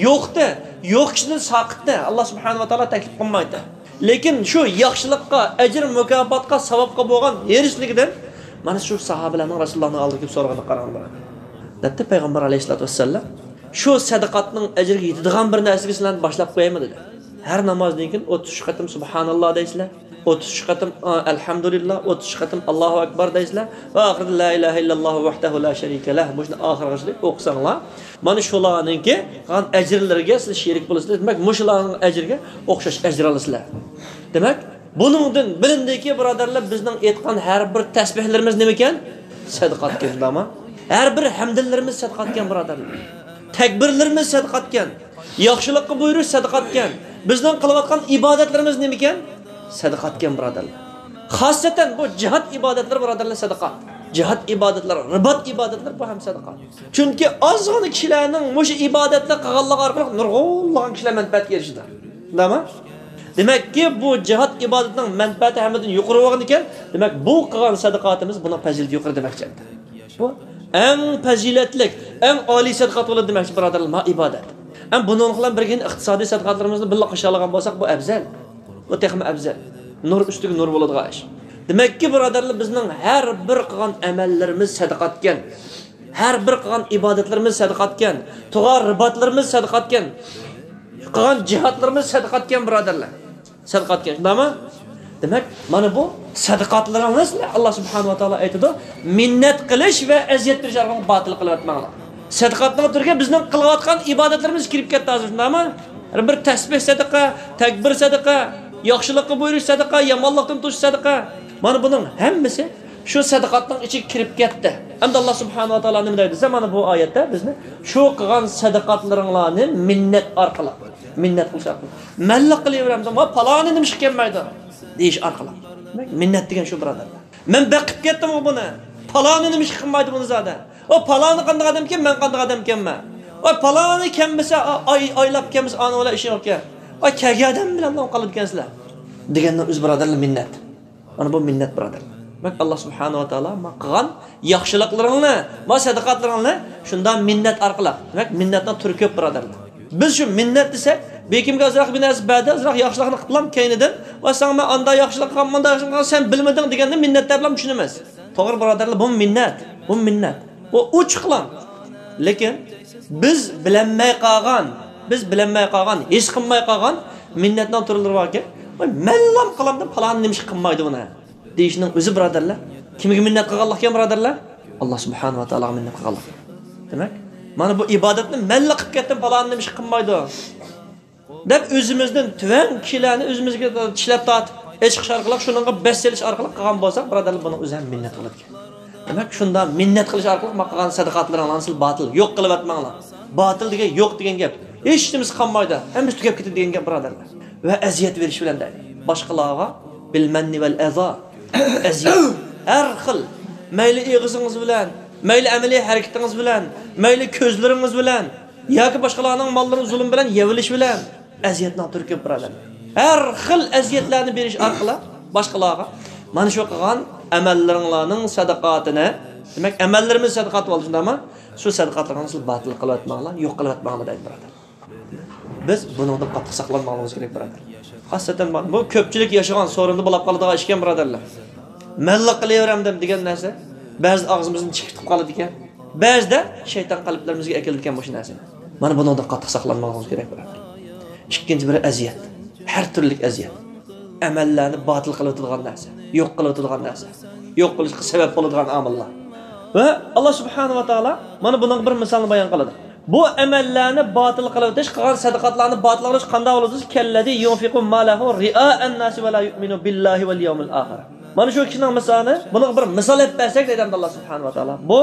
يوقتى، يوق كىشىدىن ساقىتتى. ئاللا سۇبھانەھۇ ۋە تائالا تەكلىپ قىلمايتتى. لېكىن شۇ ياخشىلىققا، ئەجىر مۇكاپاتقا، ساۋابقا بولغان ھېرىسلىكىدىن مانا شۇ ساھابىلەرنىڭ رەسۇلۇللانىڭ ئالدىغا كېلىپ سورىغىنىغا قاراڭلار. دەپتۇ پەيغەمبەر ئەلەيھىسسالاتۇ ۋەسسالام، شۇ سەدىقاتنىڭ ئەجرىگە يېتىدىغان بىر نەرسىگە سىلەرنى باشلاپ قويايمۇ دېدى. ھەر نامازدىن كېيىن ئوتتۇز ئۈچ قېتىم سۇبھاناللا دەيسىلەر، ئوتتۇز ئۈچ قېتىم، ئا، ئەلھەمدۇلىللا، ئوتتۇز ئۈچ قېتىم ئاللاھۇ ئەكبەر دەيسىلەر ۋە ئاخىرىدا لا ئىلاھە ئىللاللاھۇ ۋەھدەھۇ لا شەرىكە لەھ. مۇشۇنى ئاخىرغىچە دەپ ئوقۇساڭلار، مانا شۇلارنىڭكى قىلغان ئەجىرلىرىگە سىز شېرىك بولىسىلەر. دېمەك، مۇشۇلارنىڭ ئەجرىگە ئوخشاش ئەجىر ئالىسىلەر. دېمەك، بۇنىڭدىن بىلىندىكى، بۇرادەرلەر، بىزنىڭ ئېيتقان ھەر بىر تەسبىھلىرىمىز نېمىكەن؟ سەدىقاتكەن، شۇنداقمۇ؟ ھەر بىر ھەمدلىرىمىز سەدىقاتكەن، بۇرادەرلەر. تەكبىرلىرىمىز سەدىقاتكەن. ياخشىلىققا بۇيرۇش سەدىقاتكەن. بىزنىڭ قىلىۋاتقان ئىبادەتلىرىمىز نېمىكەن؟ سەدىقاتكەن، بۇرادەرلەر. خاسسەتەن بۇ جىھاد ئىبادەتلىرى، بۇرادەرلەر، سەدىقات. جىھاد ئىبادەتلىرى، رىبات ئىبادەتلىرى، بۇ ھەم سەدىقات. چۈنكى ئازغىنا كىشىلەرنىڭ مۇشۇ ئىبادەتلەر قىلغانلىقى ئارقىلىق نۇرغۇنلىغان كىشىلەر مەنپەئەتكە ئېرىشىدۇ. شۇنداقمۇ؟ دېمەككى، بۇ جىھاد ئىبادىتىنىڭ مەنپەئەتى ھەممىدىن يۇقىرى بولغان ئىكەن، دېمەك، بۇ قىلغان سەدىقاتىمىز بۇنىڭ پەزىلىتى يۇقىرى دېمەكچى ئەمدى. بۇ ئەڭ پەزىلەتلىك، ئەڭ ئالىي سەدىقات بولىدۇ دېمەكچى، بۇرادەرلەر، ما ئىبادەت. ئەم بۇنىڭ بىلەن بىرگە ئىقتىسادىي سەدىقاتلىرىمىزنى بىللە قوشالىغان بولساق، بۇ ئەۋزەل. بۇ تېخىمۇ ئەۋزەل. نۇر ئۈستىگە نۇر بولىدىغان ئىش. دېمەككى، بۇرادەرلەر، بىزنىڭ ھەر بىر قىلغان ئەمەللىرىمىز سەدىقاتكەن. ھەر بىر قىلغان ئىبادەتلىرىمىز سەدىقاتكەن. تۇغان رىباتلىرىمىز سەدىقاتكەن. قىلغان جىھادلىرىمىز سەدىقاتكەن، بۇرادەرلەر. سەدىقاتكەن، شۇنداقمۇ؟ دېمەك، مانا بۇ سەدىقاتلىرىڭىزنى، ئاللا سۇبھانەھۇ ۋە تائالا ئېيتىدۇ، مىننەت قىلىش ۋە ئەزىيەت بېرىش ئارقىلىق باتىل قىلىۋەتمەڭلار. سەدىقاتنىڭ تۈرىگە بىزنىڭ قىلىۋاتقان ئىبادەتلىرىمىز كىرىپ كەتتى ھازىر، شۇنداقمۇ؟ بىر تەسبىھ سەدىقە، تەكبىر سەدىقە، ياخشىلىققا بۇيرۇش سەدىقە، يامانلىقتىن توسۇش سەدىقە. مانا بۇنىڭ ھەممىسى شۇ سەدىقاتنىڭ ئىچىگە كىرىپ كەتتى. ئەمدى ئاللا سۇبھانەھۇ ۋە تائالا نېمە دەيدۇ دېسە، مانا بۇ ئايەتتە بىزنى شۇ قىلغان سەدىقاتلىرىڭلارنى مىننەت ئارقىلىق، مىننەت قىلىش ئارقىلىق. مەنلا قىلىۋېرەمسەن، ۋا پالانى نېمىشقا كەلمەيدۇ؟ دېيىش ئارقىلىق. دېمەك، مىننەت دېگەن شۇ، بۇرادەرلەر. مەن بەك قىلىپ كەتتىمغۇ بۇنى. پالانى نېمىشقا قىلمايدۇ بۇنى زادى؟ ئۇ پالانى قانداق ئادەمكەن، مەن قانداق ئادەمكەنمەن؟ ۋاي پالانى كەلمىسە، ئا-، ئاي-، ئايلاپ كەلمىسە، ئانىڭ بىلەن ئىشىڭ يوقكەن. ۋاي كەلگەن ئادەم بىلەن قالىدىكەنسىلەر. دېگەننىڭ ئۆزى، بۇرادەرلەر، مىننەت. مانا بۇ مىننەت، بۇرادەرلەر. دېمەك، ئاللا سۇبھانەھۇ ۋە تائالا ما قىلغان ياخشىلىقلىرىڭنى، ما سەدىقاتلىرىڭنى شۇنداق مىننەت ئارقىلىق. دېمەك، مىننەتنىڭ تۈرى كۆپ، بۇرادەرلەر. بىز شۇ مىننەت دېسەك، بېكىمگە ئازراق بىر نەرسە بەردى، ئازراق ياخشىلىقنى قىپلام كەينىدىن، ۋە ساڭا مەن ئاندا ياخشىلىق قىلغان، مۇندا ياخشىلىق قىلغان، سەن بىلمىدىڭ دېگەننى مىننەت دەپلام چۈشىنىمىز. توغرا، بۇرادەرلەر، بۇ مىننەت، بۇ مىننەت. بۇ ئوچۇقلام. لېكىن بىز بىلەلمەي قالغان، بىز بىلەلمەي قالغان، ھېس قىلماي قالغان مىننەتنىڭ تۈرلىرى باركەن. ۋاي، مەنلام قىلامدىم، پالان نېمىشقا قىلمايدۇ بۇنى دېيىشنىڭ ئۆزى، بۇرادەرلەر، كىمگە مىننەت قىلغانلىق ئىكەن، بۇرادەرلەر؟ ئاللا سۇبھانەھۇ ۋە تائالاغا مىننەت قىلغانلىق. دېمەك، مانا بۇ ئىبادەتنى مەنلا قىلىپ كەتتىم، پالان نېمىشقا قىلمايدۇ دەپ، ئۆزىمىزدىن تۆۋەن كىشىلەرنى ئۆزىمىزگە چىشلەپ تارتىپ ئېچىقىش ئارقىلىق، شۇنىڭغا بەس سېلىش ئارقىلىق قىلغان بولساق، بۇرادەرلەر، بۇنىڭ ئۆزى ھەم مىننەت قىلىدىكەن. دېمەك، شۇنداق مىننەت قىلىش ئارقىلىق ماڭا قىلغان سەدىقاتلىرىڭلارنى سىلەر باتىل، يوق قىلىۋەتمەڭلار. باتىل دېگەن يوق دېگەن گەپ. ھېچ نېمىسى قالمايدۇ. ھەممىسى تۈگەپ كېتىدۇ دېگەن گەپ، بۇرادەرلەر. ۋە ئەزىيەت بېرىش بىلەن دەيدۇ. باشقىلارغا بىل مەننى ۋەل ئەزا. ئەزىيەت. ھەر خىل. مەيلى ئېغىزىڭىز بىلەن، مەيلى ئەمەلىي ھەرىكىتىڭىز بىلەن، مەيلى كۆزلىرىڭىز بىلەن، ياكى باشقىلارنىڭ ماللىرىغا زۇلۇم بىلەن يەۋېلىش بىلەن ئەزىيەتنىڭ تۈركى، بۇرادەرلەر. ھەر خىل ئەزىيەتلەرنى بېرىش ئارقىلىق باشقىلارغا مانا شۇ قىلغان ئەمەللىرىڭلارنىڭ سەدىقاتىنى، دېمەك، ئەمەللىرىمىز سەدىقات بولدى، شۇنداقمۇ؟ شۇ سەدىقاتلىرىڭلارنى سىلەر باتىل قىلىۋەتمەڭلار، يوق قىلىۋەتمەڭلار دەيدۇ، بۇرادەرلەر. بىز بۇنىڭدىن قاتتىق ساقلانماقلىقىمىز كېرەك، بۇرادەرلەر. خاسسەتەن مانا بۇ كۆپچىلىك ياشىغان سورۇندا بولاپ قالىدىغان ئىش ئىكەن، بۇرادەرلەر. مەنلا قىلىۋېرەمدىم دېگەن نەرسە بەزىدە ئاغزىمىزدىن چىقىپ كېتىپ قالىدىكەن. بەزىدە شەيتان قەلبلىرىمىزگە ئەكېلىدىكەن مۇشۇ نەرسىنى. مانا بۇنىڭدىن قاتتىق ساقلانماقلىقىمىز كېرەك، بۇرادەرلەر. ئىككىنچى بىرى ئەزىيەت. ھەر تۈرلۈك ئەزىيەت. ئەمەللەرنى باتىل قىلىۋېتىدىغان نەرسە. يوق قىلىۋېتىدىغان نەرسە. يوق قىلىشقا سەۋەب بولىدىغان ئامىللار. ۋە ئاللا سۇبھانەھۇ ۋە تائالا مانا بۇنىڭغا بىر مىسالنى بايان قىلىدۇ. بۇ ئەمەللەرنى باتىل قىلىۋېتىش، قىلغان سەدىقاتلارنى باتىل قىلىش قانداق بولىدۇ؟ كەللەزى يۇنفىقۇ مالەھۇ رىئائەن ناسى ۋە لا يۇئمىنۇ بىللاھى ۋەل يەۋمىل ئاخىر. مانا شۇ كىشىنىڭ مىسالى، بۇنىڭغا بىر مىسال ئېلىپ بەرسەك دەيدۇ ئاللا سۇبھانەھۇ ۋە تائالا. بۇ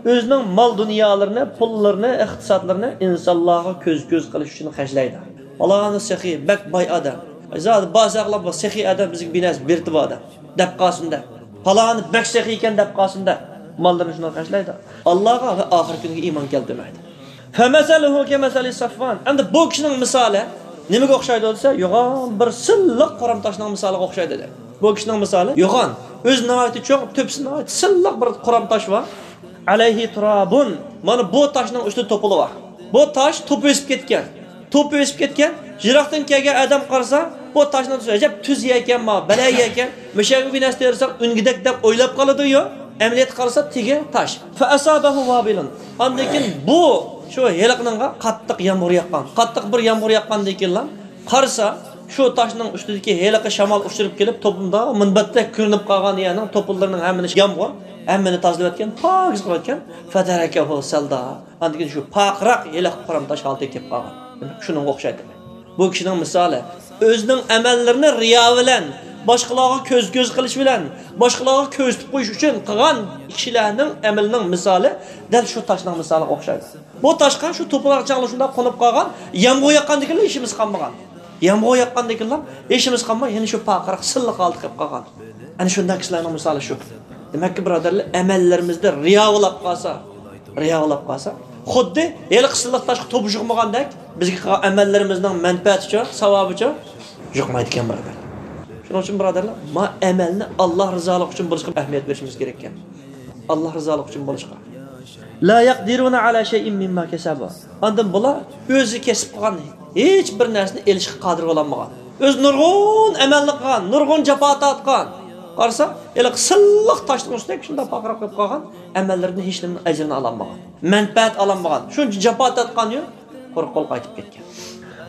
ئۆزىنىڭ مال دۇنيالىرىنى، پۇللىرىنى، ئىقتىسادلىرىنى ئىنسانلارغا كۆز-كۆز قىلىش ئۈچۈن خەجلەيدۇ. پالانى سېخىي، بەك باي ئادەم. زادى بارساقلا بۇ سېخىي ئادەم بىزگە بىر نەرسە بېرىدۇ بۇ ئادەم دەپ قالسۇن دەپ. پالانى بەك سېخىي ئىكەن دەپ قالسۇن دەپ. ماللىرىنى شۇنداق خەجلەيدۇ. ئاللاغا ۋە ئاخىرقى كۈنگە ئىمان كەلتۈرمەيدۇ. فمثله كمثل صفوان. ئەمدى بۇ كىشىنىڭ مىسالى نېمىگە ئوخشايدۇ دېسە، يوغان بىر سىللىق قۇرام تاشنىڭ مىسالىغا ئوخشايدۇ دەيدۇ. بۇ كىشىنىڭ مىسالى يوغان، ئۆزى ناھايىتى چوڭ، تۆپىسى ناھايىتى سىللىق بىر قۇرام تاش بار. ئەلەيھى تۇرابۇن. مانا بۇ تاشنىڭ ئۈستىدە توپىلى بار. بۇ تاش توپا ئېسىپ كەتكەن. توپا ئېسىپ كەتكەن. يىراقتىن كەلگەن ئادەم قارىسا، بۇ تاشنىڭ تۈزى ئەجەب تۈز يەكەن، ما بەلەي يەكەن. مۇشۇ يەرگە بىر نەرسە تېرىساق ئۈنگۈدەك دەپ ئويلاپ قالىدۇ-يۇ. ئەمەلىيەتتە قارىسا تېگى تاش. فأصابه وابل. ئاندىن كېيىن بۇ شۇ ھېلىقىنىڭغا قاتتىق يامغۇر ياغقان. قاتتىق بىر يامغۇر ياغقاندىن كېيىنلا قارىسا، شۇ تاشنىڭ ئۈستىدىكى ھېلىقى شامال ئۇچۇرۇپ كېلىپ، توپىلىدا مۇنبەتتەك كۆرۈنۈپ قالغان يەرنىڭ توپىلىرىنىڭ ھەممىنى يامغۇر، ھەممىنى تازىلىۋەتكەن، پاكىز قىلىۋەتكەن. فتركه صلدا. ئاندىن كېيىن شۇ پارقىراق ھېلىقى قۇرام تاش ھالىتىگە كېلىپ قالغان. دېمەك، شۇنىڭغا ئوخشايدۇ. بۇ كىشىنىڭ مىسالى، ئۆزىنىڭ ئەمەللىرىنى رىيا بىلەن، باشقىلارغا كۆز-كۆز قىلىش بىلەن، باشقىلارغا كۆرسىتىپ قويۇش ئۈچۈن قىلغان كىشىلەرنىڭ ئەمىلىنىڭ مىسالى دەل شۇ تاشنىڭ مىسالىغا ئوخشايدۇ. بۇ تاشقا شۇ توپىلاق چاغلا شۇنداق قونۇپ قالغان، يامغۇر ياغقاندىن كېيىنلا ھېچنېمىسى قالمىغان. يامغۇر ياغقاندىن كېيىنلا ھېچنېمىسى قالماي، يەنە شۇ پارقىراق سىللىق ھالىتىگە كېلىپ قالغان. ئەنە شۇنداق كىشىلەرنىڭ مىسالى شۇ. دېمەككى، بۇرادەرلەر، ئەمەللىرىمىزدە رىيا بولاپ قالسا، رىيا بولاپ قالسا، خۇددى ھېلىقى سىللىق تاشقا توپا يۇقمىغاندەك، بىزگە قىلغان ئەمەللىرىمىزنىڭ مەنپەئەتىچۇ، ساۋابىچۇ يۇقمايدىكەن، بۇرادەرلەر. شۇنىڭ ئۈچۈن، بۇرادەرلەر، ما ئەمەلنى ئاللا رىزالىقى ئۈچۈن بولۇشىغا ئەھمىيەت بېرىشىمىز كېرەككەن. ئاللا رىزالىقى ئۈچۈن بولۇشقا. لا يقدرون على شيء مما كسبوا. ئاندىن بۇلار ئۆزى كەسىپ قىلغان ھېچ بىر نەرسىنى ئېلىشقا قادىر بولالمىغان. ئۆزى نۇرغۇن ئەمەلنى قىلغان، نۇرغۇن جاپا تارتقان. قارىسا، ھېلىقى سىللىق تاشنىڭ ئۈستىدە شۇنداق پارقىراپ قېلىپ قالغان، ئەمەللىرىدىن ھېچنېمىنىڭ ئەجرىنى ئالالمىغان. مەنپەئەت ئالالمىغان. شۇنچە جاپا تارتقان-يۇ، قۇرۇق قول قايتىپ كەتكەن.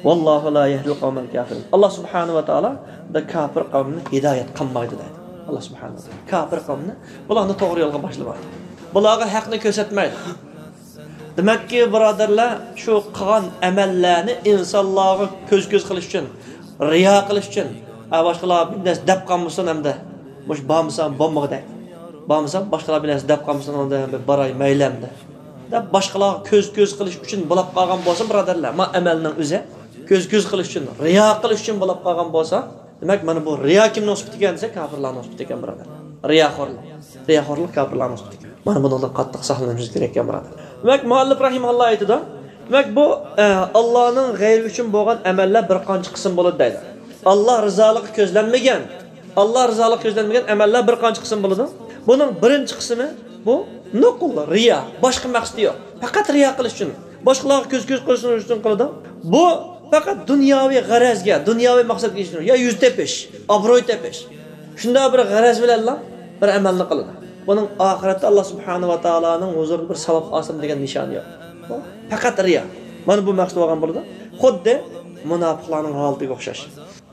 والله لا يهدي القوم الكافرين. ئاللا سۇبھانەھۇ ۋە تائالا دا كاپىر قەۋمنى ھىدايەت قىلمايدۇ دەيدۇ. ئاللا سۇبھانەھۇ ۋە تائالا كاپىر قەۋمنى، بۇلارنى توغرا يولغا باشلىمايدۇ. بۇلارغا ھەقنى كۆرسەتمەيدۇ. دېمەككى، بۇرادەرلەر، شۇ قىلغان ئەمەللەرنى ئىنسانلارغا كۆز-كۆز قىلىش ئۈچۈن، رىيا قىلىش ئۈچۈن، ھە، باشقىلارغا بىر نەرسە دەپ قالمىسۇن ئەمدى، مۇشۇ بارمىسام بولمىغۇدەك، بارمىسام باشقىلار بىر نەرسە دەپ قالمىسۇن، ئەمدى بىر باراي مەيلى ئەمدى دەپ، باشقىلارغا كۆز-كۆز قىلىش ئۈچۈن بولاپ قالغان بولسا، بۇرادەرلەر، ما ئەمەلنىڭ ئۆزى كۆز-كۆز قىلىش ئۈچۈن، رىيا قىلىش ئۈچۈن بولاپ قالغان بولسا، دېمەك، مانا بۇ رىيا كىمنىڭ سۈپىتى ئىكەن دېسە، كاپىرلارنىڭ سۈپىتى ئىكەن، بۇرادەر. رىياخورلۇق. رىياخورلۇق كاپىرلارنىڭ سۈپىتى ئىكەن. مانا بۇنىڭدىن قاتتىق ساقلىنىشىمىز كېرەك ئىكەن، بۇرادەر. دېمەك، مۇئەللىپ رەھىمەھۇللا ئېيتىدۇ، دېمەك، بۇ، ئە، ئاللانىڭ غەيرى ئۈچۈن بولغان ئەمەللەر بىر قانچە قىسىم بولىدۇ دەيدۇ. ئاللا رىزالىقى كۆزلەنمىگەن، ئاللا رىزالىقى كۆزلەنمىگەن ئەمەللەر بىر قانچە قىسىم بولىدۇ. بۇنىڭ بىرىنچى قىسمى بۇ نوقۇل رىيا، باشقا مەقسىتى يوق. پەقەت رىيا قىلىش ئۈچۈن. باشقىلارغا كۆز-كۆز قىلىشنىڭ ئۈچۈن قىلىدۇ. بۇ پەقەت دۇنياۋى غەرەزگە، دۇنياۋى مەقسەتكە يېتىش، يا يۈز تېپىش، ئابروي تېپىش. شۇنداق بىر غەرەز بىلەنلا بىر ئەمەلنى قىلىدۇ. بۇنىڭ ئاخىرەتتە ئاللا سۇبھانەھۇ ۋە تائالانىڭ ھۇزۇرىدا بىر ساۋاب ئالسام دېگەن نىشانى يوق. بۇ پەقەت رىيا. مانا بۇ مەقسەت بولغان بولىدۇ. خۇددى مۇناپىقلارنىڭ ھالىتىگە ئوخشاش.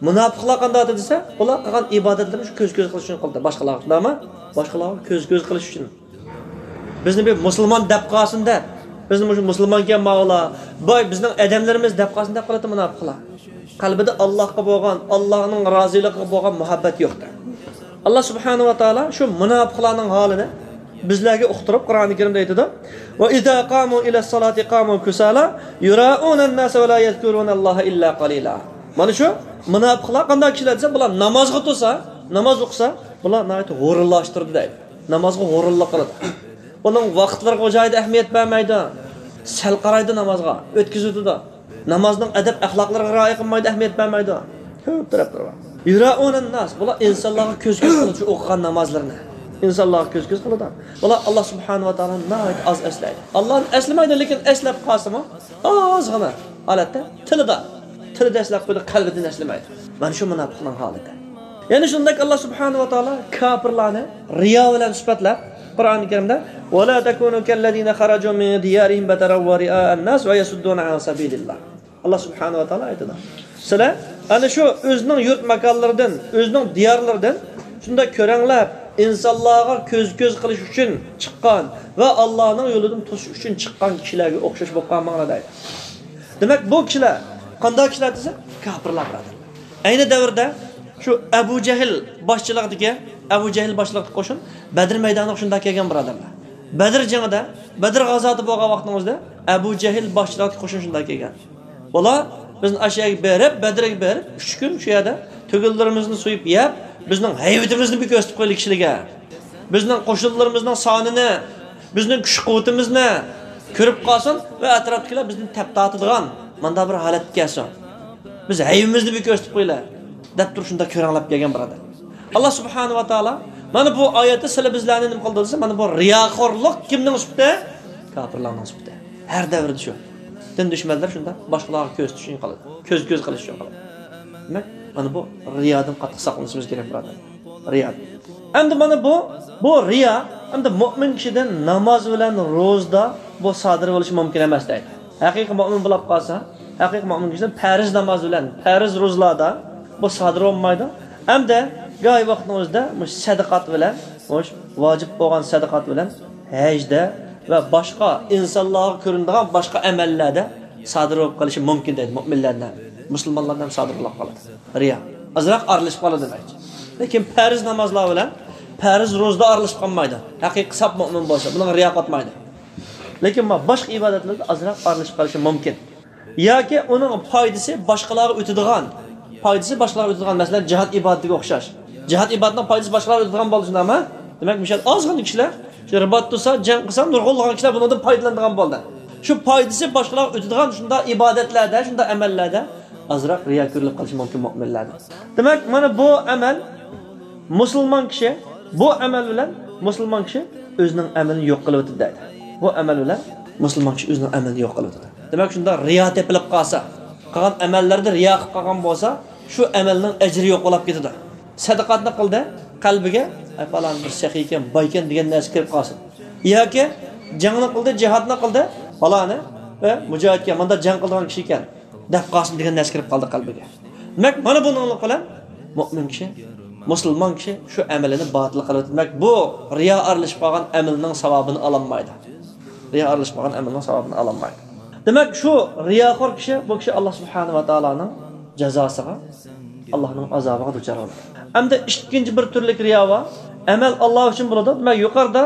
مۇناپىقلار قانداق دېسە، ئۇلار قىلغان ئىبادەتلىرىنى شۇ كۆز-كۆز قىلىش ئۈچۈن قىلىدۇ. باشقىلارغا شۇنداقمۇ؟ باشقىلارغا كۆز-كۆز قىلىش ئۈچۈن. بىزنى بىر مۇسۇلمان دەپ قالسۇن دەپ، بىزنى مۇشۇ مۇسۇلمانكەن ماۋۇلار، باي بىزنىڭ ئادەملىرىمىز دەپ قالسۇن دەپ قالىدۇ مۇناپىقلار. قەلبىدە ئاللاھقا بولغان، ئاللاھنىڭ رازىلىقىغا بولغان مۇھەببەت يوقتۇر. ئاللا سۇبھانەھۇ ۋە تائالا شۇ مۇناپىقلارنىڭ ھالىنى بىزلەرگە ئۇقتۇرۇپ، قۇرئانى كەرىمدە ئېيتىدۇ، «وَإِذَا قَامُوا إِلَى الصَّلَاةِ قَامُوا كُسَالَىٰ يُرَاءُونَ النَّاسَ وَلَا يَذْكُرُونَ اللَّهَ إِلَّا قَلِيلًا.» مانا شۇ مۇناپىقلار قانداق كىشىلەر دېسە، بۇلار نامازغا تۇرسا، ناماز ئوقۇسا، بۇلار ناھايىتى ھۇرۇنلاشتۇرىدۇ دەيدۇ. نامازغا ھۇرۇنلۇق قىلىدۇ. ئۇنىڭ ۋاقىتلىرىغا ئۇ جايدا ئەھمىيەت بەرمەيدۇ. سەل قارايدۇ نامازغا، ئۆتكۈزۈۋېتىدۇ. نامازنىڭ ئەدەپ-ئەخلاقلىرىغا رىئايە قىلمايدۇ، ئەھمىيەت بەرمەيدۇ. كۆپ تەرەپلىرى بار. يۇرائۇنەن ناس، بۇلار ئىنسانلارغا كۆز-كۆز قىلىدۇ شۇ ئوقۇغان نامازلىرىنى. ئىنسانلارغا كۆز-كۆز قىلىدۇ. بۇلار ئاللا سۇبھانەھۇ ۋە تائالانى ناھايىتى ئاز ئەسلەيدۇ. ئاللانى ئەسلىمەيدۇ، لېكىن ئەسلەپ قالسىمۇ، ئازغىنا ھالەتتە تىلىدا، تىلىدا ئەسلەپ قويىدۇ، قەلبىدىن ئەسلىمەيدۇ. مانا شۇ مۇناپىقنىڭ ھالىتى. يەنە شۇنداق ئاللا سۇبھانەھۇ ۋە تائالا كاپىرلارنى رىيا بىلەن سۈپەتلەپ، قۇرئانى كەرىمدە، «وَلَا تَكُونُوا كَالَّذِينَ خَرَجُوا مِنْ دِيَارِهِمْ بَطَرًا وَرِئَاءَ النَّاسِ وَيَصُدُّونَ عَنْ سَبِيلِ اللَّهِ.» ئاللا سۇبھانەھۇ ۋە تائالا ئېيتىدۇ، سىلەر ئەنە شۇ ئۆزىنىڭ يۇرت ماكانلىرىدىن، ئۆزىنىڭ دىيارلىرىدىن شۇنداق كۆرەڭلەپ، ئىنسانلارغا كۆز-كۆز قىلىش ئۈچۈن چىققان ۋە ئاللانىڭ يولىدىن توسۇش ئۈچۈن چىققان كىشىلەرگە ئوخشاش بولۇپ قالماڭلار دەيدۇ. دېمەك، بۇ كىشىلەر قانداق كىشىلەر دېسە، كاپىرلار، بۇرادەرلەر. ئەينى دەۋردە شۇ ئەبۇ جەھىل باشچىلىقىدىكى، ئەبۇ جەھىل باشچىلىقىدىكى قوشۇن بەدر مەيدانىغا شۇنداق كەلگەن، بۇرادەرلەر. بەدر جېڭىدە، بەدر غازاتى بولغان ۋاقتىڭىزدا ئەبۇ جەھىل باشچىلىقىدىكى قوشۇن شۇنداق كەلگەن. ئۇلار بىزنى ئاشۇ يەرگە بېرىپ، بەدرگە بېرىپ، ئۈچ كۈن شۇ يەردە تۈگۈنلىرىمىزنى سويۇپ يەپ، بىزنىڭ ھەيۋىتىمىزنى بىر كۆرسىتىپ قويىلى كىشىلەرگە. بىزنىڭ قوشۇنلىرىمىزنىڭ سانىنى، بىزنىڭ كۈچ-قۇۋۋىتىمىزنى كۆرۈپ قالسۇن ۋە ئەتراپتىكىلەر بىزنى تەپ تارتىدىغان مانداق بىر ھالەتكە كەلسۇن. بىز ھەيۋىمىزنى بىر كۆرسىتىپ قويىلى، دەپ تۇرۇپ شۇنداق كۆرەڭلەپ كەلگەن، بۇرادەر. ئاللا سۇبھانەھۇ ۋە تائالا مانا بۇ ئايەتتە سىلەر بىزلەرنى نېمە قىلدى دېسە، مانا بۇ رىياخورلۇق كىمنىڭ سۈپىتى؟ كاپىرلارنىڭ سۈپىتى. ھەر دەۋردە شۇ. دىن دۈشمەنلىرى شۇنداق باشقىلارغا كۆرسىتىش ئۈچۈن قىلىدۇ. كۆز-كۆز قىلىش ئۈچۈن قىلىدۇ. دېمەك، مانا بۇ رىيادىن قاتتىق ساقلىنىشىمىز كېرەك، بۇرادەر. رىيا. ئەمدى مانا بۇ، بۇ رىيا، ئەمدى مۆمىن كىشىدىن ناماز بىلەن روزىدا بۇ سادىر بولۇشى مۇمكىن ئەمەس دەيدۇ. ھەقىقىي مۆمىن بولۇپ قالسا، ھەقىقىي مۆمىن كىشىدىن پەرز ناماز بىلەن، پەرز روزىلاردا بۇ سادىر بولمايدۇ. ئەمدى گاھى ۋاقىتنىڭ ئۆزىدە مۇشۇ سەدىقات بىلەن، مۇشۇ ۋاجىپ بولغان سەدىقات بىلەن ھەجدە ۋە باشقا ئىنسانلارغا كۆرۈنىدىغان باشقا ئەمەللەردە سادىر بولۇپ قېلىشى مۇمكىن دەيدۇ. مۆمىنلەردىن ھەم، مۇسۇلمانلاردىن ھەم سادىر بولۇپ قالىدۇ. رىيا. ئازراق ئارىلىشىپ قالىدۇ دېمەكچى. لېكىن پەرز نامازلار بىلەن پەرز روزىدا ئارىلىشىپ قالمايدۇ. ھەقىقىي ساپ مۆمىن بولسا، بۇنىڭغا رىيا قاتمايدۇ. لېكىن ما-، باشقا ئىبادەتلەردە ئازراق ئارىلىشىپ قېلىشى مۇمكىن. ياكى ئۇنىڭ پايدىسى باشقىلارغا ئۆتىدىغان، پايدىسى باشقىلارغا ئۆتىدىغان، مەسىلەن، جىھاد ئىبادىتىگە ئوخشاش. جىھاد ئىبادىتىنىڭ پايدىسى باشقىلارغا ئۆتىدىغان بولدى، شۇنداقمۇ؟ دېمەك، مىسال، ئازغىنە كىشىلەر شۇ رىبات تۇرسا، جەڭ قىلسا، نۇرغۇنلىغان كىشىلەر بۇنىڭدىن پايدىلىنىدىغان بولدى. شۇ پايدىسى باشقىلارغا ئۆتىدىغان شۇنداق ئىبادەتلەردە، شۇنداق ئەمەللەردە ئازراق رىياكارلىق قىلىشى مۇمكىن مۆمىنلەردە. دېمەك، مانا بۇ ئەمەل مۇسۇلمان كىشى، بۇ ئەمەل بىلەن مۇسۇلمان كىشى ئۆزىنىڭ ئەمىلىنى يوق قىلىۋېتىدۇ دەيدۇ. بۇ ئەمەل بىلەن مۇسۇلمان كىشى ئۆزىنىڭ ئەمىلىنى يوق قىلىۋېتىدۇ. دېمەك، شۇنداق رىيا تېپىلىپ قالسا، قىلغان ئەمەللىرىدە رىيا قىلىپ قالغان بولسا، شۇ ئەمەلنىڭ ئەجرى يوق بولۇپ كېتىدۇ. سەدىقاتنى قىلدى، قەلبىگە، «ئەي، پالان بىر سېخىيكەن، بايكەن» دېگەن نەرسە كىرىپ قالسۇن. ياكى جەڭنى قىلدى، جىھادنى قىلدى، پالانى، «ئە، مۇجاھىدكەن، ماندا جەڭ قىلىدىغان كىشىكەن» دەپ قالسۇن دېگەن نەرسە كىرىپ قالدى قەلبىگە. دېمەك، مانا بۇنىڭلىق بىلەن مۆمىن كىشى، مۇسۇلمان كىشى شۇ ئەمىلىنى باتىل قىلىۋېتىدۇ. دېمەك، بۇ رىيا ئارىلىشىپ قالغان ئەمىلنىڭ ساۋابىنى ئالالمايدۇ. رىيا ئارىلىشىپ قالغان ئەمەلنىڭ ساۋابىنى ئالالمايدۇ. دېمەك، شۇ رىياخور كىشى، بۇ كىشى ئاللا سۇبھانەھۇ ۋە تائالانىڭ جازاسىغا، ئاللانىڭ ئازابىغا دۇچار بولىدۇ. ئەمدى ئىككىنچى بىر تۈرلۈك رىيا بار. ئەمەل ئاللا ئۈچۈن بولىدۇ. دېمەك، يۇقىرىدا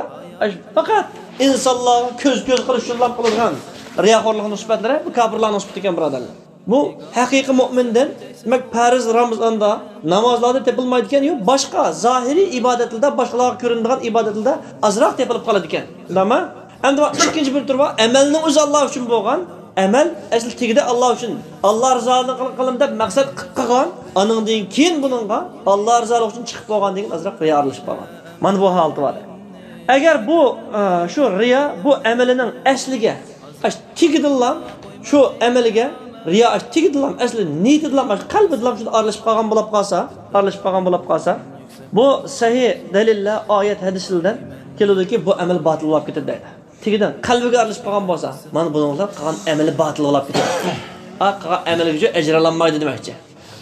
پەقەت ئىنسانلارغا كۆز-كۆز قىلىش ئۈچۈنلا قىلىدىغان رىياخورلۇقنىڭ سۈپەتلىرى، بۇ كاپىرلارنىڭ سۈپىتى ئىكەن، بۇرادەرلەر. بۇ ھەقىقىي مۆمىندىن، دېمەك، پەرز رامىزاندا، نامازلاردا تېپىلمايدىكەن، يو، باشقا زاھىرىي ئىبادەتلەردە، باشقىلارغا كۆرۈنىدىغان ئىبادەتلەردە ئازراق تېپىلىپ قالىدىكەن. شۇنداقمۇ؟ ئەمدى بار ئىككىنچى بىر تۈر بار، ئەمەلنىڭ ئۆزى ئاللا ئۈچۈن بولغان، ئەمەل ئەسلى تېگىدە ئاللا ئۈچۈن، ئاللا رىزالىقىنى قىلىمەن دەپ مەقسەت قىلىپ قىلغان، ئانىڭدىن كېيىن بۇنىڭغا ئاللا رىزالىقى ئۈچۈن چىقىپ بولغاندىن كېيىن ئازراق رىيا ئارىلىشىپ قالغان. مانا بۇ ھالىتى بار. ئەگەر بۇ، ئە، شۇ رىيا بۇ ئەمىلىنىڭ ئەسلىگە، ئاش تېگىدىنلا شۇ ئەمەلگە رىيا، ئاش تېگىدىنلا، ئەسلى نىيىتىدىنلا، ئاش قەلبىدىنلا شۇ ئارىلىشىپ قالغان بولۇپ قالسا، ئارىلىشىپ قالغان بولۇپ قالسا، بۇ سەھىھ دەلىللەر، ئايەت، ھەدىسلەردىن كېلىدۇكى، بۇ ئەمەل باتىل بولۇپ كېتىدۇ دەيدۇ. تېگىدىن قەلبىگە ئارىلىشىپ قالغان بولسا، مانا بۇنىڭ بىلەن قىلغان ئەمىلى باتىل بولۇپ كېتىدۇ. ئا، قىلغان ئەمىلىگە ئەجىر ئالالمايدۇ دېمەكچى.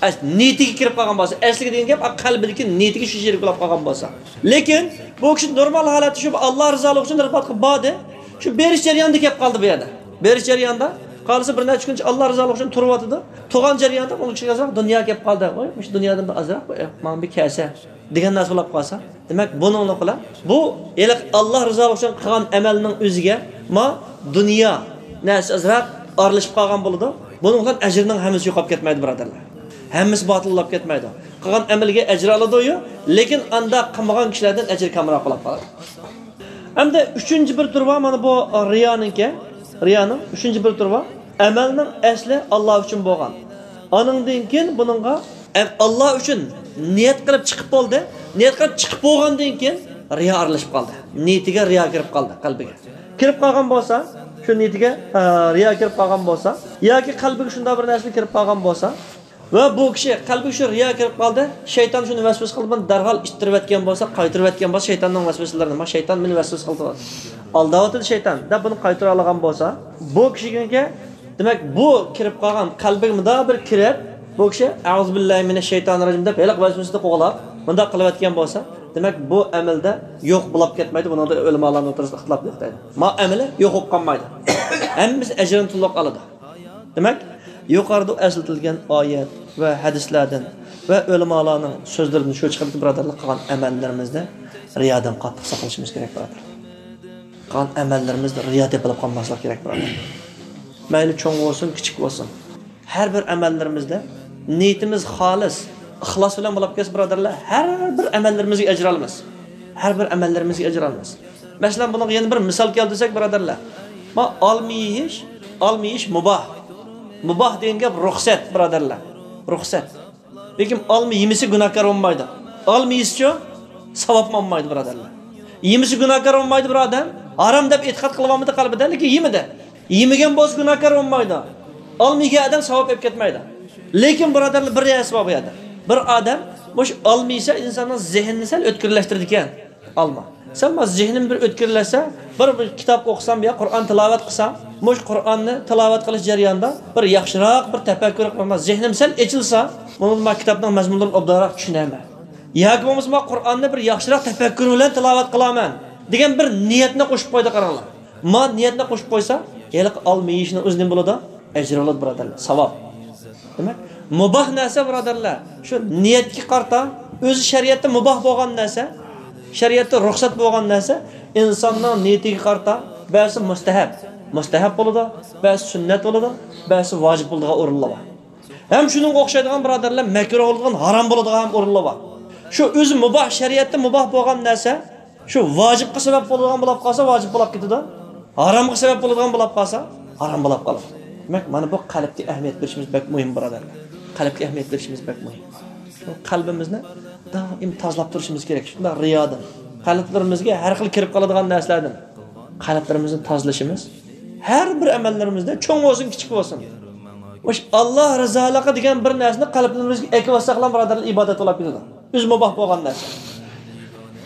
ئەس-، نىيىتىگە كىرىپ قالغان بولسا، ئەسلىگە دېگەن گەپ، ئا، قەلبىدىكى نىيىتىگە شۇ شېرىك بولۇپ قالغان بولسا. لېكىن بۇ كىشى نورمال ھالەتتە شۇ ئاللا رىزالىقى ئۈچۈن رىباتقا باردى. شۇ بېرىش جەريانىدا كەپ قالدى بۇ يەردە. بېرىش جەريانىدا قالسا بىر نەچچە كۈنچە ئاللا رىزالىقى ئۈچۈن تۇرۇۋاتىدۇ. تۇرغان جەريانىدا ئۇنىڭ ئىچىگە ئازراق دۇنيا كەپ قالدى. ۋاي، مۇشۇ دۇنيادىن بىر ئازراق، ماڭا بىر كەلسە دېگەن نەرسە بولۇپ قالسا، دېمەك، بۇنىڭلىق بىلەن بۇ ھېلىقى ئاللا رىزالىقى ئۈچۈن قىلغان ئەمەلنىڭ ئۆزىگە ما دۇنيا نەرسە ئازراق ئارىلىشىپ قالغان بولىدۇ. بۇنىڭ بىلەن ئەجرىنىڭ ھەممىسى يوقاپ كەتمەيدۇ، بۇرادەرلەر. ھەممىسى باتىل بولۇپ كەتمەيدۇ. قىلغان ئەمەلگە ئەجىر ئالىدۇ، لېكىن ئاندا قىلمىغان كىشىلەردىن ئەجىر كەمراق بولۇپ قالىدۇ. ئەمدى ئۈچىنچى بىر تۈر بار، مانا بۇ رىيانىڭكى، رىيانىڭ ئۈچىنچى بىر تۈرى بار. ئەمەلنىڭ ئەسلى ئاللا ئۈچۈن بولغان. ئانىڭدىن كېيىن بۇنىڭغا ئە-، ئاللا ئۈچۈن نىيەت قىلىپ چىقىپ بولدى. نىيەت قىلىپ چىقىپ بولغاندىن كېيىن رىيا ئارىلىشىپ قالدى. نىيىتىگە رىيا كىرىپ قالدى، قەلبىگە. كىرىپ قالغان بولسا، شۇ نىيىتىگە، ئە، رىيا كىرىپ قالغان بولسا، ياكى قەلبىگە شۇنداق بىر نەرسە كىرىپ قالغان بولسا، ۋە بۇ كىشى قەلبىگە شۇ رىيا كىرىپ قالدى، شەيتان شۇنى ۋەسۋەسە قىلىپ، بۇنى دەرھال ئىتتىرىۋەتكەن بولسا، قايتۇرۇۋەتكەن بولسا، شەيتاننىڭ ۋەسۋەسىلىرىنى، ما شەيتان مېنى ۋەسۋەسە قىلدى، ئالداۋاتىدۇ شەيتان، دەپ بۇنى قايتۇرالىغان بولسا، بۇ كىشىگە، دېمەك، بۇ كىرىپ قالغان قەلبىگە مۇنداق بىر كىرىپ، بۇ كىشى «ئەئۇزۇبىللاھىمىنەششەيتانىرراجىم» دەپ ھېلىقى ۋەسۋەسىنى قوغلاپ، مۇنداق قىلىۋەتكەن بولسا، دېمەك، بۇ ئەمەلدە يوق بولۇپ كەتمەيدۇ، بۇنىڭدا ئۆلىمالارنىڭ ئوتتۇرىسىدا ئىختىلاپ يوق دەيدۇ. ما ئەمىلى يوق بولۇپ قالمايدۇ. ھەممىسى ئەجرىنى تولۇق ئالىدۇ. دېمەك، يۇقىرىدا ئەسلىتىلگەن ئايەت ۋە ھەدىسلەردىن ۋە ئۆلىمالارنىڭ سۆزلىرىدىن شۇ چىقىدۇكى، بۇرادەرلەر، قىلغان ئەمەللىرىمىزدە رىيادىن قاتتىق ساقلىشىمىز كېرەك، بۇرادەرلەر. قىلغان ئەمەللىرىمىزدە رىيا تېپىلىپ قالماسلىق كېرەك، بۇرادەرلەر. مەيلى چوڭ بولسۇن، كىچىك بولسۇن، ھەر بىر ئەمەللىرىمىزدە نىيىتىمىز خالىس، ئىخلاس بىلەن بولۇپ كەتسە، بۇرادەرلەر، ھەر بىر ئەمەللىرىمىزگە ئەجىر ئالىمىز. ھەر بىر ئەمەللىرىمىزگە ئەجىر ئالىمىز. مەسىلەن، بۇنىڭغا يەنە بىر مىسال كەلتۈرسەك، بۇرادەرلەر، ما ئالما يېيىش، ئالما يېيىش مۇباھ. مۇباھ دېگەن گەپ رۇخسەت، بۇرادەرلەر. رۇخسەت. لېكىن ئالما يېمىسە گۇناھكار بولمايدۇ. ئالما يېسىچۇ؟ ساۋابمۇ ئالمايدۇ، بۇرادەرلەر. يېمىسە گۇناھكار بولمايدۇ، بۇرادەر. ھارام دەپ ئېتىقاد قىلىۋالمىدى قەلبىدە، لېكىن يېمىدى. يېمىگەن بولسا گۇناھكار بولمايدۇ. ئالما يېگەن ئادەم ساۋاب ئېلىپ كەتمەيدۇ. لېكىن، بۇرادەرلەر، بىر نەرسە بار بۇ يەردە. بىر ئادەم مۇشۇ ئالما يېسە ئىنساننىڭ زېھنىنى سەل ئۆتكۈرلەشتۈرىدىكەن. ئالما. سەل ما زېھنىم بىر ئۆتكۈرلەشسە، بىر، بىر كىتاب ئوقۇسام يا قۇرئان تىلاۋەت قىلسام، مۇشۇ قۇرئاننى تىلاۋەت قىلىش جەريانىدا بىر ياخشىراق بىر تەپەككۇر قىلما، زېھنىم سەل ئېچىلسا، بۇنىڭدا ما كىتابنىڭ مەزمۇنلىرىنى ئوبدانراق چۈشىنەرمەن. ياكى بولمىسا ما قۇرئاننى بىر ياخشىراق تەپەككۇر بىلەن تىلاۋەت قىلارمەن دېگەن بىر نىيەتنى قوشۇپ قويدى، قاراڭلار. ما نىيەتنى قوشۇپ قويسا، ھېلىقى ئالما يېيىشنىڭ ئۆزى نېمە بولىدۇ؟ ئەجرى بولىدۇ، بۇرادەرلەر، ساۋاب. دېمەك، مۇباھ نەرسە، بۇرادەرلەر، شۇ نىيەتكە قارىتا، ئۆزى شەرىئەتتە مۇباھ بولغان نەرسە، شەرىئەتتە رۇخسەت بولغان نەرسە ئىنساننىڭ نىيىتىگە قارىتا، بەزىسى مۇستەھەب، مۇستەھەب بولىدۇ، بەزىسى سۈننەت بولىدۇ، بەزىسى ۋاجىپ بولىدىغان ئورۇنلار بار. ھەم شۇنىڭغا ئوخشايدىغان، بۇرادەرلەر، مەكرۇھ بولىدىغان، ھارام بولىدىغان ھەم ئورۇنلار بار. شۇ ئۆزى مۇباھ، شەرىئەتتە مۇباھ بولغان نەرسە شۇ ۋاجىپقا سەۋەب بولىدىغان بولۇپ قالسا، ۋاجىپ بولۇپ كېتىدۇ. ھارامغا سەۋەب بولىدىغان بولۇپ قالسا، ھارام بولۇپ قالىدۇ. دېمەك، مانا بۇ قەلبكە ئەھمىيەت بېرىشىمىز بەك مۇھىم، بۇرادەرلەر. قەلبكە ئەھمىيەت بېرىشىمىز بەك مۇھىم. شۇ قەلبىمىزنى دائىم تازىلاپ تۇرۇشىمىز كېرەك. شۇنداق رىيادىن. قەلبلىرىمىزگە ھەر خىل كىرىپ قالىدىغان نەرسىلەردىن قەلبلىرىمىزنى تازىلىشىمىز. ھەر بىر ئەمەللىرىمىزدە، چوڭ بولسۇن، كىچىك بولسۇن، مۇشۇ ئاللا رىزالىقى دېگەن بىر نەرسىنى قەلبلىرىمىزگە ئەكىۋالساقلا، بۇرادەرلەر، ئىبادەت بولۇپ كېتىدۇ. ئۆزى مۇباھ بولغان نەرسە.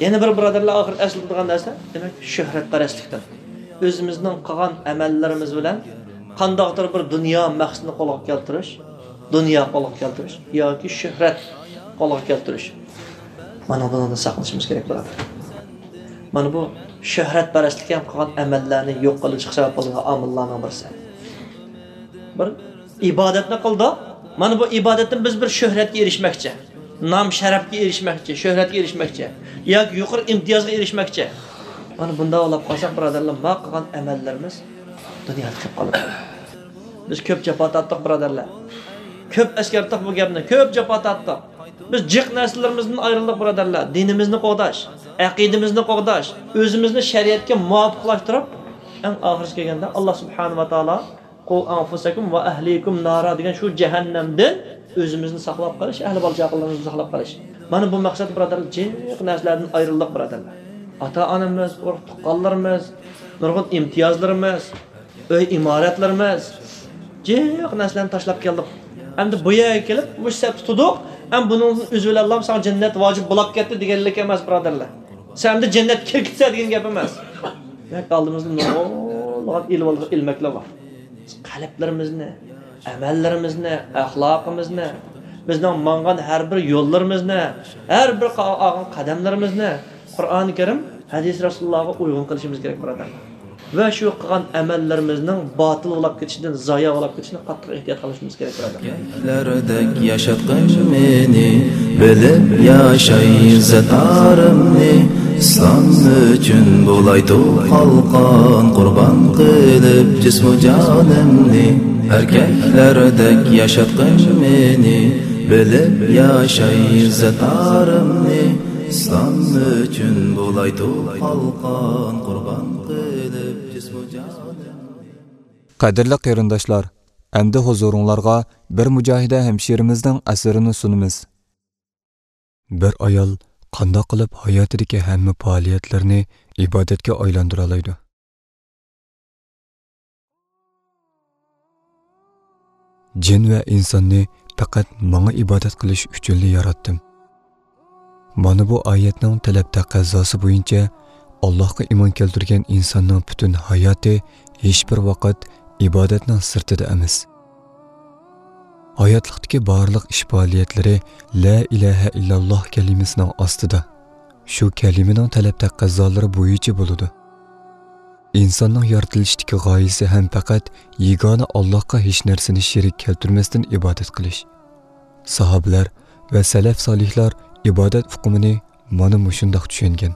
يەنە بىر، بۇرادەرلەر، ئاخىر ئەسلىتىدىغان نەرسە، دېمەك، شۆھرەتپەرەسلىكتىن. ئۆزىمىزنىڭ قىلغان ئەمەللىرىمىز بىلەن قانداقتۇر بىر دۇنيا مەقسىتىنى قولغا كەلتۈرۈش، دۇنيا قولغا كەلتۈرۈش ياكى شۆھرەت قولغا كەلتۈرۈش. مانا بۇنىڭدىن ساقلىنىشىمىز كېرەك، بۇرادەر. مانا بۇ شۆھرەتپەرەسلىك ھەم قىلغان ئەمەللەرنى يوق قىلىشقا سەۋەب بولىدىغان ئامىللارنىڭ بىرسى. بىر ئىبادەتنى قىلدۇق. مانا بۇ ئىبادەتتىن بىز بىر شۆھرەتكە ئېرىشمەكچى. نام شەرەپكە ئېرىشمەكچى، شۆھرەتكە ئېرىشمەكچى. ياكى يۇقىرى ئىمتىيازغا ئېرىشمەكچى. مانا بۇنداق بولۇپ قالساق، بۇرادەرلەر، ما قىلغان ئەمەللىرىمىز دۇنيادا قېلىپ قالىدۇ. بىز كۆپ جاپا تارتتۇق، بۇرادەرلەر. كۆپ ئەسكەرتتۇق بۇ گەپنى، كۆپ جاپا تارتتۇق. بىز جىق نەرسىلىرىمىزدىن ئايرىلدۇق، بۇرادەرلەر. دىنىمىزنى قوغداش، ئەقىدىمىزنى قوغداش، ئۆزىمىزنى شەرىئەتكە مۇۋاپىقلاشتۇرۇپ، ئەڭ ئاخىرىسى كەلگەندە، ئاللا سۇبھانەھۇ ۋە تائالا «قۇ ئەنفۇسەكۇم ۋە ئەھلىكۇم نارا» دېگەن شۇ جەھەننەمدىن ئۆزىمىزنى ساقلاپ قېلىش، ئەھلى بالا-چاقىلىرىمىزنى ساقلاپ قېلىش. مانا بۇ مەقسەتتە، بۇرادەرلەر، جىق نەرسىلەردىن ئايرىلدۇق، بۇرادەرلەر. ئاتا-ئانىمىز، ئۇرۇق-تۇغقانلىرىمىز، نۇرغۇن ئىمتىيازلىرىمىز، ئۆي ئىمارەتلىرىمىز، جىق نەرسىلەرنى تاشلاپ كەلدۇق. ئەمدى بۇ يەرگە كېلىپ، مۇشۇ سەپتە تۇردۇق. ئەمدى بۇنىڭدىن ئۈزۈۋېلەللام، ساڭا جەننەت ۋاجىپ بولاپ كەتتى دېگەنلىك ئەمەس، بۇرادەرلەر. سەن ئەمدى جەننەتكە كىرىپ كېتىسەن دېگەن گەپ ئەمەس. دېمەك، ئالدىمىزدا نۇرغۇنلىغان ئېلىۋالغۇدەك ئىلمەكلەر بار. قەلبلىرىمىزنى، ئەمەللىرىمىزنى، ئەخلاقىمىزنى، بىزنىڭ ماڭغان ھەر بىر يوللىرىمىزنى، ھەر بىر قا-، ئالغان قەدەملىرىمىزنى قۇرئانى كەرىم، ھەدىس رەسۇلۇللاغا ئۇيغۇن قىلىشىمىز كېرەك، بۇرادەرلەر. ۋە شۇ قىلغان ئەمەللىرىمىزنىڭ باتىل بولاپ كېتىشىدىن، زايا بولاپ كېتىشىدىن قاتتىق ئېھتىيات قىلىشىمىز كېرەك، بۇرادەرلەر. ئەركەكلەردەك ياشاتقىن مېنى، بىلىپ ياشاي زاتارىمنى. ئىسلام ئۈچۈن بولايتۇ قالقان، قۇربان قىلىپ جىسمۇ جانىمنى. ئەركەكلەردەك ياشاتقىن مېنى، بىلىپ ياشاي زاتارىمنى. ئىسلام ئۈچۈن بولايتۇ قالقان، قۇربان قىلىپ جىسمۇ جانىمنى. قەدىرلىك قېرىنداشلار، ئەمدى ھۇزۇرۇڭلارغا بىر مۇجاھىدە ھەمشىرىمىزنىڭ ئەسىرىنى سۇنىمىز. بىر ئايال قانداق قىلىپ ھاياتىدىكى ھەممە پائالىيەتلىرىنى ئىبادەتكە ئايلاندۇرالايدۇ؟ جىن ۋە ئىنساننى پەقەت ماڭا ئىبادەت قىلىش ئۈچۈنلا ياراتتىم. مانا بۇ ئايەتنىڭ تەلەپ تەقەززاسى بويىچە ئاللاھقا ئىمان كەلتۈرگەن ئىنساننىڭ پۈتۈن ھاياتى ھېچبىر ۋاقىت ئىبادەتنىڭ سىرتىدا ئەمەس. ھاياتلىقتىكى بارلىق ئىش پائالىيەتلىرى لا ئىلاھە ئىللاللاھ كەلىمىسىنىڭ ئاستىدا، شۇ كەلىمىنىڭ تەلەپ تەقەززالىرى بويىچە بولىدۇ. ئىنساننىڭ يارىتىلىشتىكى غايىسى ھەم پەقەت يېگانە ئاللاھقا ھېچ نەرسىنى شېرىك كەلتۈرمەستىن ئىبادەت قىلىش. ساھابىلەر ۋە سەلەف سالىھلار ئىبادەت ئۇقۇمىنى مانا مۇشۇنداق چۈشەنگەن.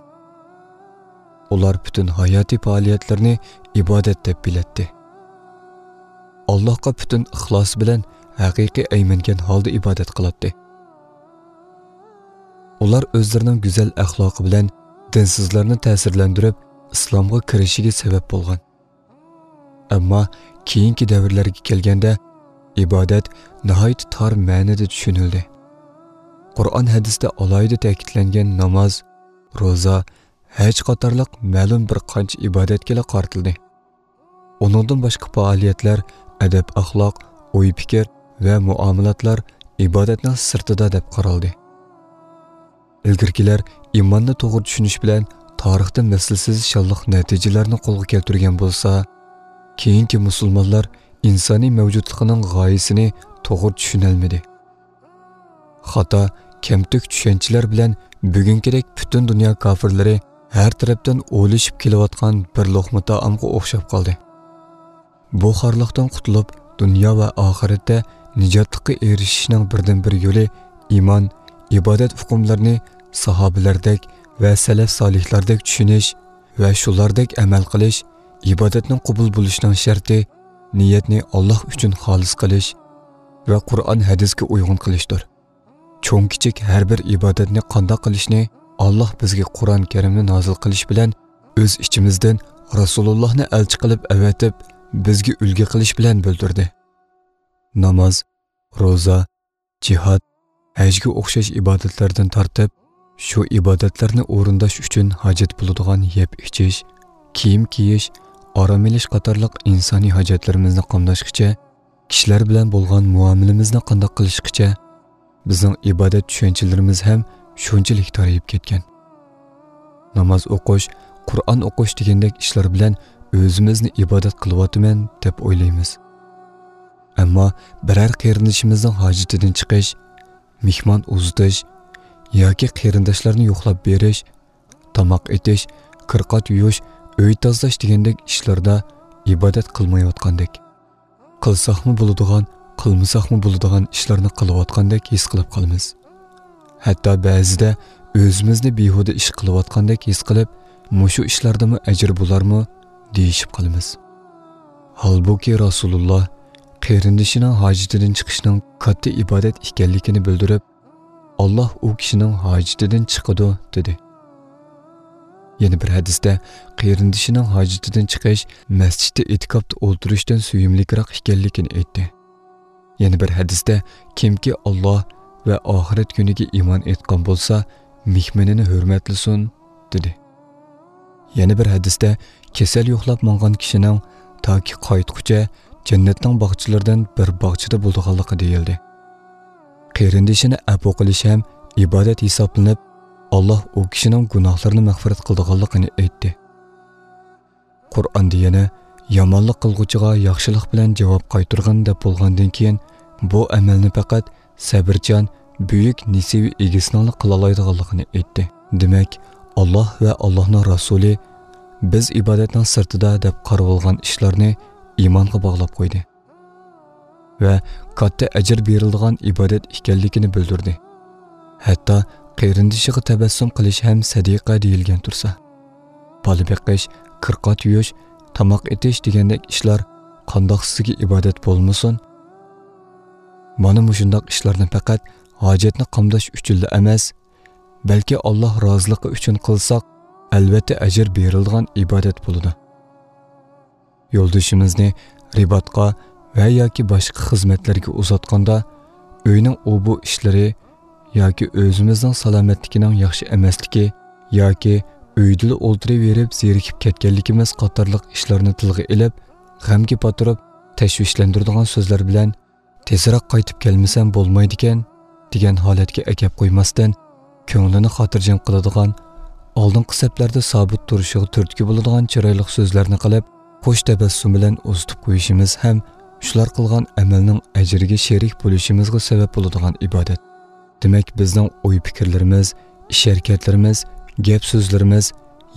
ئۇلار پۈتۈن ھاياتىي پائالىيەتلىرىنى ئىبادەت دەپ بىلەتتى. ئاللاھقا پۈتۈن ئىخلاسى بىلەن ھەقىقىي ئەيمەنگەن ھالدا ئىبادەت قىلاتتى. ئۇلار ئۆزلىرىنىڭ گۈزەل ئەخلاقى بىلەن دىنسىزلارنى تەسىرلەندۈرۈپ، ئىسلامغا كىرىشىگە سەۋەب بولغان. ئەمما كېيىنكى دەۋرلەرگە كەلگەندە، ئىبادەت ناھايىتى تار مەنىدە چۈشىنىلدى. قۇرئان ھەدىستە ئالاھىدە تەكىتلەنگەن ناماز، روزا، ھەج قاتارلىق مەلۇم بىر قانچە ئىبادەتكىلا قارىتىلدى. ئۇنىڭدىن باشقا پائالىيەتلەر، ئەدەپ-ئەخلاق، ئوي-پىكىر ۋە مۇئامىلاتلار ئىبادەتنىڭ سىرتىدا دەپ قارالدى. ئىلگىرىكىلەر ئىماننى توغرا چۈشىنىش بىلەن تارىختا مىسلىسىز شانلىق نەتىجىلەرنى قولغا كەلتۈرگەن بولسا، كېيىنكى مۇسۇلمانلار ئىنسانىي مەۋجۇتلۇقىنىڭ غايىسىنى توغرا چۈشىنەلمىدى. خاتا، كەمتۈك چۈشەنچىلەر بىلەن بۈگۈنكىدەك پۈتۈن دۇنيا كاپىرلىرى ھەر تەرەپتىن ئولىشىپ كېلىۋاتقان بىر لوقما تائامغا ئوخشاپ قالدى. بۇ خارلىقتىن قۇتۇلۇپ، دۇنيا ۋە ئاخىرەتتە نىجاتلىققا ئېرىشىشنىڭ بىردىنبىر يولى ئىمان، ئىبادەت ئۇقۇملىرىنى ساھابىلەردەك ۋە سەلەف سالىھلاردەك چۈشىنىش ۋە شۇلاردەك ئەمەل قىلىش، ئىبادەتنىڭ قوبۇل بولۇشىنىڭ شەرتى نىيەتنى ئاللاھ ئۈچۈن خالىس قىلىش ۋە قۇرئان ھەدىسكە ئۇيغۇن قىلىشتۇر. چوڭ-كىچىك ھەر بىر ئىبادەتنى قانداق قىلىشنى ئاللاھ بىزگە قۇرئان كەرىمنى نازىل قىلىش بىلەن ئۆز ئىچىمىزدىن رەسۇلۇللاھنى ئەلچى قىلىپ ئەۋەتىپ، بىزگە ئۈلگە قىلىش بىلەن بىلدۈردى. ناماز، روزا، جىھاد، ھەجگە ئوخشاش ئىبادەتلەردىن تارتىپ، شۇ ئىبادەتلەرنى ئورۇنداش ئۈچۈن ھاجەت بولىدىغان يەپ-ئىچىش، كىيىم كىيىش، ئارام ئېلىش قاتارلىق ئىنسانىي ھاجەتلىرىمىزنى قامداشقىچە، كىشىلەر بىلەن بولغان مۇئامىلىمىزنى قانداق قىلىشقىچە، بىزنىڭ ئىبادەت چۈشەنچىلىرىمىز ھەم شۇنچىلىك تارىيىپ كەتكەن. ناماز ئوقۇش، قۇرئان ئوقۇش دېگەندەك ئىشلار بىلەن ئۆزىمىزنى ئىبادەت قىلىۋاتىمەن دەپ ئويلايمىز. ئەمما بىرەر قېرىندىشىمىزنىڭ ھاجىتىدىن چىقىش، مېھمان ئۇزىتىش ياكى قېرىنداشلارنى يوقلاپ بېرىش، تاماق ئېتىش، كىر-قات يۇيۇش، ئۆي تازىلاش دېگەندەك ئىشلاردا ئىبادەت قىلمايۋاتقاندەك، قىلساقمۇ بولىدىغان، قىلمىساقمۇ بولىدىغان ئىشلارنى قىلىۋاتقاندەك ھېس قىلىپ قالىمىز. ھەتتا بەزىدە ئۆزىمىزنى بىھۇدە ئىش قىلىۋاتقاندەك ھېس قىلىپ، مۇشۇ ئىشلاردىمۇ ئەجىر بولارمۇ دېيىشىپ قالىمىز. ھالبۇكى، رەسۇلۇللا قېرىندىشىنىڭ ھاجىتىدىن چىقىشنىڭ كاتتا ئىبادەت ئىكەنلىكىنى بىلدۈرۈپ، «ئاللا ئۇ كىشىنىڭ ھاجىتىدىن چىقىدۇ» دېدى. يەنە بىر ھەدىستە قېرىندىشىنىڭ ھاجىتىدىن چىقىش مەسچىتتە ئېتىكاپتا ئولتۇرۇشتىن سۆيۈملۈكرەك ئىكەنلىكىنى ئېيتتى. يەنە بىر ھەدىستە، «كىمكى ئاللا ۋە ئاخىرەت كۈنىگە ئىمان ئېيتقان بولسا، مېھمىنىنى ھۆرمەتلىسۇن» دېدى. يەنە بىر ھەدىستە، كېسەل يوقلاپ ماڭغان كىشىنىڭ تاكى قايتقۇچە جەننەتنىڭ باغچىلىرىدىن بىر باغچىدا بولىدىغانلىقى دېيىلدى. قېرىندىشىنى ئەپۇ قىلىش ھەم ئىبادەت ھېسابلىنىپ، ئاللاھ ئۇ كىشىنىڭ گۇناھلىرىنى مەغپىرەت قىلىدىغانلىقىنى ئېيتتى. قۇرئاندا يەنە، يامانلىق قىلغۇچىغا ياخشىلىق بىلەن جاۋاب قايتۇرغىن دەپ بولغاندىن كېيىن، بۇ ئەمەلنى پەقەت سەبرچان، بۈيۈك نېسىۋە ئىگىسىنىڭلا قىلالايدىغانلىقىنى ئېيتتى. دېمەك، ئاللاھ ۋە ئاللاھنىڭ رەسۇلى بىز ئىبادەتنىڭ سىرتىدا دەپ قارىۋالغان ئىشلارنى ئىمانغا باغلاپ قويدى ۋە كاتتا ئەجىر بېرىلىدىغان ئىبادەت ئىكەنلىكىنى بىلدۈردى. ھەتتا قېرىندىشىغا تەبەسسۇم قىلىش ھەم سەدىقە دېيىلگەن تۇرسا، بالا بېقىش، كىر-قات يۇيۇش، تاماق ئېتىش دېگەندەك ئىشلار قانداق سىزگە ئىبادەت بولمىسۇن؟ مانا مۇشۇنداق ئىشلارنى پەقەت ھاجەتنى قامداش ئۈچۈنلا ئەمەس، بەلكى ئاللاھ رازىلىقى ئۈچۈن قىلساق، ئەلۋەتتە ئەجىر بېرىلىدىغان ئىبادەت بولىدۇ. يولدىشىمىزنى رىباتقا ۋە ياكى باشقا خىزمەتلەرگە ئۇزاتقاندا، ئۆينىڭ ئۇ بۇ ئىشلىرى ياكى ئۆزىمىزنىڭ سالامەتلىكىنىڭ ياخشى ئەمەسلىكى ياكى ئۆيدىلا ئولتۇرۇۋېرىپ زېرىكىپ كەتكەنلىكىمىز قاتارلىق ئىشلارنى تىلغا ئېلىپ، غەمگە پاتۇرۇپ، تەشۋىشلەندۈرىدىغان سۆزلەر بىلەن، «تېزراق قايتىپ كەلمىسەم بولمايدىكەن» دېگەن ھالەتكە ئەكەپ قويماستىن، كۆڭلىنى خاتىرجەم قىلىدىغان، ئالدىنقى سەپلەردە سابىت تۇرۇشىغا تۈرتكە بولىدىغان چىرايلىق سۆزلەرنى قىلىپ، خۇش تەبەسسۇم بىلەن ئۇزىتىپ قويۇشىمىز ھەم شۇلار قىلغان ئەمەلنىڭ ئەجرىگە شېرىك بولۇشىمىزغا سەۋەب بولىدىغان ئىبادەت. دېمەك، بىزنىڭ ئوي-پىكىرلىرىمىز، ئىش-ھەرىكەتلىرىمىز، گەپ-سۆزلىرىمىز،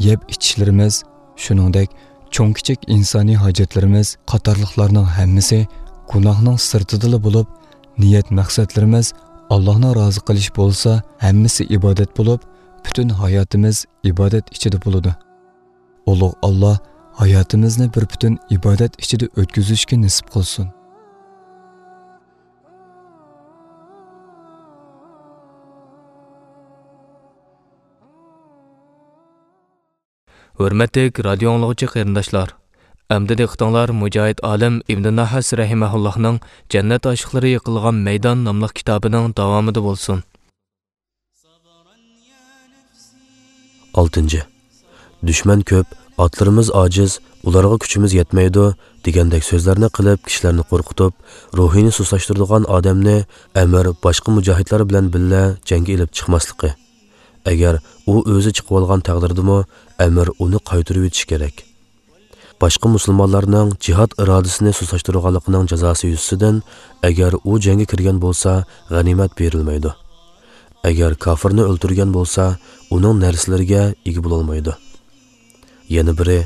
يەپ-ئىچىشلىرىمىز، شۇنىڭدەك چوڭ-كىچىك ئىنسانىي ھاجەتلىرىمىز قاتارلىقلارنىڭ ھەممىسى گۇناھنىڭ سىرتىدىلا بولۇپ، نىيەت مەقسەتلىرىمىز ئاللاھنى رازى قىلىش بولسا، ھەممىسى ئىبادەت بولۇپ، پۈتۈن ھاياتىمىز ئىبادەت ئىچىدە بولىدۇ. ئۇلۇغ ئاللاھ ھاياتىمىزنى بىر پۈتۈن ئىبادەت ئىچىدە ئۆتكۈزۈشكە نېسىپ قىلسۇن. ھۆرمەتلىك رادىيو ئاڭلىغۇچى قېرىنداشلار، ئەمدى دىققىتىڭلار مۇجاھىد ئالىم ئىبن نەھاس رەھىمەھۇللاھنىڭ جەننەت ئاشىقلىرى يىقىلغان مەيدان ناملىق كىتابىنىڭ داۋامىدا بولسۇن. ئالتىنچى. دۈشمەن كۆپ، ئاتلىرىمىز ئاجىز، ئۇلارغا كۈچىمىز يەتمەيدۇ، دېگەندەك سۆزلەرنى قىلىپ، كىشىلەرنى قورقۇتۇپ، روھىنى سۇسلاشتۇرىدىغان ئادەمنى ئەمىر باشقا مۇجاھىدلار بىلەن بىللە جەڭگە ئېلىپ چىقماسلىقى. ئەگەر ئۇ ئۆزى چىقىۋالغان تەقدىردىمۇ، ئەمىر ئۇنى قايتۇرۇۋېتىشى كېرەك. باشقا مۇسۇلمانلارنىڭ جىھاد ئىرادىسىنى سۇسلاشتۇرغانلىقىنىڭ جازاسى يۈزىسىدىن، ئەگەر ئۇ جەڭگە كىرگەن بولسا، غەنىيمەت بېرىلمەيدۇ. ئەگەر كاپىرنى ئۆلتۈرگەن بولسا، ئۇنىڭ نەرسىلىرىگە ئىگە بولالمايدۇ. يەنە بىرى،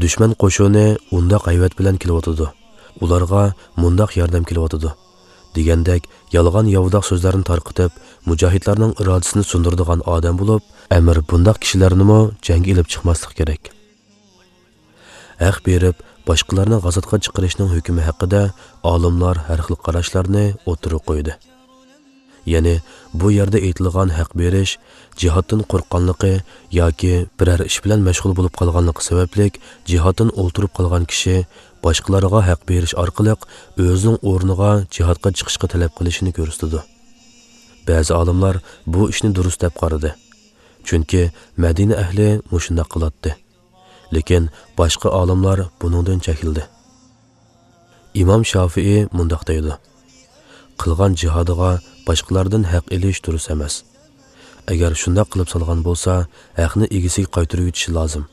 دۈشمەن قوشۇنى ئۇنداق ھەيۋەت بىلەن كېلىۋاتىدۇ، ئۇلارغا مۇنداق ياردەم كېلىۋاتىدۇ، دېگەندەك يالغان-ياۋىداق سۆزلەرنى تارقىتىپ، مۇجاھىدلارنىڭ ئىرادىسىنى سۇندۇرىدىغان ئادەم بولۇپ، ئەمىر بۇنداق كىشىلەرنىمۇ جەڭگە ئېلىپ چىقماسلىق كېرەك. ھەق بېرىپ، باشقىلارنى غازاتقا چىقىرىشنىڭ ھۆكمى ھەققىدە ئالىملار ھەر خىل قاراشلارنى ئوتتۇرىغا قويدى. يەنى، بۇ يەردە ئېيتىلغان ھەق بېرىش، جىھادتىن قورققانلىقى ياكى بىرەر ئىش بىلەن مەشغۇل بولۇپ قالغانلىقى سەۋەبلىك جىھادتىن ئولتۇرۇپ قالغان كىشى باشقىلارغا ھەق بېرىش ئارقىلىق ئۆزىنىڭ ئورنىغا جىھادقا چىقىشقا تەلەپ قىلىشىنى كۆرسىتىدۇ. بەزى ئالىملار بۇ ئىشنى دۇرۇس دەپ قارىدى. چۈنكى مەدىنە ئەھلى مۇشۇنداق قىلاتتى. لېكىن باشقا ئالىملار بۇنىڭدىن چەكلىدى. ئىمام شافىئى مۇنداق دەيدۇ: «قىلغان جىھادىغا باشقىلاردىن ھەق ئېلىش دۇرۇس ئەمەس. ئەگەر شۇنداق قىلىپ سالغان بولسا، ھەقنى ئىگىسىگە قايتۇرۇۋېتىشى لازىم.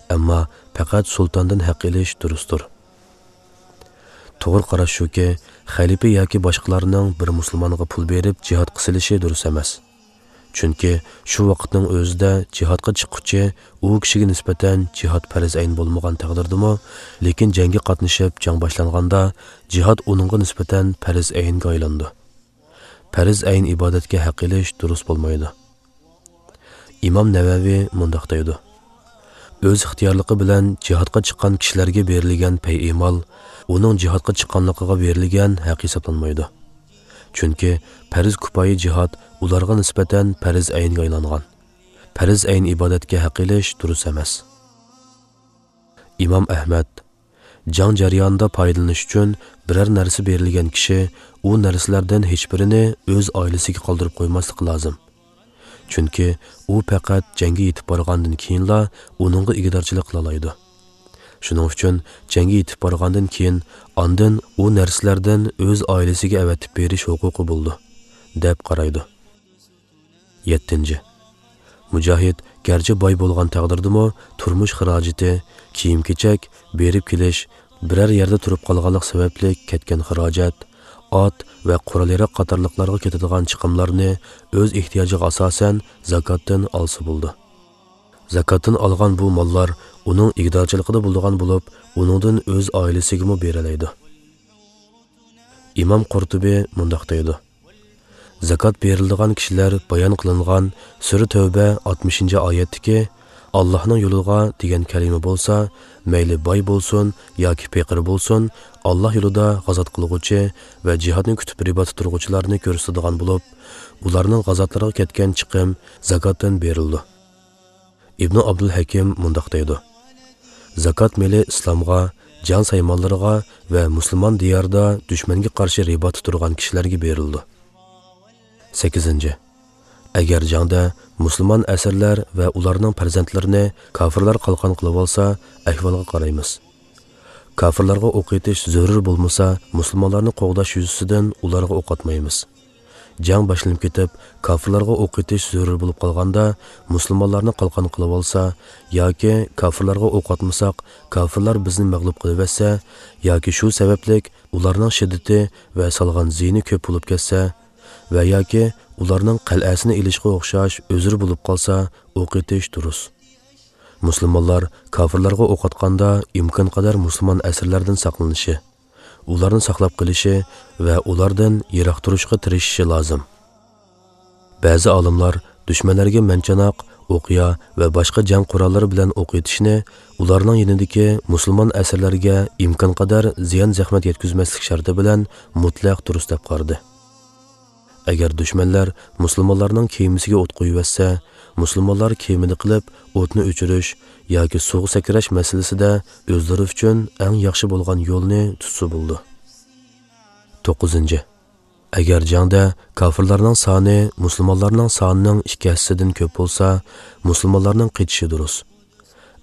ئەمما پەقەت سۇلتاندىن ھەق ئېلىش دۇرۇستۇر.» توغرا قاراش شۇكى، خەلىپە ياكى باشقىلارنىڭ بىر مۇسۇلمانغا پۇل بېرىپ جىھادقا سېلىشى دۇرۇس ئەمەس. چۈنكى شۇ ۋاقىتنىڭ ئۆزىدە جىھادقا چىققۇچى ئۇ كىشىگە نىسبەتەن جىھاد پەرز ئەين بولمىغان تەقدىردىمۇ، لېكىن جەڭگە قاتنىشىپ جەڭ باشلانغاندا جىھاد ئۇنىڭغا نىسبەتەن پەرز ئەينگە ئايلىنىدۇ. پەرز ئەين ئىبادەتكە ھەق ئېلىش دۇرۇس بولمايدۇ. ئىمام نەۋەۋى مۇنداق دەيدۇ: «ئۆز ئىختىيارلىقى بىلەن جىھادقا چىققان كىشىلەرگە بېرىلگەن پەيئىمال ئۇنىڭ جىھادقا چىققانلىقىغا بېرىلگەن ھەق ھېسابلانمايدۇ. چۈنكى پەرز كۇپايە جىھاد ئۇلارغا نىسبەتەن پەرز ئەينگە ئايلانغان. پەرز ئەين ئىبادەتكە ھەق ئېلىش دۇرۇس ئەمەس.» ئىمام ئەھمەد: «جەڭ جەريانىدا پايدىلىنىش ئۈچۈن بىرەر نەرسە بېرىلگەن كىشى ئۇ نەرسىلەردىن ھېچبىرىنى ئۆز ئائىلىسىگە قالدۇرۇپ قويماسلىقى لازىم. چۈنكى ئۇ پەقەت جەڭگە يېتىپ بارغاندىن كېيىنلا ئۇنىڭغا ئىگىدارچىلىق قىلالايدۇ. شۇنىڭ ئۈچۈن جەڭگە يېتىپ بارغاندىن كېيىن، ئاندىن ئۇ نەرسىلەردىن ئۆز ئائىلىسىگە ئەۋەتىپ بېرىش ھوقۇقى بولىدۇ، دەپ قارايدۇ. يەتتىنچى. مۇجاھىد گەرچە باي بولغان تەقدىردىمۇ، تۇرمۇش خىراجىتى، كىيىم-كېچەك، بېرىپ كېلىش، بىرەر يەردە تۇرۇپ قالغانلىق سەۋەبلىك كەتكەن خىراجەت، ئات ۋە قورال-ياراغ قاتارلىقلارغا كېتىدىغان چىقىملارنى ئۆز ئېھتىياجىغا ئاساسەن زاكاتتىن ئالسا بولىدۇ. زاكاتتىن ئالغان بۇ ماللار ئۇنىڭ ئىگىدارچىلىقىدا بولىدىغان بولۇپ، ئۇنىڭدىن ئۆز ئائىلىسىگىمۇ بېرەلەيدۇ. ئىمام قۇرتۇبى مۇنداق دەيدۇ: زاكات بېرىلىدىغان كىشىلەر بايان قىلىنغان سۈرە تەۋبە ئاتمىشىنچى ئايەتتىكى «ئاللاھنىڭ يولىغا» دېگەن كەلىمە بولسا، مەيلى باي بولسۇن ياكى پېقىر بولسۇن، ئاللاھ يولىدا غازات قىلغۇچى ۋە جىھادنى كۈتۈپ رىباتتا تۇرغۇچىلارنى كۆرسىتىدىغان بولۇپ، ئۇلارنىڭ غازاتلىرىغا كەتكەن چىقىم زاكاتتىن بېرىلىدۇ. ئىبنۇ ئابدۇل ھەكىم مۇنداق دەيدۇ: زاكات مېلى ئىسلامغا، جەڭ سايمانلىرىغا ۋە مۇسۇلمان دىيارىدا دۈشمەنگە قارشى رىباتتا تۇرغان كىشىلەرگە بېرىلىدۇ. سەككىزىنچى. ئەگەر جەڭدە مۇسۇلمان ئەسىرلەر ۋە ئۇلارنىڭ پەرزەنتلىرىنى كاپىرلار قالقان قىلىۋالسا، ئەھۋالغا قارايمىز. كاپىرلارغا ئوق ئېتىش زۆرۈر بولمىسا، مۇسۇلمانلارنى قوغداش يۈزىسىدىن ئۇلارغا ئوق ئاتمايمىز. جەڭ باشلىنىپ كېتىپ، كاپىرلارغا ئوق ئېتىش زۆرۈر بولۇپ قالغاندا، مۇسۇلمانلارنى قالقان قىلىۋالسا ياكى كاپىرلارغا ئوق ئاتمىساق، كاپىرلار بىزنى مەغلۇپ قىلىۋەتسە ياكى شۇ سەۋەبلىك ئۇلارنىڭ شىددىتى ۋە سالغان زىيىنى كۆپ بولۇپ كەتسە ۋە ياكى ئۇلارنىڭ قەلئەسىنى ئېلىشقا ئوخشاش ئۆزرە بولۇپ قالسا، ئوق ئېتىش دۇرۇس. مۇسۇلمانلار كاپىرلارغا ئوق ئاتقاندا ئىمكانقەدەر مۇسۇلمان ئەسىرلەردىن ساقلىنىشى، ئۇلارنى ساقلاپ قېلىشى ۋە ئۇلاردىن يىراق تۇرۇشقا تىرىشىشى لازىم. بەزى ئالىملار دۈشمەنلەرگە مەنچاناق، ئوقيا ۋە باشقا جەڭ قوراللىرى بىلەن ئوق ئېتىشنى ئۇلارنىڭ يېنىدىكى مۇسۇلمان ئەسىرلەرگە ئىمكانقەدەر زىيان-زەخمەت يەتكۈزمەسلىك شەرتى بىلەن مۇتلەق دۇرۇس دەپ قارىدى. ئەگەر دۈشمەنلەر مۇسۇلمانلارنىڭ كېمىسىگە ئوت قويۇۋەتسە، مۇسۇلمانلار كېمىنى قىلىپ ئوتنى ئۆچۈرۈش ياكى سۇغا سەكرەش مەسىلىسىدە ئۆزلىرى ئۈچۈن ئەڭ ياخشى بولغان يولنى تۇتسا بولىدۇ. توققۇزىنچى. ئەگەر جەڭدە كاپىرلارنىڭ سانى مۇسۇلمانلارنىڭ سانىنىڭ ئىككى ھەسسىسىدىن كۆپ بولسا، مۇسۇلمانلارنىڭ قېچىشى دۇرۇس.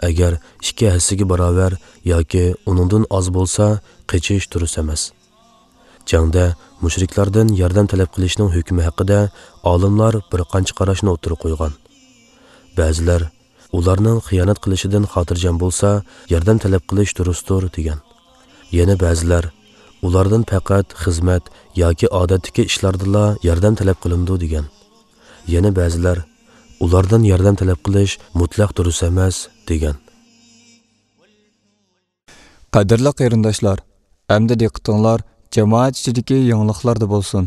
ئەگەر ئىككى ھەسسىگە باراۋەر ياكى ئۇنىڭدىن ئاز بولسا، قېچىش دۇرۇس ئەمەس. جەڭدە مۇشرىكلاردىن ياردەم تەلەپ قىلىشنىڭ ھۆكمى ھەققىدە ئالىملار بىر قانچە قاراشنى ئوتتۇرىغا قويغان. بەزىلەر، ئۇلارنىڭ خىيانەت قىلىشىدىن خاتىرجەم بولسا، ياردەم تەلەپ قىلىش دۇرۇستۇر، دېگەن. يەنە بەزىلەر، ئۇلاردىن پەقەت خىزمەت ياكى ئادەتتىكى ئىشلاردىلا ياردەم تەلەپ قىلىنىدۇ، دېگەن. يەنە بەزىلەر، ئۇلاردىن ياردەم تەلەپ قىلىش مۇتلەق دۇرۇس ئەمەس، دېگەن. قەدىرلىك قېرىنداشلار، ئەمدى دىققىتىڭلار جامائەت ئىچىدىكى يېڭىلىقلاردا بولسۇن.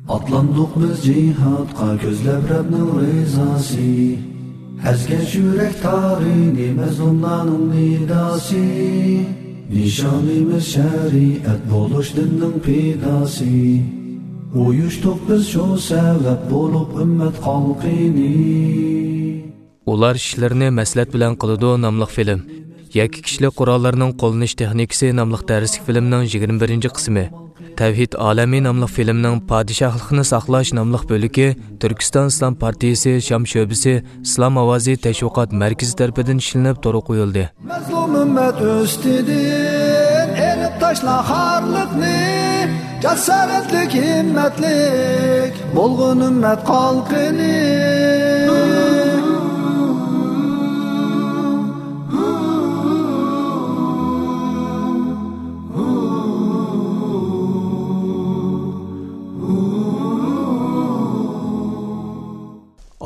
ئاتلاندۇق بىز جىھادقا، كۆزلەپ رەبنىڭ رىزاسى. ئەزگەن يۈرەك تارىنى مەزلۇملارنىڭ نىداسى. نىشانىمىز شەرىئەت بولۇش دىننىڭ پىداسى. ئۇيۇشتۇق بىز شۇ سەۋەب بولۇپ ئۈممەت خەلقىنى. ئۇلار ئىشلىرىنى مەسلىھەت بىلەن قىلىدۇ ناملىق فىلىم. يەككە كىشىلىك قوراللارنىڭ قوللىنىش تېخنىكىسى ناملىق دەرسلىك فىلىمنىڭ يىگىرمە بىرىنچى قىسمى. تەۋھىد ئالەمى ناملىق فىلىمنىڭ پادىشاھلىقنى ساقلاش ناملىق بۆلىكى تۈركىستان ئىسلام پارتىيىسى شام شۆبىسى ئىسلام ئاۋازى تەشۋىقات مەركىزى تەرىپىدىن ئىشلىنىپ تورغا قويۇلدى. مەزلۇم ئۈممەت ئۈستىدىن ئېلىپ تاشلا خارلىقنى، جاسارەتلىك، ھىممەتلىك بولغىن ئۈممەت خەلقىنى.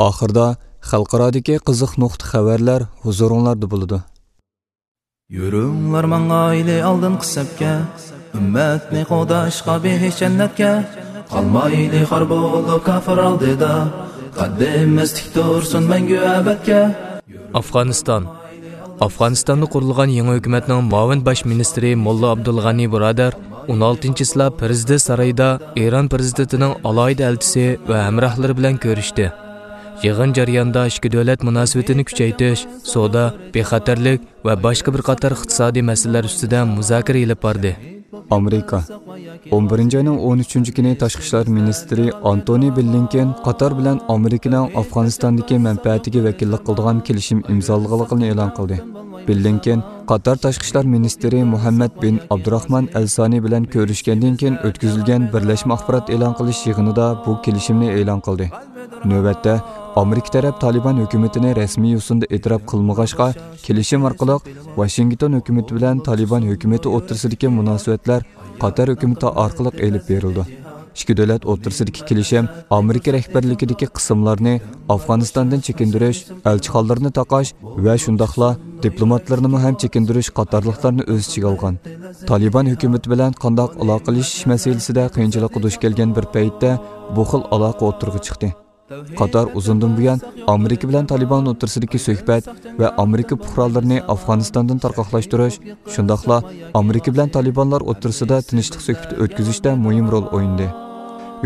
ئاخىردا خەلقئارادىكى قىزىق نۇقتا خەۋەرلەر ھۇزۇرۇڭلاردا بولىدۇ. يۈرۈڭلار ماڭايلى ئالدىنقى سەپكە، ئۈممەتنى قوغداشقا بېھىش جەننەتكە. قالمايلى خار بولۇپ كاپىر ئالدىدا، قەددىمىز تىك تۇرسۇن مەڭگۈ ئەبەدكە. ئافغانىستان. ئافغانىستاندا قۇرۇلغان يېڭى ھۆكۈمەتنىڭ مۇئاۋىن باش مىنىستىرى موللا ئابدۇلغەنى بۇرادەر ئون ئالتىنچى چىسلا پىرېزىدېنت سارىيىدا ئىران پىرېزىدېنتىنىڭ ئالاھىدە ئەلچىسى ۋە ھەمراھلىرى بىلەن كۆرۈشتى. يىغىن جەريانىدا ئىككى دۆلەت مۇناسىۋىتىنى كۈچەيتىش، سودا، بىخەتەرلىك، ۋە باشقا بىر قاتار ئىقتىسادىي مەسىلىلەر ئۈستىدە مۇزاكىرە ئېلىپ باردى. ئامېرىكا. ئون بىرىنچى ئاينىڭ ئون ئۈچىنچى كۈنى تاشقى ئىشلار مىنىستىرى ئانتونى بلىنكېن قاتار بىلەن ئامېرىكىنىڭ ئافغانىستاندىكى مەنپەئەتىگە ۋەكىللىك قىلىدىغان كېلىشىم ئىمزالىغانلىقىنى ئېلان قىلدى. بلىنكېن قاتار تاشقى ئىشلار مىنىستىرى مۇھەممەد بىن ئابدۇراخمان ئەل سانى بىلەن كۆرۈشكەندىن كېيىن ئۆتكۈزۈلگەن بىرلەشمە ئاخبارات ئېلان قىلىش يىغىنىدا بۇ كېلىشىمنى ئېلان قىلدى. نۆۋەتتە، ئامېرىكا تەرەپ تالىبان ھۆكۈمىتىنى رەسمىي يوسۇندا ئېتىراپ قىلمىغاچقا، كېلىشىم ئارقىلىق ۋاشىنگتون ھۆكۈمىتى بىلەن تالىبان ھۆكۈمىتى ئوتتۇرىسىدىكى مۇناسىۋەتلەر قاتار ھۆكۈمىتى ئارقىلىق ئېلىپ بېرىلىدۇ. ئىككى دۆلەت ئوتتۇرىسىدىكى كېلىشىم ئامېرىكا رەھبەرلىكىدىكى قىسىملارنى ئافغانىستاندىن چېكىندۈرۈش، ئەلچىخانىلىرىنى تاقاش ۋە شۇنداقلا دىپلوماتلىرىنىمۇ ھەم چېكىندۈرۈش قاتارلىقلارنى ئۆز ئىچىگە ئالغان. تالىبان ھۆكۈمىتى بىلەن قانداق ئالاقىلىشىش مەسىلىسىدە قىيىنچىلىققا دۇچ كەلگەن بىر پەيتتە بۇ خىل ئالاقە ئوتتۇرىغا چىقتى. قاتار ئۇزۇندىن بۇيان ئامېرىكا بىلەن تالىبان ئوتتۇرىسىدىكى سۆھبەت ۋە ئامېرىكا پۇقرالىرىنى ئافغانىستاندىن تارقاقلاشتۇرۇش، شۇنداقلا ئامېرىكا بىلەن تالىبانلار ئوتتۇرىسىدا تىنچلىق سۆھبىتى ئۆتكۈزۈشتە مۇھىم رول ئوينىدى.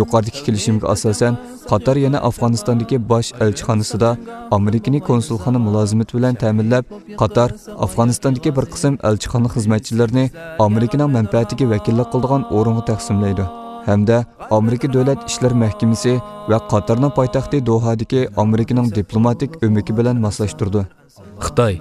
يۇقىرىدىكى كېلىشىمگە ئاساسەن، قاتار يەنە ئافغانىستاندىكى باش ئەلچىخانىسىدا ئامېرىكىنى كونسۇلخانا مۇلازىمىتى بىلەن تەمىنلەپ، قاتار ئافغانىستاندىكى بىر قىسىم ئەلچىخانا خىزمەتچىلىرىنى ئامېرىكىنىڭ مەنپەئەتىگە ۋەكىللىك قىلىدىغان ئورۇنغا تەقسىملەيدۇ ھەمدە ئامېرىكا دۆلەت ئىشلىرى مەھكىمىسى ۋە قاتارنىڭ پايتەختى دوھادىكى ئامېرىكىنىڭ دىپلوماتىك ئۆمىكى بىلەن ماسلاشتۇرىدۇ. خىتاي.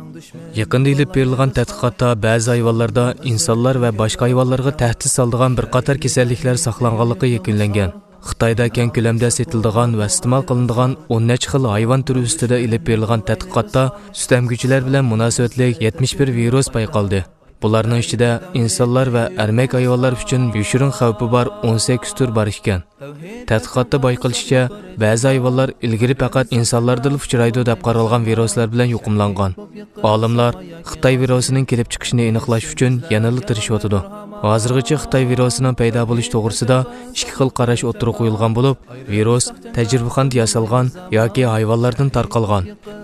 يېقىندا ئېلىپ بېرىلغان تەتقىقاتتا بەزى ھايۋانلاردا ئىنسانلار ۋە باشقا ھايۋانلارغا تەھدىت سالىدىغان بىر قاتار كېسەللىكلەر ساقلانغانلىقى يەكۈنلەنگەن. خىتايدا كەڭ كۆلەمدە سېتىلىدىغان ۋە ئىستېمال قىلىنىدىغان ئون نەچچە خىل ھايۋان تۈرى ئۈستىدە ئېلىپ بېرىلغان تەتقىقاتتا سۈتەمگۈچىلەر بىلەن مۇناسىۋەتلىك يەتمىش بىر ۋىرۇس بايقالدى. بۇلارنىڭ ئىچىدە ئىنسانلار ۋە ئەرمەك ھايۋانلار ئۈچۈن يوشۇرۇن خەۋپى بار ئون سەككىز تۈر بار ئىكەن. تەتقىقاتتا بايقىلىشىچە، بەزى ھايۋانلار ئىلگىرى پەقەت ئىنسانلاردىلا ئۇچرايدۇ دەپ قارالغان ۋىرۇسلار بىلەن يۇقۇملانغان. ئالىملار خىتاي ۋىرۇسىنىڭ كېلىپ چىقىشىنى ئېنىقلاش ئۈچۈن يەنىلە تىرىشىۋاتىدۇ. ھازىرغىچە خىتاي ۋىرۇسىنىڭ پەيدا بولۇشى توغرىسىدا ئىككى خىل قاراش ئوتتۇرىغا قويۇلغان بولۇپ، ۋىرۇس تەجرىبىخانىدا ياسالغان ياكى ھايۋانلاردىن تارقالغان.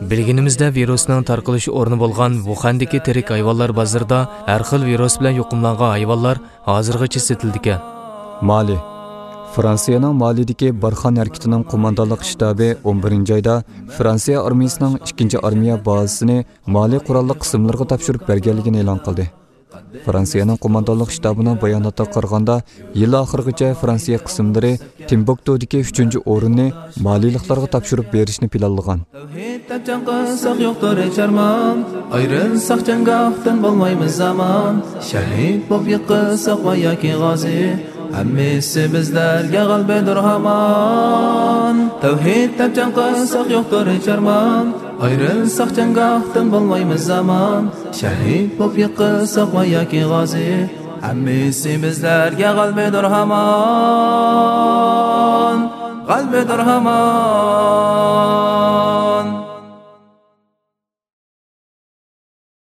بىلگىنىمىزدە، ۋىرۇسنىڭ تارقىلىش ئورنى بولغان ۋۇخەندىكى تىرىك ھايۋانلار بازىرىدا ھەر خىل ۋىرۇس بىلەن يۇقۇملانغان ھايۋانلار ھازىرغىچە سېتىلىدىكەن. مالى. فرانسىيەنىڭ مالىدىكى بارخان ھەرىكىتىنىڭ قوماندانلىق شتابى ئون بىرىنچى ئايدا فرانسىيە ئارمىيىسىنىڭ ئىككىنچى ئارمىيە بازىسىنى مالى قوراللىق قىسىملىرىغا تاپشۇرۇپ بەرگەنلىكىنى ئېلان قىلدى. فرانسىيەنىڭ قوماندانلىق شتابىنىڭ باياناتىغا قارىغاندا، يىل ئاخىرىغىچە فرانسىيە قىسىملىرى تىمبۇكتۇدىكى ئۈچىنچى ئورۇننى مالىلىقلارغا تاپشۇرۇپ بېرىشنى پىلانلىغان. تەۋھىد دەپ جەڭ قىلساق يوقتۇر ھېچ ئارمان، ئايرىلساق جەڭگاھتىن بولمايمىز ئامان، شەھىد بولۇپ يىقىلساق ۋە ياكى غازى، ھەممىسى بىزلەرگە غەلىبىدۇر ھامان. تەۋھىد دەپ جەڭ قىلساق يوقتۇر ھېچ ئارمان، ئايرىلساق جەڭگاھتىن بولمايمىز ئامان، شەھىد بولۇپ يىقىلساق ۋە ياكى غازى، ھەممىسى بىزلەرگە غەلىبىدۇر ھامان، غەلىبىدۇر ھامان.